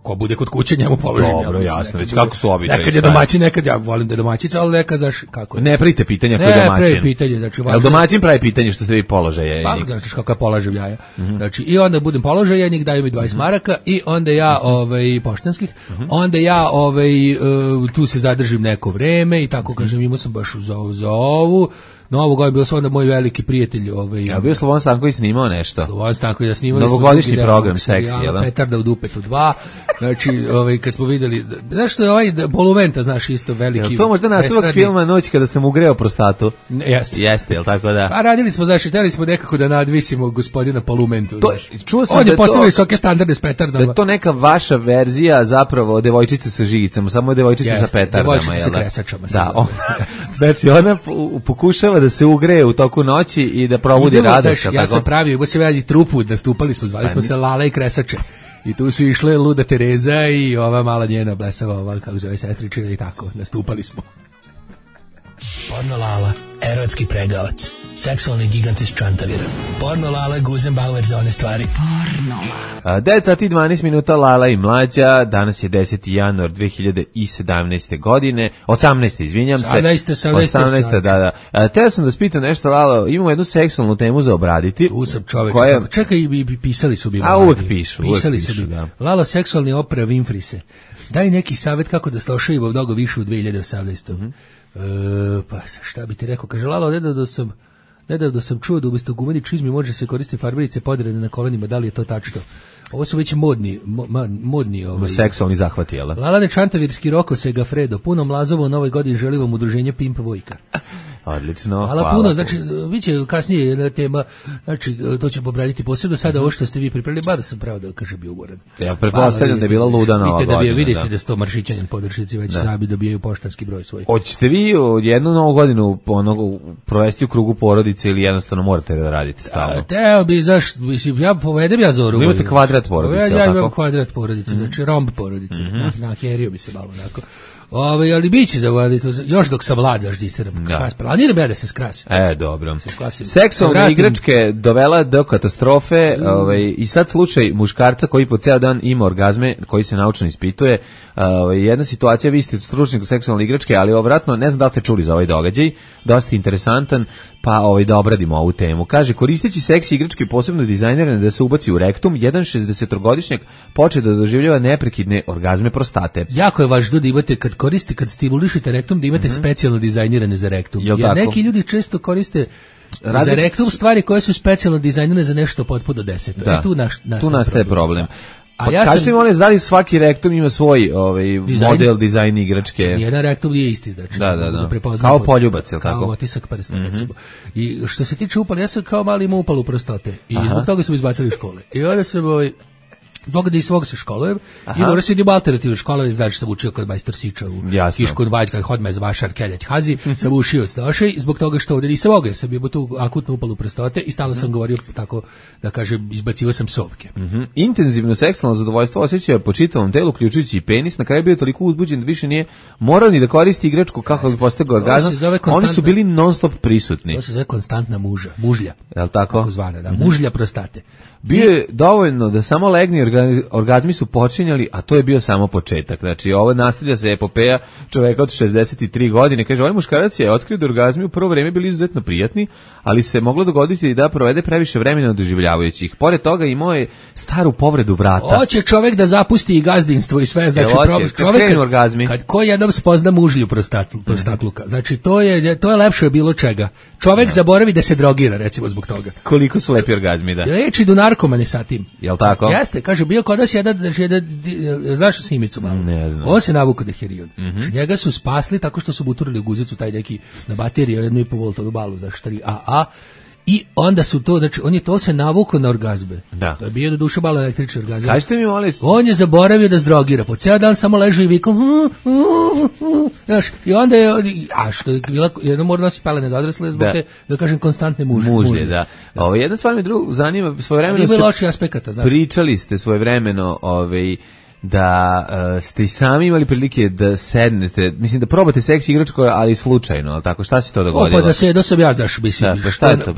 ko bude kod kuće njemu položim. Dobro, jasno, već kako su običaji. Nekad je domaćin, nekad ja volim da je domaćica, ali nekad znaš kako. Ne pravite pitanja koji je domaćin. Ne pravi pitanje, znači jel domaćin pravi pitanje što ste vi položajajnik? Pa, znaš kako ja položim jaja. Znači, i onda budem položajajnik, daju mi 20 maraka i onda ja, poštanskih, onda ja, tu se zadržim neko vreme i tako kažem, imao sam baš za ovu. Novu godinu bio sam onda moj veliki prijatelj. Ja bio Slobodan Stanković snimao nešto. Slobodan Stanković da snimao. Novogodišnji program, seksi, jel da? Petarda u dupetu 2. Znači, kad smo videli, znaš što je ovaj Bolumenta, znaš, isto veliki. Jel to možda nastavak filma Noć kada sam ugreo prostatu? Jeste, jel tako da? Pa radili smo, znaš, hteli smo nekako da nadvisimo gospodina Polumentu, znaš. Čuo sam on je postavio visoke standarde s petardama. Da je to neka vaša verzija zapravo devojčice sa žigicama, samo devojčice sa petardama. Devojčice sa kresačama. Da, znači ona pokušava da se ugreje u toku noći i da probudi radost. Ja sam pravio, imao se veli trupu, nastupali smo, zvali smo se Lala i Kresače. I tu su išle Luda Tereza i ova mala njena blesava, ova, kako zove, sestričina i tako, nastupali smo. Porno Lala, erotski pregavac, seksualni gigant iz Čantavira. Porno Lala, Guzenbauer za one stvari. Porno Lala. 9 sati 12 minuta, Lala i Mlađa, danas je 10. januar 2017. godine, 18. izvinjam se. 18. da. Teo sam da spitam nešto, Lala, imamo jednu seksualnu temu za obraditi. Tu sam čovek, koja... čekaj, pisali su bi. Uvek pišu. Pisali su bi. Da. Lala, seksualni opera Winfrise. Daj neki savjet kako da slošaju mnogo više u 2018. Pa šta bi ti rekao, kaže Lalo, nedavno sam čuo da umjesto gumeni čizmi može se koristiti farberice poderane na kolenima, da li je to tačno? Ovo su već modni seksualni zahvati, jel? Lalane Čantavirski Roko Segafredo, puno mlazovo u novoj godini želim vam udruženje Pimp Vojka. Odlično. Hvala puno, znači biće kasnije jedna tema, znači to ćemo obraditi posebno, sada ovo što ste vi pripremili, bar sam pravo da kažem bio umoran. Ja pretpostavljam da je bila luda nova godina. Vidite da sto maršićanjen podršnici već sabi dobijaju poštanski broj svoj. Hoćete vi jednu novu godinu provesti u krugu porodice ili jednostavno morate da radite stalno? Teo bi, mislim, ja povedem ja Zoru. Imate kvadrat porodice, ja imam kvadrat porodice, znači romb porodice, na herio bi se malo onako. Ali biće zavoditi, još dok sam mlad, još distiram. Planiram ja da se skrasim. Dobro. Seksualne igračke dovela do katastrofe i sad slučaj muškarca koji po ceo dan ima orgazme, koji se naučno ispituje. Jedna situacija, vi ste stručnjak u seksualne igračke, ali obratno, ne znam da li ste čuli za ovaj događaj, dosta interesantan, pa da obradimo ovu temu. Kaže, koristeći seksi igračke posebno dizajnirane da se ubaci u rektum, jedan 60-godišnjak poče da doživljava neprekidne orgazme prostate. Jako je važno da imate, kad stimulišete rektum, da imate specijalno dizajnirane za rektum. Jer neki ljudi često koriste za rektum stvari koje su specijalno dizajnirane za nešto potpuno deseto. Tu nastaje problem. Pa kažete mi, da li svaki rektum ima svoj model, dizajn igračke? Jedan rektum nije isti, znači. Da. Kao poljubac, je li tako? Kao otisak prsta, recimo. I što se tiče upala, ja sam kao mali imao upalu prostate. I zbog toga sam izbacili iz škole. I onda sam Zbog da i svog se školujem i moram se idem alternativne škole, znači sam učio kod majstor Siča u Kišku Vajka, hodme z vašar Keljać Hazi, sam učio stošej, zbog toga što ovdje nisam mogao, sam bio tu akutnu upalu prostote i stalno sam govorio tako, da kažem, izbacivo sam sovke. Intenzivno seksualno zadovoljstvo osjećao po čitavom telu, uključujući i penis, na kraju bio toliko uzbuđen da više nije morao ni da koristi igračku kako bi postigao orgazam, oni su bili non stop prisutni. To se zove konstantna mužlja. Jel tako? Tako zvana, da, mužlja prostate. Bio je dovoljno da samo legni orgazmi su počinjali, a to je bio samo početak. Znači, ovo nastavlja se epopeja čoveka od 63 godine. Kaže, ovaj muškarac je otkrio da orgazmi u prvo vreme bili izuzetno prijatni, ali se moglo dogoditi da provede previše vremena doživljavajući ih. Pored toga imao je staru povredu vrata. Hoće čovek da zapusti i gazdinstvo i sve, znači kad ko jednom spozna mužlju prostatluka. Znači, to je lepše bilo čega. Čovek zaboravi da se drogira, recimo, zbog toga. Koliko su lepi orgazmi, da. Reči do narkomane sa tim. Jel tako? Jeste, kaže, bio kod nas jedan, znaš Simicu malo? Ne znam. On se navukao da herion. Njega su spasli tako što su buturili u guzicu taj neki na bateriju 1,5 voltovu balu, znači 3 AA. I onda su to, znači, on je to se navukao na orgazme. Da. To je bio do duše malo električni orgazam. Kažete mi, molim. On je zaboravio da zdrogira. Po cijel dan samo leži i vikom. Znaš, i onda je, što je bila, jedno mora nosi pelene za odrasle zbog te, da kažem, konstantne mužlje. Da. Jedna stvar me zanima, svojevremeno ima loših aspekata, znaš. Pričali ste svojevremeno, da ste i sami imali prilike da sednete, mislim da probate seksi igračku, ali slučajno, ali tako, šta se to dogodilo? Pa da sam ja, znaš, mislim. Da, šta je to?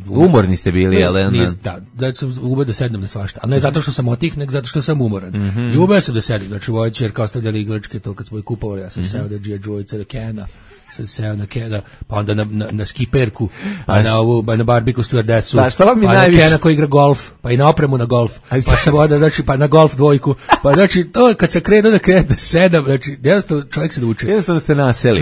Umorni ste bili, ali? Da sam umeo da sednem na svašta, ali ne zato što sam otih, nego zato što sam umoran. I umeo sam da sednem, znači, moja ćerka ostavljala igračke, to kad smo je kupovali, ja sam seo da G.I. Joe, Kena, sam seo na Kena, pa onda na skiperku, pa na barbiku stewardesu, pa na Kena koji igra golf, pa i na opremu na golf, pa sam onda, znači, pa na golf dvojku, pa znači, to kad se krenuo da sedam, znači, jednostavno čovjek se nauči. Jednostavno ste naseli.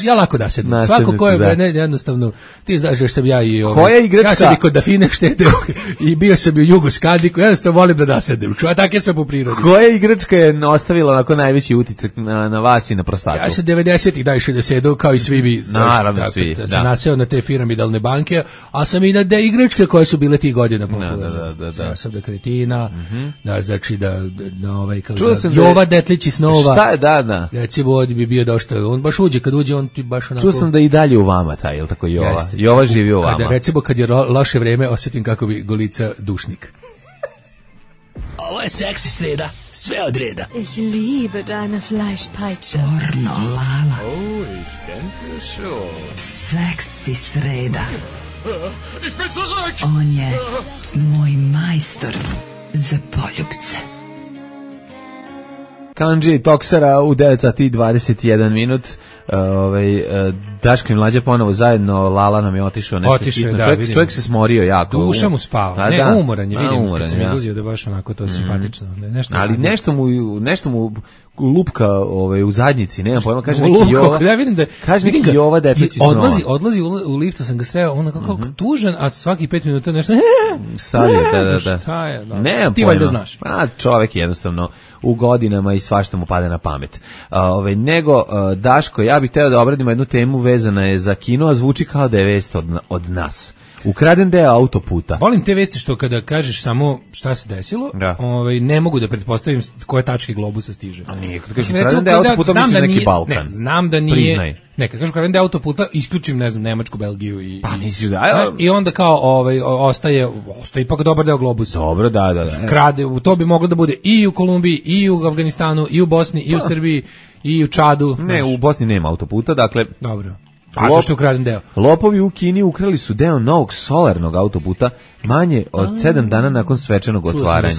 Ja lako nasednem. Svako ko je jednostavno, ti znaš da sam ja i koja igračka? Ja sam i kod Dafine štedeo i bio sam i u Jugoskadiku, jednostavno volim da nasednem. Tako sam po prirodi. Koja igračka je ostavila onako najveći utisak na vas i na prostatu? Ja sam 90-ih najviše da sedu, kao i svi vi. Naravno, svi. Da sam naseo na te piramidalne banke, a sam i na de igračke koje su bile tih godina popularne. Da. Ja sam da kretina, da znači na ovaj, kao Jova Detlići snova. Šta je, da. Recimo, ovdje bi bio došta, on baš uđe, kad uđe, on ti baš onako... Čuo sam da i dalje u vama taj, je li tako Jova? Jeste. Jova živi u vama. Recimo, kad je loše vreme, osjetim kako bi Golica dušnik. Ovo je seksi sreda, sve od reda. Ich liebe deine Fleischpeitsche. Pornolala. Oh, ich denke schon. Seksi sreda. Ich bin zurück! On je moj majstor za poljubce. Kanđi Toksara u 9:21 minut. Daško i Mlađa ponovo zajedno, Lala nam je otišao nešto hitno. Čovjek se smorio jako. Duša mu spava. Umoran je, vidim kad sam izlazio da je baš onako to simpatično. Ali nešto mu lupka u zadnjici, nema pojma, kaže neki Jova. Ja vidim da kaže neki Jova Detlići snova. Odlazi u liftu, sam ga sreo, on kako tužan, a svaki 5 minuta nešto sad je, da. Šta je? Nema ti valjda znaš. Čovjek jednostavno u godinama i svašta mu pada na pamet. Nego Daško, ja bih hteo da obradimo jednu temu, vezana je za kino, a zvuči kao da je vest od nas. Ukraden deo autoputa. Volim te vesti što kada kažeš samo šta se desilo, ne mogu da pretpostavim koje tačke globusa stiže. A nije, kada kažeš ukraden deo autoputa, misliš neki Balkan. Ne, znam da nije. Priznaj. Ne, kada kažeš ukraden deo autoputa, isključim, ne znam, Nemačku, Belgiju i... Pa misliš da... I onda kao ostaje ipak dobar deo globusa. Dobro, da. Krade, to bi moglo da bude i u Kolumbiji, i u Afganistanu, i u Bosni, i u Srbiji, i u Čadu. Ne, u Bosni nema autoputa, dakle... Dobro. A zašto ukraden deo? Lopovi u Kini ukrali su deo novog solarnog autoputa manje od 7 dana nakon svečanog otvaranja.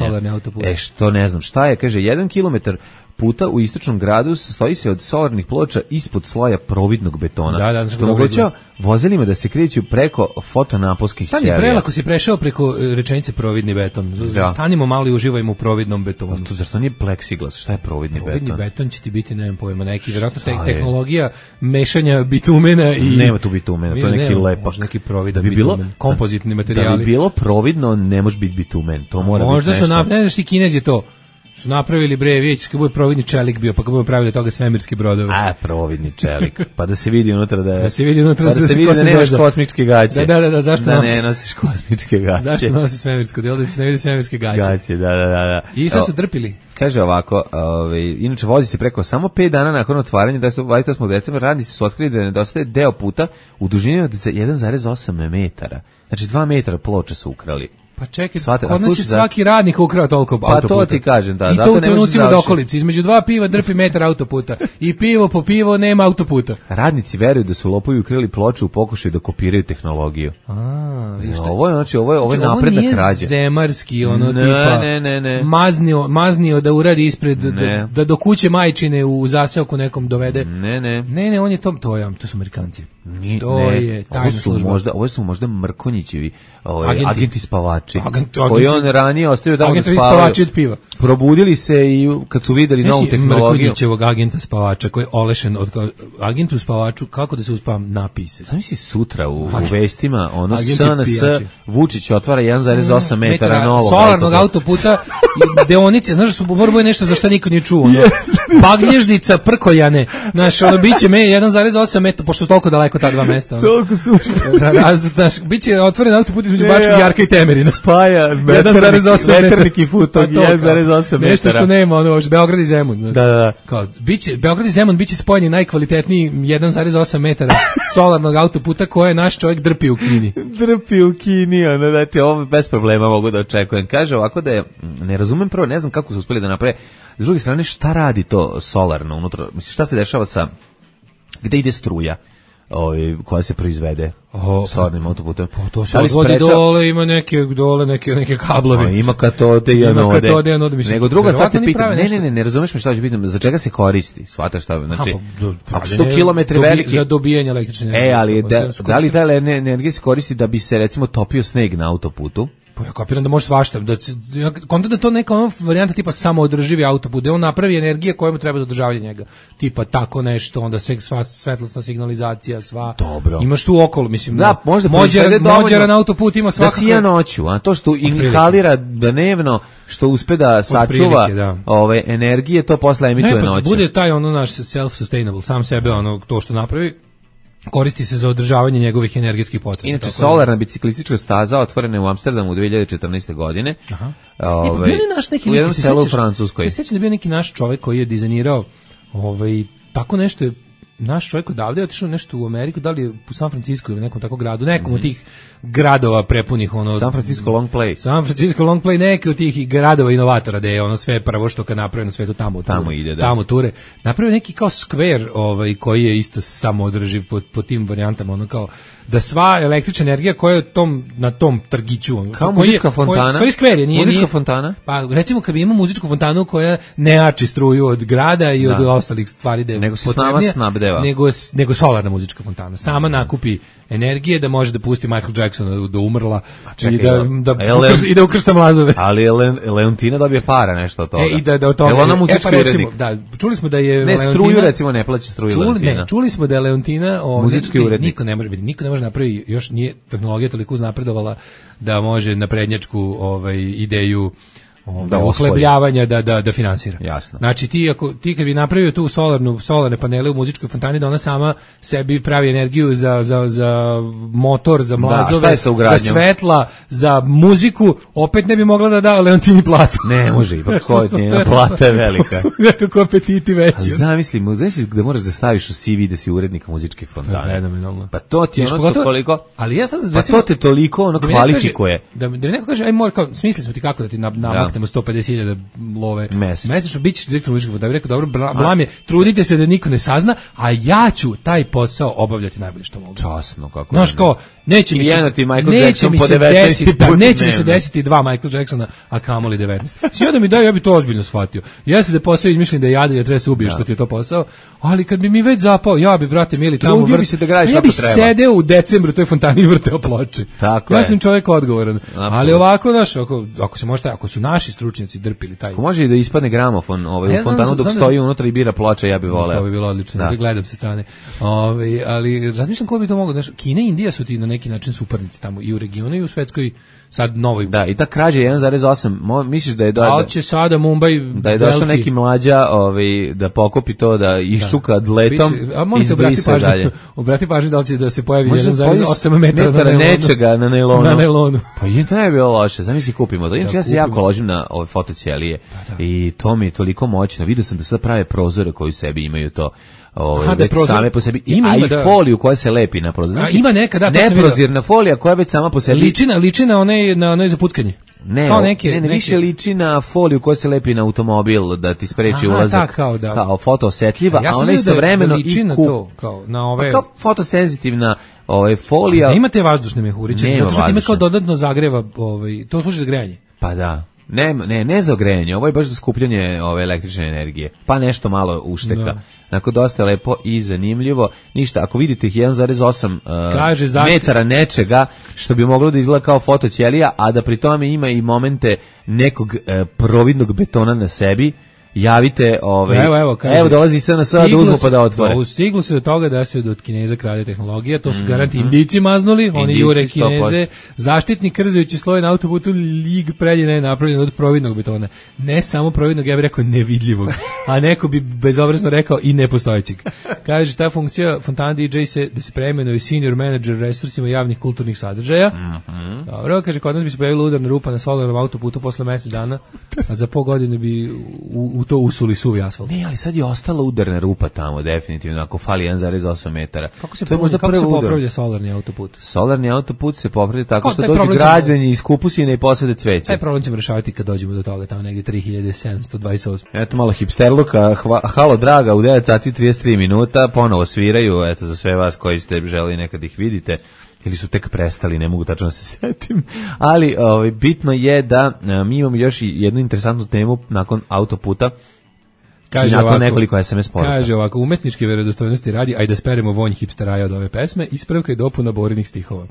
Što ne znam šta je, kaže 1 kilometar puta u istočnom gradu sastoji se od solarnih ploča ispod sloja providnog betona. Što omogućava vozilima da se kreću preko fotonaponskih ćelija. Stani, prelako si prešao preko rečenice providni beton. Stanimo malo i uživajmo u providnom betonu. Zašto nije pleksiglas? Šta je providni beton? Providni beton će ti biti, nemam pojma, neki vjerojatno tehnologija mešanja bitumena i... Nema tu bitumena, to je neki lepak. Neki providan bitumen, kompozitni materijali. Da bi bilo providno, ne može biti bitumen. To mora biti nešto. Možda su, ne znaš ti Kinez je to. Su napravili vidjeti kad bude providni čelik bio, pa kad bude pravili toga svemirski brodovi. Providni čelik. Pa da se vidi unutra da se vidi unutra da nemaš kosmičke gaće. Da, zašto ne nosiš kosmičke gaće? Zašto nosiš svemirsko delo da se ne vidi svemirske gaće? Gaće, da. I šta su drpili? Kaže ovako, inače vozi se preko samo 5 dana nakon otvaranja 28. decembra, radnici su otkrili da nedostaje deo puta u dužini od 1,8 metara. Znači 2 metra ploče su ukrali. Pa čekaj, kod nas je svaki radnik ukrao toliko autoputa. Pa to ti kažem, da. I to u trenucima do okolice. Između 2 piva drpi metar autoputa. I pivo po pivo nema autoputa. Radnici veruju da su lopovi ukrali ploču u pokušaju da kopiraju tehnologiju. Ovo je napredna krađa. Ovo nije zemarski, tipa. Ne. Maznio da uradi ispred, da do kuće majčine u zaseoku nekom dovede. Ne, on je to su Amerikanci. To je tajna služba. Ovo su možda Mrkonjićevi agenti spavači. Koji on ranije ostavio tamo da spavaju. Probudili se i kad su videli novu tehnologiju. Mrkonjićevog agenta spavača koji je olešen od agentu spavaču, kako da se uspavam napise. Znam si sutra u vestima, SNS Vučić otvara 1,8 metara novog solarnog autoputa i deonice, znaš da su borboje nešto za što niko nije čuo. Bagnježnica Prkojane, znaš, biće 1,8 metara, pošto su toliko daleko ta dva mesta. Toliko su. Biće otvoren autoput između Bačkog Jarka i Temerina. Spaja metarnik i futog 1,8 metara. Nešto što nema, Beograd i Zemun. Da. Beograd i Zemun biće spojeni najkvalitetniji 1,8 metara solarnog autoputa koje naš čovjek drpi u Kini. Znači ovo bez problema mogu da očekujem. Kaže ovako da je, ne razumem prvo, ne znam kako su uspeli da naprave. S druge strane, šta radi to solarno unutra? Mislim, šta se dešava gde ide struja? koja se proizvede solarnim autoputem. To se odvodi dole, ima neke kablovi. Ima katode i anode. Nego druga stvar te pitam, ne razumeš me šta ću pitam, za čega se koristi? Shvataš šta? Znači, ako 100 km veliki... Za dobijanje električne energije. Ali da li ta energija se koristi da bi se recimo topio sneg na autoputu? Pa ja kapiram da može svašta, da to neka varijanta tipa samoodrživi autoput, da on napravi energije koja mu treba za održavanje njega. Tipa tako nešto, onda sva svetlosna signalizacija, sva. Dobro. Imaš tu okolo, mislim. Da, možda Mođara na autoput ima svakako. Da sija noću, a to što inhalira dnevno, što uspe da sačuva ove energije, to posle emituje noću. Bude taj naš self-sustainable, sam sebe to što napravi. Koristi se za održavanje njegovih energetskih potreba. Inače, solarna biciklistička staza otvorena je u Amsterdamu u 2014. godine. Aha. Pa bio naš neki u jednom selu u Francuskoj. Ja sećam da bio neki naš čovjek koji je dizajnirao tako nešto je naš čovjek odavde je otišao nešto u Ameriku, da li u San Francisco ili nekom tako gradu, nekom od tih gradova prepunih San Francisco Long Play, neki od tih gradova inovatora da je sve prvo što kad napravi na svetu tamo ide, da. Tamo ture. Napravio neki kao skver koji je isto samoodrživ po tim varijantama, kao da sva električna energija koja je na tom trgiću, kao muzička fontana. Stvari skver je, muzička fontana. Pa recimo kad bi imao muzičku fontanu koja ne jači struju od grada i od ostalih stvari da je nego se sama snabdeva. Nego solarna muzička fontana. Sama nakupi energije da može da pusti Michael Jacksona da umrla i da ukršta mlazove. Ali Leontina dobije para nešto od toga. I da od toga. Ona muzički urednik. Da, čuli smo da je ne struju recimo ne plaća struju Leontina. Čuli smo da je Leontina muzički urednik. Niko ne može napraviti, još nije tehnologija toliko uznapredovala da može na prednjačku ideju ohlebljavanja da finansira. Jasno. Znači ti kad bi napravio tu solarne panele u muzičkoj fontani da ona sama sebi pravi energiju za motor, za mlazove, za svetla, za muziku, opet ne bi mogla da da Leontini platu. Ne može, ipak njena plata je velika. Nekako apetiti veći. Ali zamisli da moraš da staviš u CV da si urednik muzičke fontane. Pa to ti je toliko. Ali ja sad pa to te toliko kvalifikuje. Da mi neko kaže aj mora smislili smo ti kako da ti namaknemo 150.000 love mesečno, bit ćeš direktor muzičke fontane. Rekao dobro, blam je, trudite se da niko ne sazna, a ja ću taj posao obavljati najbolje što mogu. Časno, kako. Znaš kao, neće mi se desiti 2 Michael Jacksona, a kamoli 19. Sve da mi daju, ja bi to ozbiljno shvatio. Jeste da je posao izmišljen da je jadan, da treba se ubiješ što ti je to posao, ali kad bi mi već zapao, ja bi, brate mili, tamo ja bi sedeo u decembru toj fontani i vrteo ploče. Ja sam čovjek odgovoran. Ali ovako, znaš, ako se može, ako su naši stručnjaci drpili taj. Ako može i da ispadne gramofon u fontanu dok stoji unutra i bira ploče, ja bih voleo. To bi bilo odlično, da gledam sa strane. Ali razmišljam ko bi to moglo, znaš, Kina i Indija su ti na neki način suparnici tamo i u regionu i u svetskoj sad novoj. Da, i ta krađa 1,8, misliš da je da će sada Mumbai da je došao neki mlađa, da pokopi to, da iščuka dletom i izbrisa dalje. Obrati pažnju da li će da se pojavi 1,8 metara nečega na nailonu. Pa i to ne bi bilo loše, zamisli kupimo to. Inače ja se jako ložim na ove fotoćelije i to mi je toliko moćno. Vidio sam da sada prave prozore koji u sebi imaju to. Već same po sebi ima i foliju koja se lepi na prozor. Znači, ima neka, neprozirna folija koja već sama po sebi liči na onaj za puckanje. Ne, više liči na foliju koja se lepi na automobil da ti spreči ulazak. Kao fotoosetljiva, a ona istovremeno liči na to, kao na ove kao fotosenzitivna folija. Da imate vazdušne mehuriće, zato što time kao dodatno zagreva, to služi za grejanje. Pa da. Ne za grejanje, ovo je baš za skupljanje električne energije, pa nešto malo ušteka. Onako dosta lepo i zanimljivo. Ništa, ako vidite 1,8 metara nečega što bi moglo da izgleda kao fotoćelija, a da pri tome ima i momente nekog providnog betona na sebi, javite, evo dolazi SNS da uzmu pa da otvore. Stiglo se do toga da se od Kineza krade tehnologija, to su garanti Indici maznuli, oni jure Kineze, zaštitni krzajući sloj na autoputu lig prednjena je napravljen od providnog betona. Ne samo providnog, ja bih rekao nevidljivog, a neko bi bezobrazno rekao i nepostojećeg. Kaže, ta funkcija fontana DJ da se preimenuje senior manager resursima javnih kulturnih sadržaja. Dobro, kaže, kod nas bi se pojavila udarna rupa na solarnom autoputu posle mjesec dana, a za pol godine bi u to usuli suvi asfalt. Ne, ali sad je ostala udarna rupa tamo, definitivno, ako fali 1,8 metara. Kako se popravlja solarni autoput? Solarni autoput se popravlja tako što dođe građani iz Kupusine i posade cveće. Taj problem ćemo rešavati kad dođemo do toga, tamo negdje 3728. Eto malo hipsterluka, halo draga, u 9 sati 33 minuta, ponovo sviraju, eto za sve vas koji ste želi nekad ih vidite, ili su tek prestali, ne mogu tačno se setim, ali bitno je da mi imamo još jednu interesantnu temu nakon autoputa. Kaže ovako, nekoliko SMS poruka. Kaže ovako, umetničke verodostojnosti radi, ajde da speremo vonj hipsteraja od ove pesme, ispravka i dopuna Borinih stihova.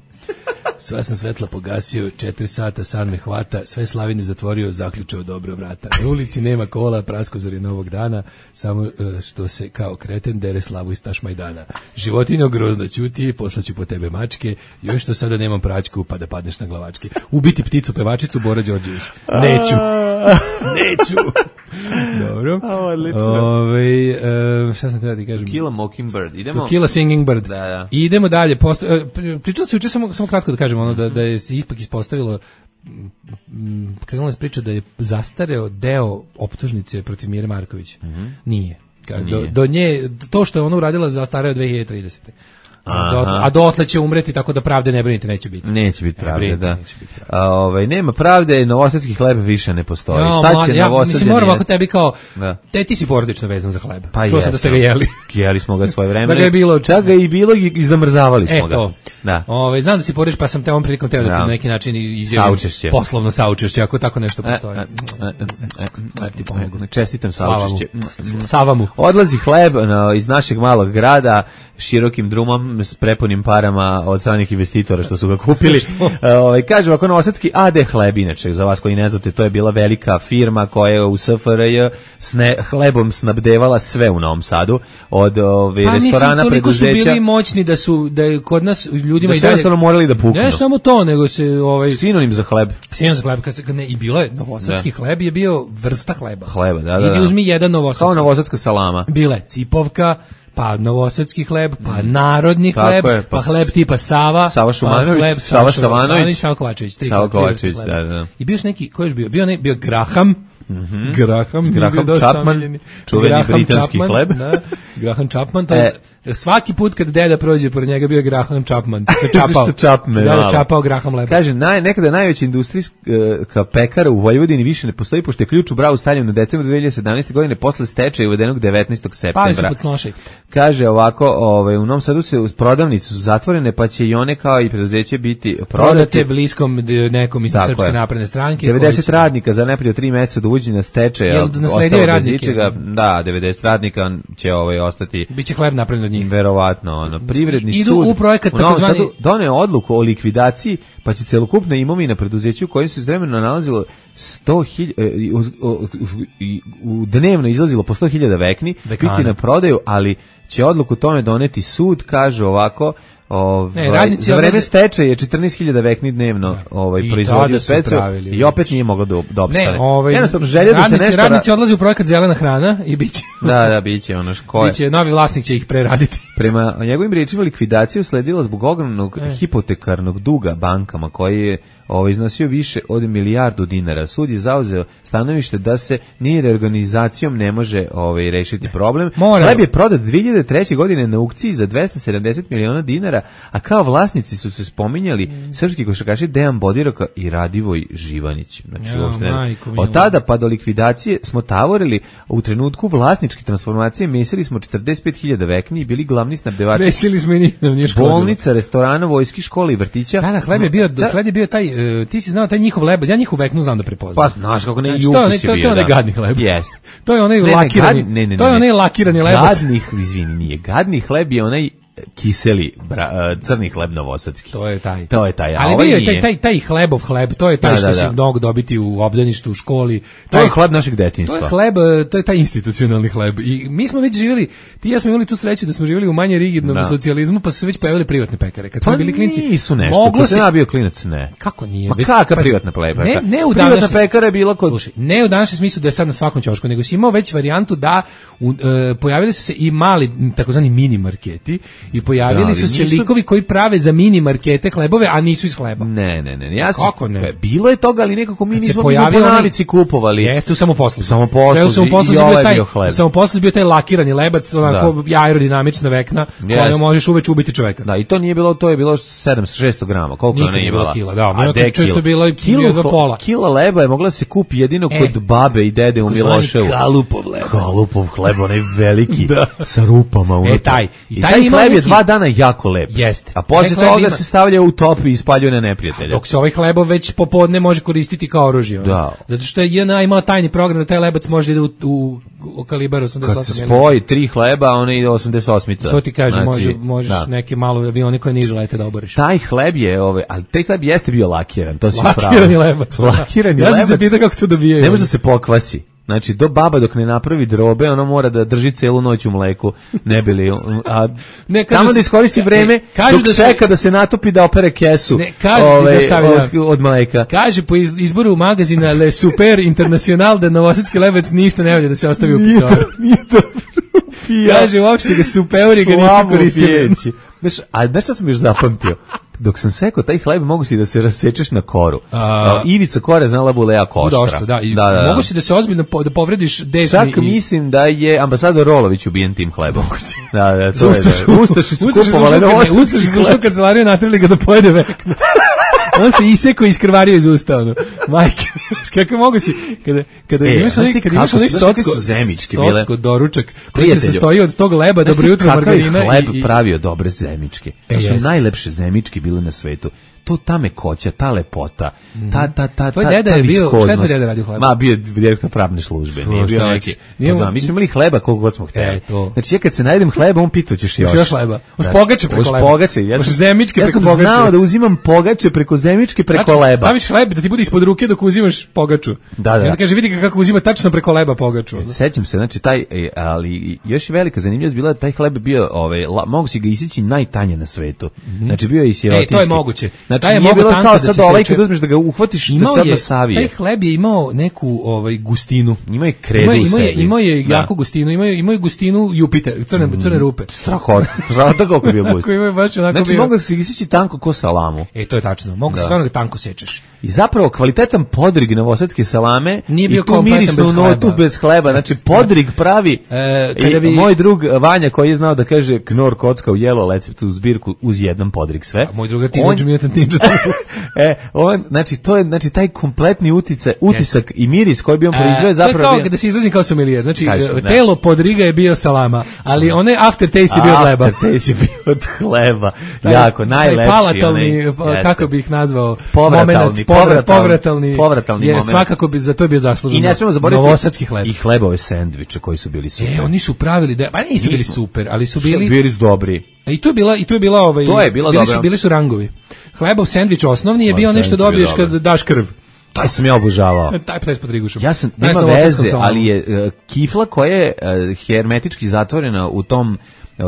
Sva sam svetla pogasio, 4 sata, san me hvata, sve slavine zatvorio, zaključao dobro vrata. Na ulici nema kola, praskozor je novog dana, samo što se kao kreten dere slavu iz Tašmajdana. Životinjo grozno ćuti, poslaću po tebe mačke, još što sada nemam praćku, pa da padneš na glavačke. Ubiti pticu pevačicu, Bora Đorđević. Neću. Dobro. Šta sam treba ti kažem? To kill a mockingbird. To kill a singing bird. Da. Idemo dalje. Pričalo se juče, samo kratko da kažem, da je se ipak ispostavilo, krenula se priča da je zastareo deo optužnice protiv Mire Marković. Nije. Do nje, to što je ona uradila zastareo 2030. A dotle će umreti, tako da pravde ne brinite, neće biti. Neće biti pravde, da. Nema pravde, novosadski hleb više ne postoji. Šta će novosađani? Mislim, moram ovako tebi kao, ti si porodično vezan za hleb. Pa čuo sam da ste ga jeli. Jeli smo ga svoje vremena. Da ga je bilo. Čak ga i bilo i zamrzavali smo ga. To. Da. Znam da si porodič, pa sam te ovom prilikom teo da ti na neki način izjavim poslovno saučešće, ako tako nešto postoji. Čestitam saučešće. Savamu. Odlazi hleb iz našeg malog grada širokim drumom s prepunim parama od stranih investitora što su ga kupili. Kaže ovako, novosadski AD Hleb, inače za vas koji ne znate, to je bila velika firma koja je u SFRJ hlebom snabdevala sve u Novom Sadu, od restorana, preduzeća. Toliko su bili moćni da je kod nas ljudima i dalje jednostavno morali da puknu. Ne samo to, nego se sinonim za hleb. Sinonim za hleb, i bilo je novosadski hleb, je bio vrsta hleba. Da. Idi uzmi jedan novosadski. Kao novosadska salama. Bile cipovka, pa novosadski hleb, pa narodni hleb, pa hleb tipa Sava, Sava Šumanović, Sava Savanović, Sava Kovačević, da. I bio još neki, ko je bio Graham, Graham Chapman, čuveni britanski hleb. Graham Chapman, svaki put kad deda prođe pored njega bio je Graham Chapman. Čapao Graham leba. Kaže, nekada najveća industrijska pekara u Vojvodini više ne postoji, pošto je ključ u bravu stavljen u decembru 2017. godine posle stečaja uvedenog 19. septembra. Pali su pod snošaj. Kaže ovako, u Novom Sadu prodavnice su zatvorene, pa će i one kao i preduzeće biti prodate bliskom nekom iz Srpske napredne stranke. 90 radnika za najprije 3 meseca do uvođenja stečaja. Nasledio radnike. Da, 90 radnika će ostati. Biće hleb napravljen od njih. Verovatno, privredni idu sud u projekat takozvani doneo odluku o likvidaciji, pa će celokupna imovina preduzeća u kojem se vremeno nalazilo 100.000 u dnevno izlazilo po 100.000 vekni, biti na prodaju, ali će odluku tome doneti sud, kaže ovako. Za vreme stečaja je 14.000 vekni dnevno proizvodio specijal i opet nije moglo da opstane. Jednostavno želja da se nešto... Radnici odlazi u projekat zelena hrana i biće. Da, biće ono koje. Biće, novi vlasnik će ih preraditi. Prema njegovim riječima, likvidacija usledila zbog ogromnog hipotekarnog duga bankama koji je iznosio više od milijardu dinara. Sud je zauzeo stanovište da se ni reorganizacijom ne može rešiti problem. Hleb je prodat 2003. godine na aukciji za 270 miliona dinara, a kao vlasnici su se spominjali srpski košarkaši Dejan Bodiroka i Radivoj Živanić. Znači, od tada pa do likvidacije smo tavorili, u trenutku vlasničke transformacije mesili smo 45.000 vekni i bili glavni snabdevači. Mesili smo i bolnica, restorana, vojske, škole i vrtića. Da, hleb je bio taj, ti si znao taj njihov leb, ja njihov veknu znam da prepoznam. Pa znaš kako ne, i ukus je bio. To je onaj gadni hleb. Jeste. To je onaj lakirani. To je onaj lakirani lebac. Nije gadni hleb, je onaj kiseli crni hleb novosadski. To je taj. Ali je taj hlebov hleb, to je taj što se mnogo dobiti u obdaništu, u školi. To je hleb našeg detinjstva. To je hleb, to je taj institucionalni hleb. I mi smo već živjeli, ti i ja smo imali tu sreću da smo živjeli u manje rigidnom socijalizmu, pa su se već pojavili privatne pekare. Kad smo bili klinci, nisu nešto. Kad sam bio klinac, ne. Kako nije? Kakva privatna pekara? Privatna pekara je bila kod... Slušaj, ne u današnjem smislu da je sad na svakom ćošku, nego si imao već varijantu da pojavili su se i mali, takozvani mini marketi I pojavili su se likovi koji prave za mini markete hlebove, a nisu iz hleba. Ne. Kako ne? Bilo je toga, ali nekako mi nismo po navici kupovali. Jeste u samoposluzi. Sve u samoposluzi bio taj. Samoposluzi bio taj lakirani lebac, onako aerodinamična vekna, kojom možeš uveče ubiti čoveka. Da, i to nije bilo, to je bilo 700-600 grama. Koliko ona je bila? Kila, da. Često bilo i pola. Kila leba je mogla se kupi jedino kod babe i dede u Miloševu. Kalupov hleb, onaj veliki, sa rupama unutra. I taj hleb je 2 dana jako lep. Jeste. A posle toga se stavlja u top i ispaljuje na neprijatelja. Dok se ovaj hlebo već popodne može koristiti kao oružje. Da. Zato što je JNA imao tajni program da taj lebac može ide u kalibar 88. Kad se spoji 3 hleba, on ide 88. To ti kažem, možeš neke malo avione koje niže lete da oboriš. Taj hleb je, ali taj hleb jeste bio lakiran, to si pravo. Lakirani lebac. Ja sam se pitao kako to dobijaju. Ne može da se pokvasi. Znači, baba dok ne napravi drobe, ona mora da drži celu noć u mleku, ne bili, a tamo da iskoristi vreme, dok čeka da se natopi da opere kesu od mleka. Kaže po izboru magazina Le Super International da novosadski lebac ništa ne valja da se ostavi u pisoaru. Nije dobro. Kaže, uopšte ga superi ga nisu koristili. Znaš šta sam još zapamtio? Dok sam sekao taj hleb, mogu si da se rasečeš na koru. Ivica kore znala bude jako oštra. Da. Mogu si da se ozbiljno da povrediš desni. Čak mislim da je ambasador Rolović ubijen tim hlebom. Da, to je. Ustaši su kupovali Ustaši su ušli u kancelariju, natrili ga da pojede vekno. On se isekao i iskrvario iz usta, ono. Majke, kako mogu si, kada imaš onaj socko doručak, koji se sastoji od tog leba, dobro jutro margarina. Kakav je hleb pravio dobre zemičke. To su najlepše zemičke bile na svetu. To ta mekoća, ta lepota, ta tvoj deda je bio, šta je tvoj deda radio hleba? Bio je direktor pravne službe, nije bio neki. Mi smo imali hleba koliko god smo hteli. Znači, ja kad se najedem hleba, on pitao ćeš još. Još hleba. Uz pogače preko leba. Pogače, zemičke preko pogače. Ja sam znao da uzimam pogače preko zemičke preko leba. Staviš hleb da ti bude ispod ruke dok uzimaš pogaču. Da. I onda kaže, vidi kako uzima tačno preko leba pogaču. Sećam se, znači taj, ali još je velika zanimljivost bila da taj hleb bio, mogu si ga isići najtanje na svetu. Znači, bio je i sirotinski. To je moguće. Znači, nije bilo kao sad ovaj kad uzmeš da ga uhvatiš da sad da savije. Taj hleb je imao neku gustinu. Ima je kredu u sebi. Imao je jako gustinu, imao je gustinu Jupiter, crne rupe. Strahota koliko je bio gust. Znači mogu da se isići tanko ko salamu. To je tačno, mogu se stvarno tanko sečeš. I zapravo kvalitetan podrig novosadske salame nije bio kompletan bez hleba. Znači podrig pravi moj drug Vanja koji je znao da kaže Knor kocka u jelo receptu zbirku uz jedan podrig sve. Moj drugar Teenage Mutant Ninja znači to je taj kompletni utisak i miris koji bi on proizveo zapravo. To je kao da se izrazim kao sommelier. Znači telo podriga je bio salama, ali onaj aftertaste je bio od hleba. Aftertaste je bio od hleba. Jako najlepši. Palatalni, kako bih ih nazvao, povratalni moment. Svakako bi za to bio zaslužen. I ne smemo zaboraviti novosadski hleb. I hlebove sendviče koji su bili super. Oni su pravili pa nisu bili super, ali su bili dobri. I to je bila bili su rangovi. Hlebov sendvič osnovni je bio nešto dobiješ kad daš krv. Taj sam ja obožavao. Taj s podrigušom. Ja sam, nema veze, ali je kifla koja je hermetički zatvorena u tom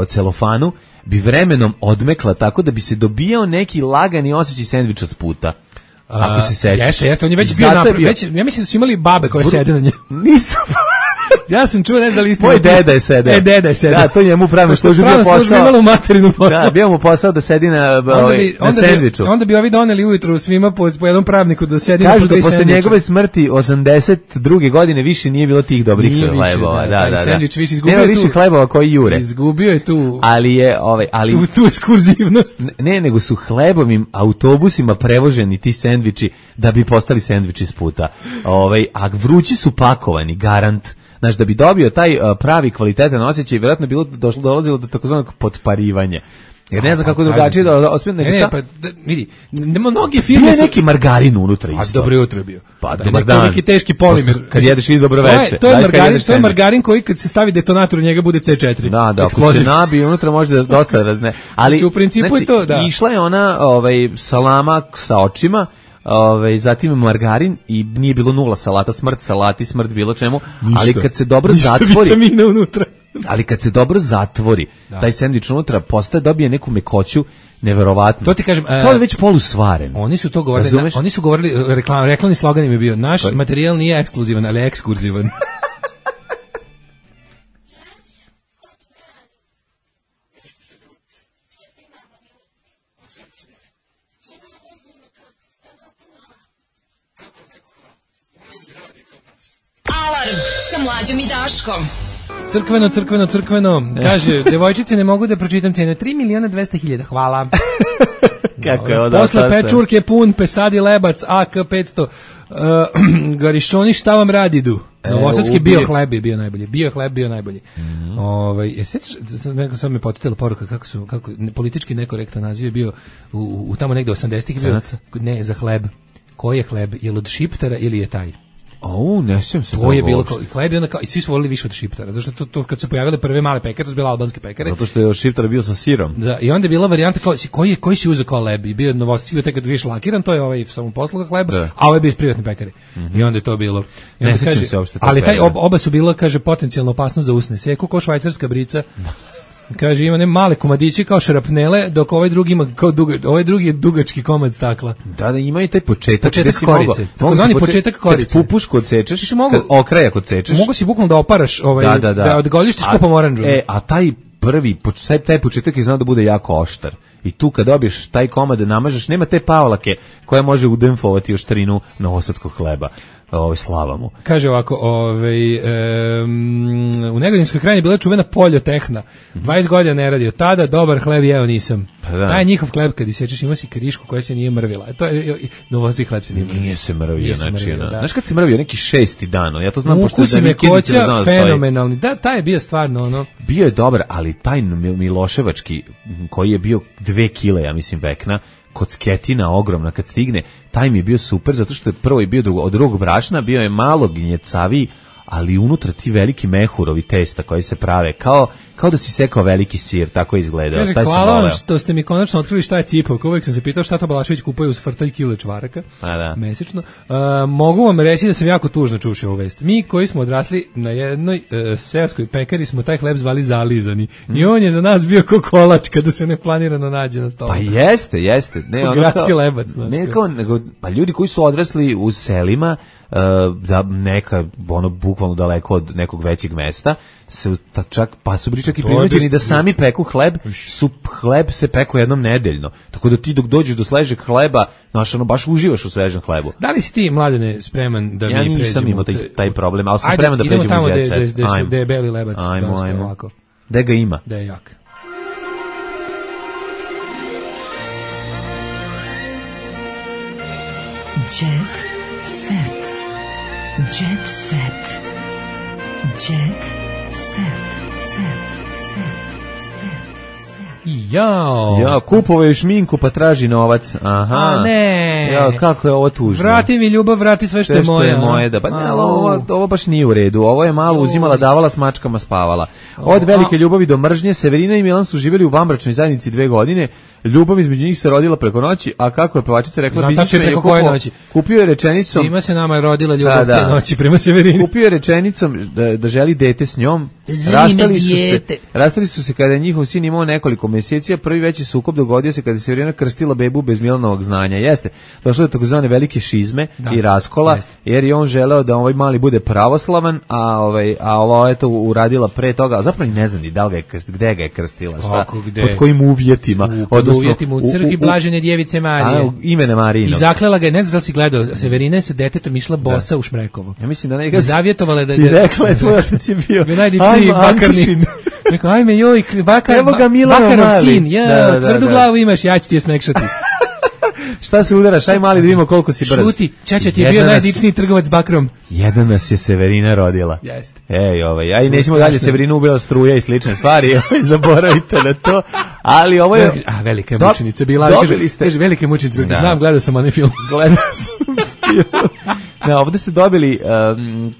celofanu bi vremenom odmekla tako da bi se dobijao neki lagani osjećaj sendviča s puta. Ako se sećaš. Jeste, on je već bio napravljen. Ja mislim da su imali babe koje sede na njemu. Nisu. Ja sam čuo, ne znam da li istina. Moj deda je sedeo. Deda je sedeo. Da, to njemu pravno službi bio posao. Službi imala u materinu posao. Da, bio mu posao da sedi na sendviču. Onda bi ovi doneli ujutru svima po jednom pravniku da sedi na sendviču. Kažu da posle njegove smrti 82. godine više nije bilo tih dobrih hlebova. Da. Sendvič više izgubio. Nema više hlebova koji jure. Izgubio je tu. Ali je tu ekskurzivnost. Ne, nego su hlebovim autobusima prevoženi ti sendviči da bi postali sendviči s puta. A vrući su pakovani, garant. Znači, da bi dobio taj pravi kvalitetan osjećaj, vjerojatno bilo dolazilo do takozvanog potparivanja. Jer ne znam kako drugačije da ospije. Vidi, mnoge firme su... neki margarin unutra isto. Dobro jutro je bio. Pa, dobar dan. Neki teški polimer. Kad jedeš i dobro veče. To je margarin koji kad se stavi detonator u njega bude C4. Da, ako se nabije unutra može da dosta razne. Ali, u principu je to, da. Išla je ona salama sa očima, zatim margarin i nije bilo nula salata, smrt bilo čemu, ali kad se dobro zatvori, vitamina unutra. Ali kad se dobro zatvori, taj sendvič unutra dobije neku mekoću neverovatno. To ti kažem, kao da već polusvaren. Oni su govorili, reklamni slogan im je bio: naš materijal nije ekskluzivan, ali ekskurzivan. Alarm sa Mlađom i Daškom. Crkveno, kaže, devojčice ne mogu da pročitam cenu, 3.200.000, hvala. Kako je ovo posle pečurke pun, pesadi lebac, AK 500, garišoni šta vam radidu? Novosadski bio hleb je bio najbolji. Bio hleb bio najbolji. Sad me podsjetila poruka kako politički nekorektan naziv je bio u tamo negde 80-ih bio. Ne, za hleb. Koji je hleb? Je li od Šiptara ili je taj? Ne sjećam se. To je bilo hleb i onda i svi su volili više od Šiptara. Zašto to kad se pojavile prve male pekare, to su bile albanske pekare. Zato što je od Šiptara bio sa sirom. Da, i onda je bila varijanta kao koji si uzeo kao hleb i bio novosadski, bio tek kad vidiš lakiran, to je ovaj samoposluga hleb, a ovaj je bio iz privatne pekare. I onda je to bilo. I onda ne se uopšte. Ali taj oba su bila, kaže, potencijalno opasno za usne. Seku kao švajcarska brica. Kaže, ima ne male komadiće kao šarapnele, dok ovaj drugi ima kao ovaj drugi je dugački komad stakla. Da, ima i taj početak korice. Takozvani početak korice. Kad pupušku odsečeš, okrajak odsečeš. Mogu si bukvalno da oparaš da odgoljištiš kupom oranžu. A taj taj početak je znao da bude jako oštar. I tu kad dobiješ taj komad da namažeš, nema te pavlake koja može udemfovati oštrinu novosadskog hleba. Slava mu. Kaže ovako, u Negodinskoj krajini je bila čuvena poljotehna. 20 godina ne radio. Tada dobar hleb jeo nisam. Taj njihov hleb kad isečeš ima si krišku koja se nije mrvila. To je novosadski hleb se nije mrvila. Nije se mrvio, znači. Znaš kad se mrvio neki 6. dan, ja to znam pošto da Mikidica znao fenomenalni. Da, taj je bio stvarno ono. Bio je dobar, ali taj Miloševački koji je bio 2 kile, ja mislim, vekna, kocketina ogromna kad stigne, taj mi je bio super zato što je prvo je bio od drugog brašna, bio je malo gnjecaviji, ali unutra ti veliki mehurovi testa koji se prave kao da si sekao veliki sir, tako je izgledao. Kaže, hvala vam što ste mi konačno otkrili šta je cipavka. Uvijek sam se pitao šta to Balašević kupuje uz frtalj kile čvaraka mesečno. Mogu vam reći da sam jako tužno čušao ovu vest. Mi koji smo odrasli na jednoj seoskoj pekari smo taj hleb zvali zalizani. I on je za nas bio ko kolač kada se neplanirano nađe na stolu. Pa jeste. Gradski lebac. Pa ljudi koji su odrasli u selima, da neka bukvalno daleko od nekog većeg mesta su bili čak i prinuđeni da sami peku hleb, hleb se peku jednom nedeljno, tako da ti dok dođeš do sležeg hleba, baš uživaš u svežem hlebu. Da li si ti, Mladene, spreman da mi pređemo? Ja nisam imao taj problem, ali sam spreman da pređemo u jet set. Gde je beli lebac. Ajmo. Gde ga ima? Da je jak. Jet set. Jet set. Jet set. Jao, kupovao šminku pa traži novac. Aha. A ne. Jao, kako je ovo tužno. Vrati mi ljubav, vrati sve što je moje. Da. Pa ne, ovo baš nije u redu. Ovo je malo uzimala, davala, s mačkama spavala. Od velike ljubavi do mržnje, Severina i Milan su živjeli u vanbračnoj zajednici 2 godine. Ljubav između njih se rodila preko noći, a kako je pevačica rekla, kupio je rečenicom. Svima se nama je rodila ljubav te noći prema Severini. Kupio je rečenicom da želi dete s njom. Rastali su se kada je njihov sin imao nekoliko mjeseci, a prvi veći sukob dogodio se kada je Severina krstila bebu bez Milanovog znanja. Jeste, došlo je do takozvane velike šizme i raskola, jer je on želeo da ovaj mali bude pravoslavan, a ovo je to uradila pre toga, a zapravo ne znam ni da li gde ga je krstila, pod kojim uvjetima. Uvjetima u crkvi Blažene djevice Marije. Imene Marijinog. I zaklela ga, ne znam da si gledao, Severina je sa detetom išla bosa u Šmrekovo. Ja mislim da neka zavjetovala je da i rekla je tvoj otac je bio najdičniji bakarni. Rekao, ajme joj, Bakarov sin, tvrdu glavu imaš, ja ću ti je smekšati. Šta se udaraš, aj mali da vidimo koliko si brz. Šuti, čača ti je bio najdičniji trgovac bakrom. Jedan nas je Severina rodila. Jeste. Aj nećemo dalje, Severinu ubila struja i slične stvari, zaboravite na to. Ali ovo je... velika je mučenica bila. Kaže, velika je mučenica bila. Znam, gledao sam onaj film. Ovdje ste dobili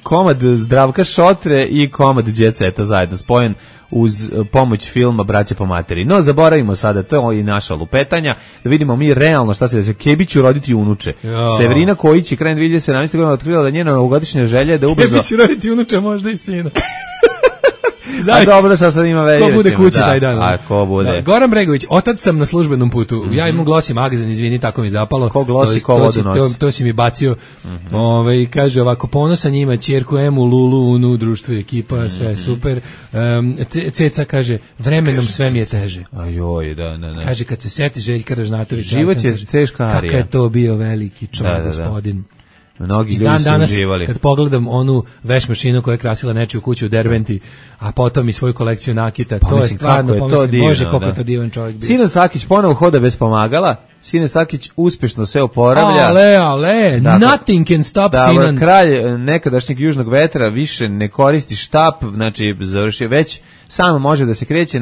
komad Zdravka Šotre i komad Jet Seta zajedno spojen uz pomoć filma Braća po materi. No, zaboravimo sada, to je i naša lupetanja, da vidimo mi realno šta se desi. Kebi će roditi unuče. Severina Kojić je krajem 2017. godine otkrila da njena novogodišnja želja je da ubrzo... Kebi će roditi unuče, možda i sina. A dobro, sad ima već. Ko bude kući taj dan. A ko bude? Goran Bregović, otac sam na službenom putu. Ja imam glosi magazin, izvini, tako mi zapalo. Ko glosi, ko vodu nosi. To si mi bacio. Kaže ovako, ponosan njima, ćerku Emu, Lulu, Unu, društvo i ekipa, sve super. Ceca kaže, vremenom sve mi je teže. Ajoj, da. Kaže, kad se seti Željka Ražnatovića. Život je teška arija. Kakav je to bio veliki čovjek, gospodin. Mnogi ljudi su uživali. Kad pogledam onu veš mašinu koja je krasila nečiju kuću u Derventi, a potom i svoju kolekciju nakita, pa, to je stvarno, pomislim, Bože, koliko je to divan čovjek bio. Sinan Sakić ponovo hoda bez pomagala, Sinan Sakić uspešno se oporavlja. Ale, nothing can stop Sinan. Kralj nekadašnjeg južnog vetra više ne koristi štap, znači završio već, sam može da se kreće.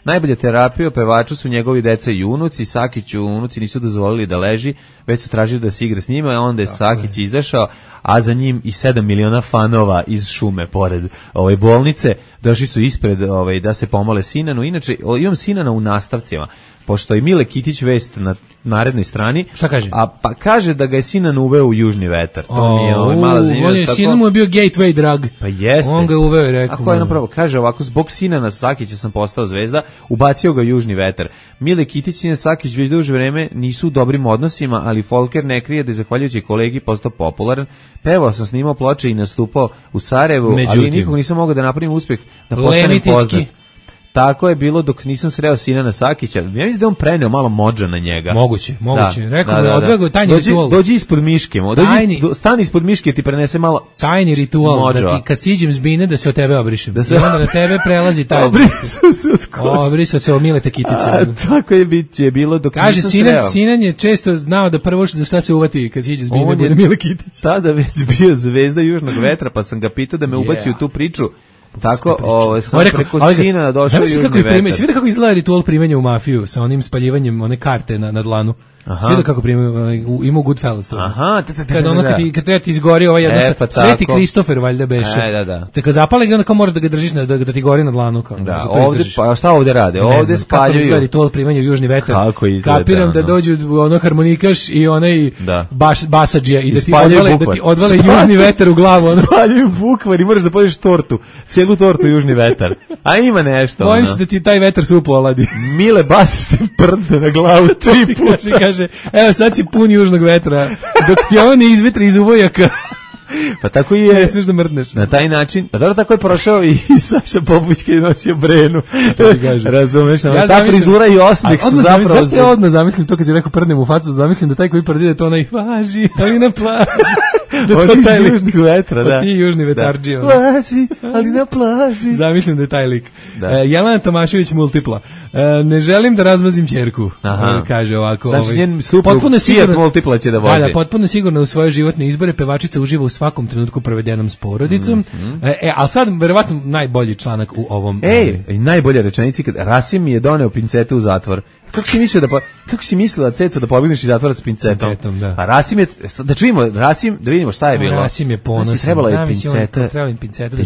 Najbolja terapija pevaču su njegovi deca i unuci. Sakiću unuci nisu dozvolili da leži, već su tražili da se igra s njima, a onda je Sakić izašao, a za njim i 7 miliona fanova iz šume pored ove bolnice. Došli su ispred da se pomole Sinanu. Inače, imam Sinana u nastavcima, pošto je Mile Kitić vest na narednoj strani. Šta kaže? Pa kaže da ga je Sinan uveo u južni vetar. To mi je mala zanimljivost. Sinan mu je bio gateway drug. Pa jeste. On ga je uveo i rekao. Ako je napravo, kaže ovako, zbog Sinana Sakića sam postao zvezda, ubacio ga južni vetar. Mile Kitić i Sinan Sakić već duže vreme nisu u dobrim odnosima, ali Folker ne krije da je zahvaljujući kolegi postao popularan. Pevao sam, snimao ploče i nastupao u Sarajevu, ali nikog nisam mogao da napravim uspeh da postanem poznat. Tako je bilo dok nisam sreo Sinana Sakića. Ja mislim da on preneo malo modža na njega. Moguće. Rekao mu je odvego tajni ritual. Dođi ispod miške, stani ispod miške, ti prenese malo tajni ritual, modža. Da ti kad siđem s bine da se od tebe obrišem. Da se onda na tebe prelazi taj. Obrisao se od Mileta Kitića. Tako je bilo dok nisam sreo. Kaže, Sinan je često znao da prvo za šta se uvati kad siđe s bine bude Mile Kitić. Tada već bio zvezda južnog vetra, pa sam ga pitao da me ubaci u tu priču. Tako, sam preko Sinana došao u južni vetar. Svi vidi kako izgleda ritual primanja u mafiju sa onim spaljivanjem one karte na dlanu. Svi da kako primaju, ima u Goodfellas to. Aha, kad treba ti izgori ova jedna Sveti Kristofer valjda beše. Te kad zapale ga onda kao moraš da ga držiš da ti gori na dlanu. Da, ovdje, pa šta ovdje rade? Ovdje spaljuju. Kako izgleda ritual primanja u južni vetar. Kapiram da dođu ono harmonikaš i onaj basadžija i da ti odvale južni vetar u glavu. Spaljuju bukvar i moraš da podiš tortu. Cijelu tortu južni vetar. A ima nešto. Bojim se da ti taj vetar supu oladi. Mile basi ti prdne na glavu 3 puta. Kaže, evo sad si pun južnog vetra, dok ti ovo ne izvetri iz uvojaka. Pa tako i je. Ne smiješ da mrdneš. Na taj način, pa dobro tako je prošao i Saša Popović kad je nosio Brenu. Razumeš, ta frizura i osmeh su zapravo... Zašto ja odmah zamislim to kad si rekao prdnem u facu, zamislim da taj koji prdide to onaj važi, ali na plaži. Oni iz južnih vetra, da. Ti južni vetarđi. Važi, ali na plaži. Zamislim da je taj lik. Jelena Tomašević multipla. Ne želim da razmazim ćerku. Kaže ovako. Znači njen suprug Fiat multipla će da vozi. Da, potpuno sigurno u svoje životne izbore pevačica uživa u svakom trenutku provedenom s porodicom. Ali sad, verovatno, najbolji članak u ovom... najbolja rečenica kad Rasim mi je doneo pincete u zatvor. Kako si mislila, Ceco, da pobegneš iz zatvora s pincetom? Da. A Rasim je, da čujemo, da vidimo šta je bilo. Rasim je ponosan. Trebala je pinceta. Trebala im pinceta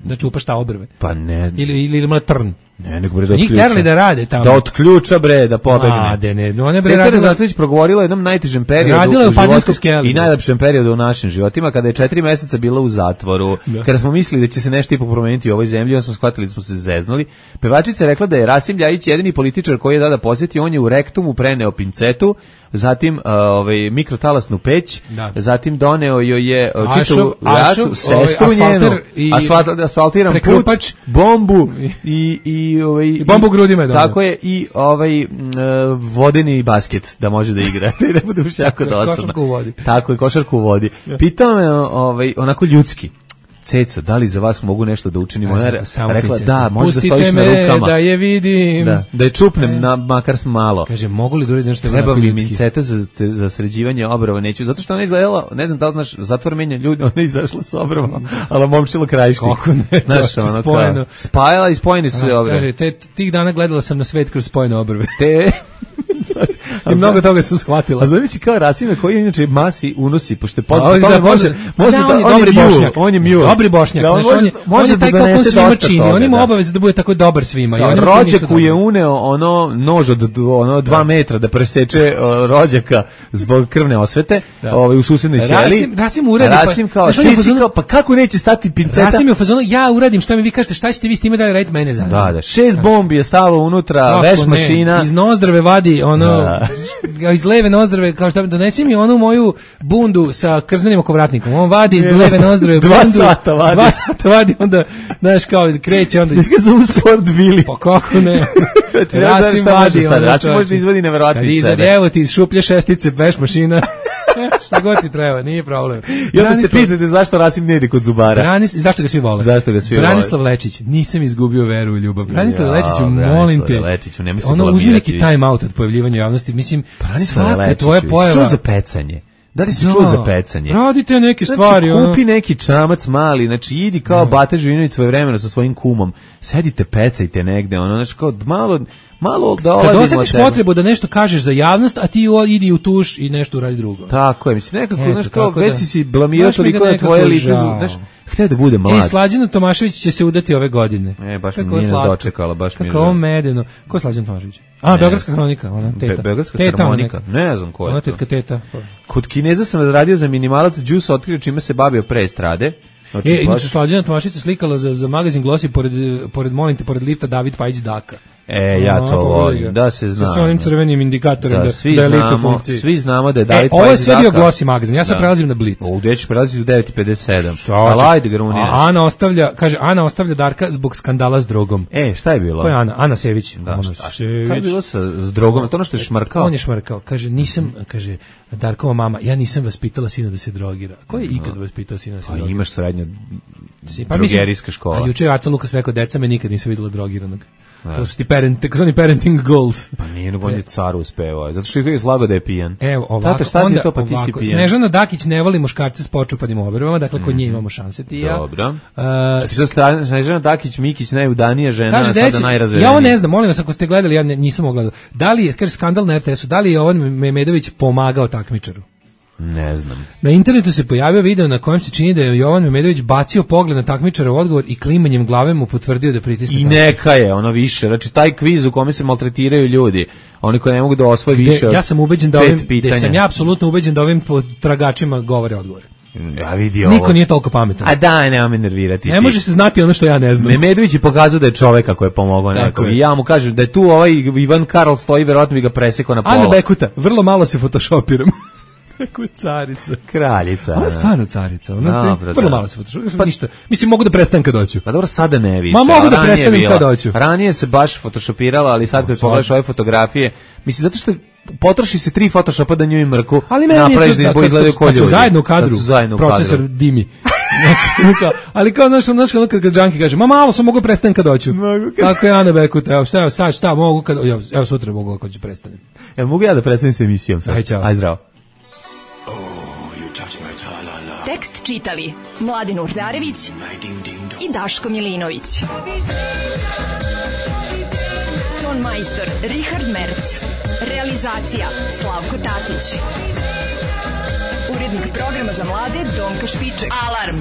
da čupa šta obrve. Pa ne. Ili ima trn. Ne, nego bre da otključa. Njih terali da rade tamo. Da otključa bre, da pobegne. Cetar Zatović progovorila o jednom najtežem periodu u životu i najlepšem periodu u našim životima, kada je 4 meseca bila u zatvoru, kada smo mislili da će se nešto ipak promeniti u ovoj zemlji, onda smo shvatili da smo se zeznuli. Pevačica je rekla da je Rasim Ljajić jedini političar koji je tada posjetio, on je u rektumu preneo pincetu, zatim mikrotalasnu peć, zatim doneo joj je čitavu jasu, sestru njenu, asfaltiran put, bombu i bombu grudima je doneo. Tako je, i vodeni basket da može da igra. I ne bude više jako dosadno. Košarku u vodi. Tako je, košarku u vodi. Pitao me onako ljudski. Ceco, da li za vas mogu nešto da učinim? Ona je rekla, da, može da stojiš na rukama. Pustite me da je vidim. Da je čupnem makar malo. Kaže, mogu li da uraditi nešto treba mi minceta za sređivanje obrova? Neću, zato što ona izgledala, ne znam da li znaš, zatvor menja ljudi, ona je izašla s obrova, ali momčila krajišnik. Kako ne, to spojeno. Spajala i spojeni su obrve. Kaže, tih dana gledala sam na svet kroz spojene obrve. I mnogo toga sam shvatila. A zamisli kao Rasime koji je inače masi unosi, pošto je poznat, on je mule. Dobri Bošnjak, on je taj kako svima čini, on ima obavezu da bude tako dobar svima. Rođaku je uneo ono nož od 2 metra da preseče rođaka zbog krvne osvete u susednoj ćeliji. Rasim uradi. Rasim kao, pa kako neće stati pinceta? Rasim je u fazonu, ja uradim, šta mi vi kažete, šta ćete vi s time da radite, mene zanima. Da, 6 bombi je stalo unutra, veš mašina. Iz nozdrave vadi, iz leve nozdrave, kao šta, donesi mi onu moju bundu sa krzanim okovratnikom. On vadi iz leve nozdrave bundu. 2 sata vadi, onda, znaš, kao kreće, onda... Ti ga zovu Sport Billy. Pa kako ne? Rasim vadi. Rasim možda izvadi neverovatni sebe. Evo ti iz šuplje šestice, veš mašina. Šta god ti treba, nije problem. I onda se pitate zašto Rasim ne ide kod zubara. Zašto ga svi vole? Branislav Lečić, nisam izgubio veru u ljubav. Branislav Lečiću, molim te. Ono, uzmi neki time out od pojavljivanja javnosti. Mislim, svaka tvoja pojava. Što za pecanje? Da li si čuo za pecanje? Radite neke stvari. Znači, kupi neki čamac mali, znači idi kao Bata Živinović svoje vremeno sa svojim kumom, sedite, pecajte negde, znači kao malo da oladimo. Kad osjetiš potrebu da nešto kažeš za javnost, a ti idi u tuš i nešto uradi drugo. Tako je, mislim, nekako, znaš kao, već si blamirao toliko na tvoje lice, znaš, htio da bude mlad. Slađana Tomašević će se udati ove godine. Baš mi nije nas dočekala, baš mi je. Kako ovo medeno. Ko je Slađana Tomašević? Beogradska hronika, ona teta. Beogradska harmonika, ne znam ko je to. Ona tetka teta. Kod Kineza sam radio za minimalac, Juice otkrio čime se bavio pre estrade. Inače, Slađana Tomašević se slikala za magazin Glossy pored lifta David Pajić Daka. Ja to volim, da se zna. Sa onim crvenim indikatorem da je lift u funkciji. Svi znamo da je David Pajić Daka. Ovo je sve bio Glossy magazin, ja sad prelazim na Blitz. Gde ćeš prelaziti u 9:57? Ali ajde, gruniraš. Ana ostavlja Darka zbog skandala s drogom. Šta je bilo? Ko je Ana? Ana Sević. Šta je bilo s drogom? To ono što je šmrkao? On je šmrkao. Kaže, nisam, Darkova mama, ja nisam vaspitala sina da se drogira. Ko je ikad vaspitao sina da se drogira? Imaš srednja drogerijska škola. A juče je Aca Lukas rekao, deca me nikad nisu videla drogiranog. To su ti parenting goals. Pa nije, on je car uspevao, zato što je slago da je pijan. Evo, ovako, onda to, pa ti si pijan. Snežana Dakić ne voli muškarce s počupanim obrvama, dakle kod nje imamo šanse ti i ja. Dobro. Snežana Dakić, Mikić, najudanija žena, sada najrazvedenija. Ja ovo ne znam, molim vas, ako ste gledali, ja nisam ogledao. Da li je, kaže skandal na RTS-u, da li je Jovan Memedović pomagao takmičaru? Ne znam. Na internetu se pojavio video na kojem se čini da je Jovan Memedović bacio pogled na takmičara u odgovor i klimanjem glave mu potvrdio da pritisne. I neka je, ono više. Znači, taj kviz u kome se maltretiraju ljudi, oni koji ne mogu da osvoje više od 5 pitanja. Ja sam ubeđen da sam ja apsolutno ubeđen da ovim tragačima govore odgovore. Ja vidi ovo. Niko nije toliko pametan. A daj, nema me nervirati. Ne može se znati ono što ja ne znam. Memedović je pokazao da je čovek ako je pomogao nekom. I ja mu kažem da je tu ovaj Ivan Karl stoji, verovatno bi ga presekao na pola. Ana Bekuta, vrlo malo se photoshopiram. Kako je carica. Kraljica. Ona je stvarno carica. Vrlo malo se photoshopiram. Pa ništa. Mislim, mogu da prestanem kad doću. Pa dobro, sada ne više. Ma mogu da prestanem kad doću. Ranije se baš photoshopirala, ali sad kad pogledaš ove fotografije, mislim, zato što potroši se 3 photoshopa da njoj mrku, napraviš da izbog izgledaju ko ljudi. Kad su zajedno u kadru, procesor dimi. Ali kao naš kad Džanki kaže, ma malo sam mogu prestanem kad doću. Tako je Ana Bekuta, evo sad šta mogu kad, evo sutra mogu kad ću prestanem. Evo mogu ja da prestanem s emisijom sad. Aj zdravo. Tekst čitali Mladin Urdarević i Daško Milinović. Ton majstor Richard Merc. Realizacija Slavko Tatić. Urednik programa za mlade Donka Špiček. Alarm!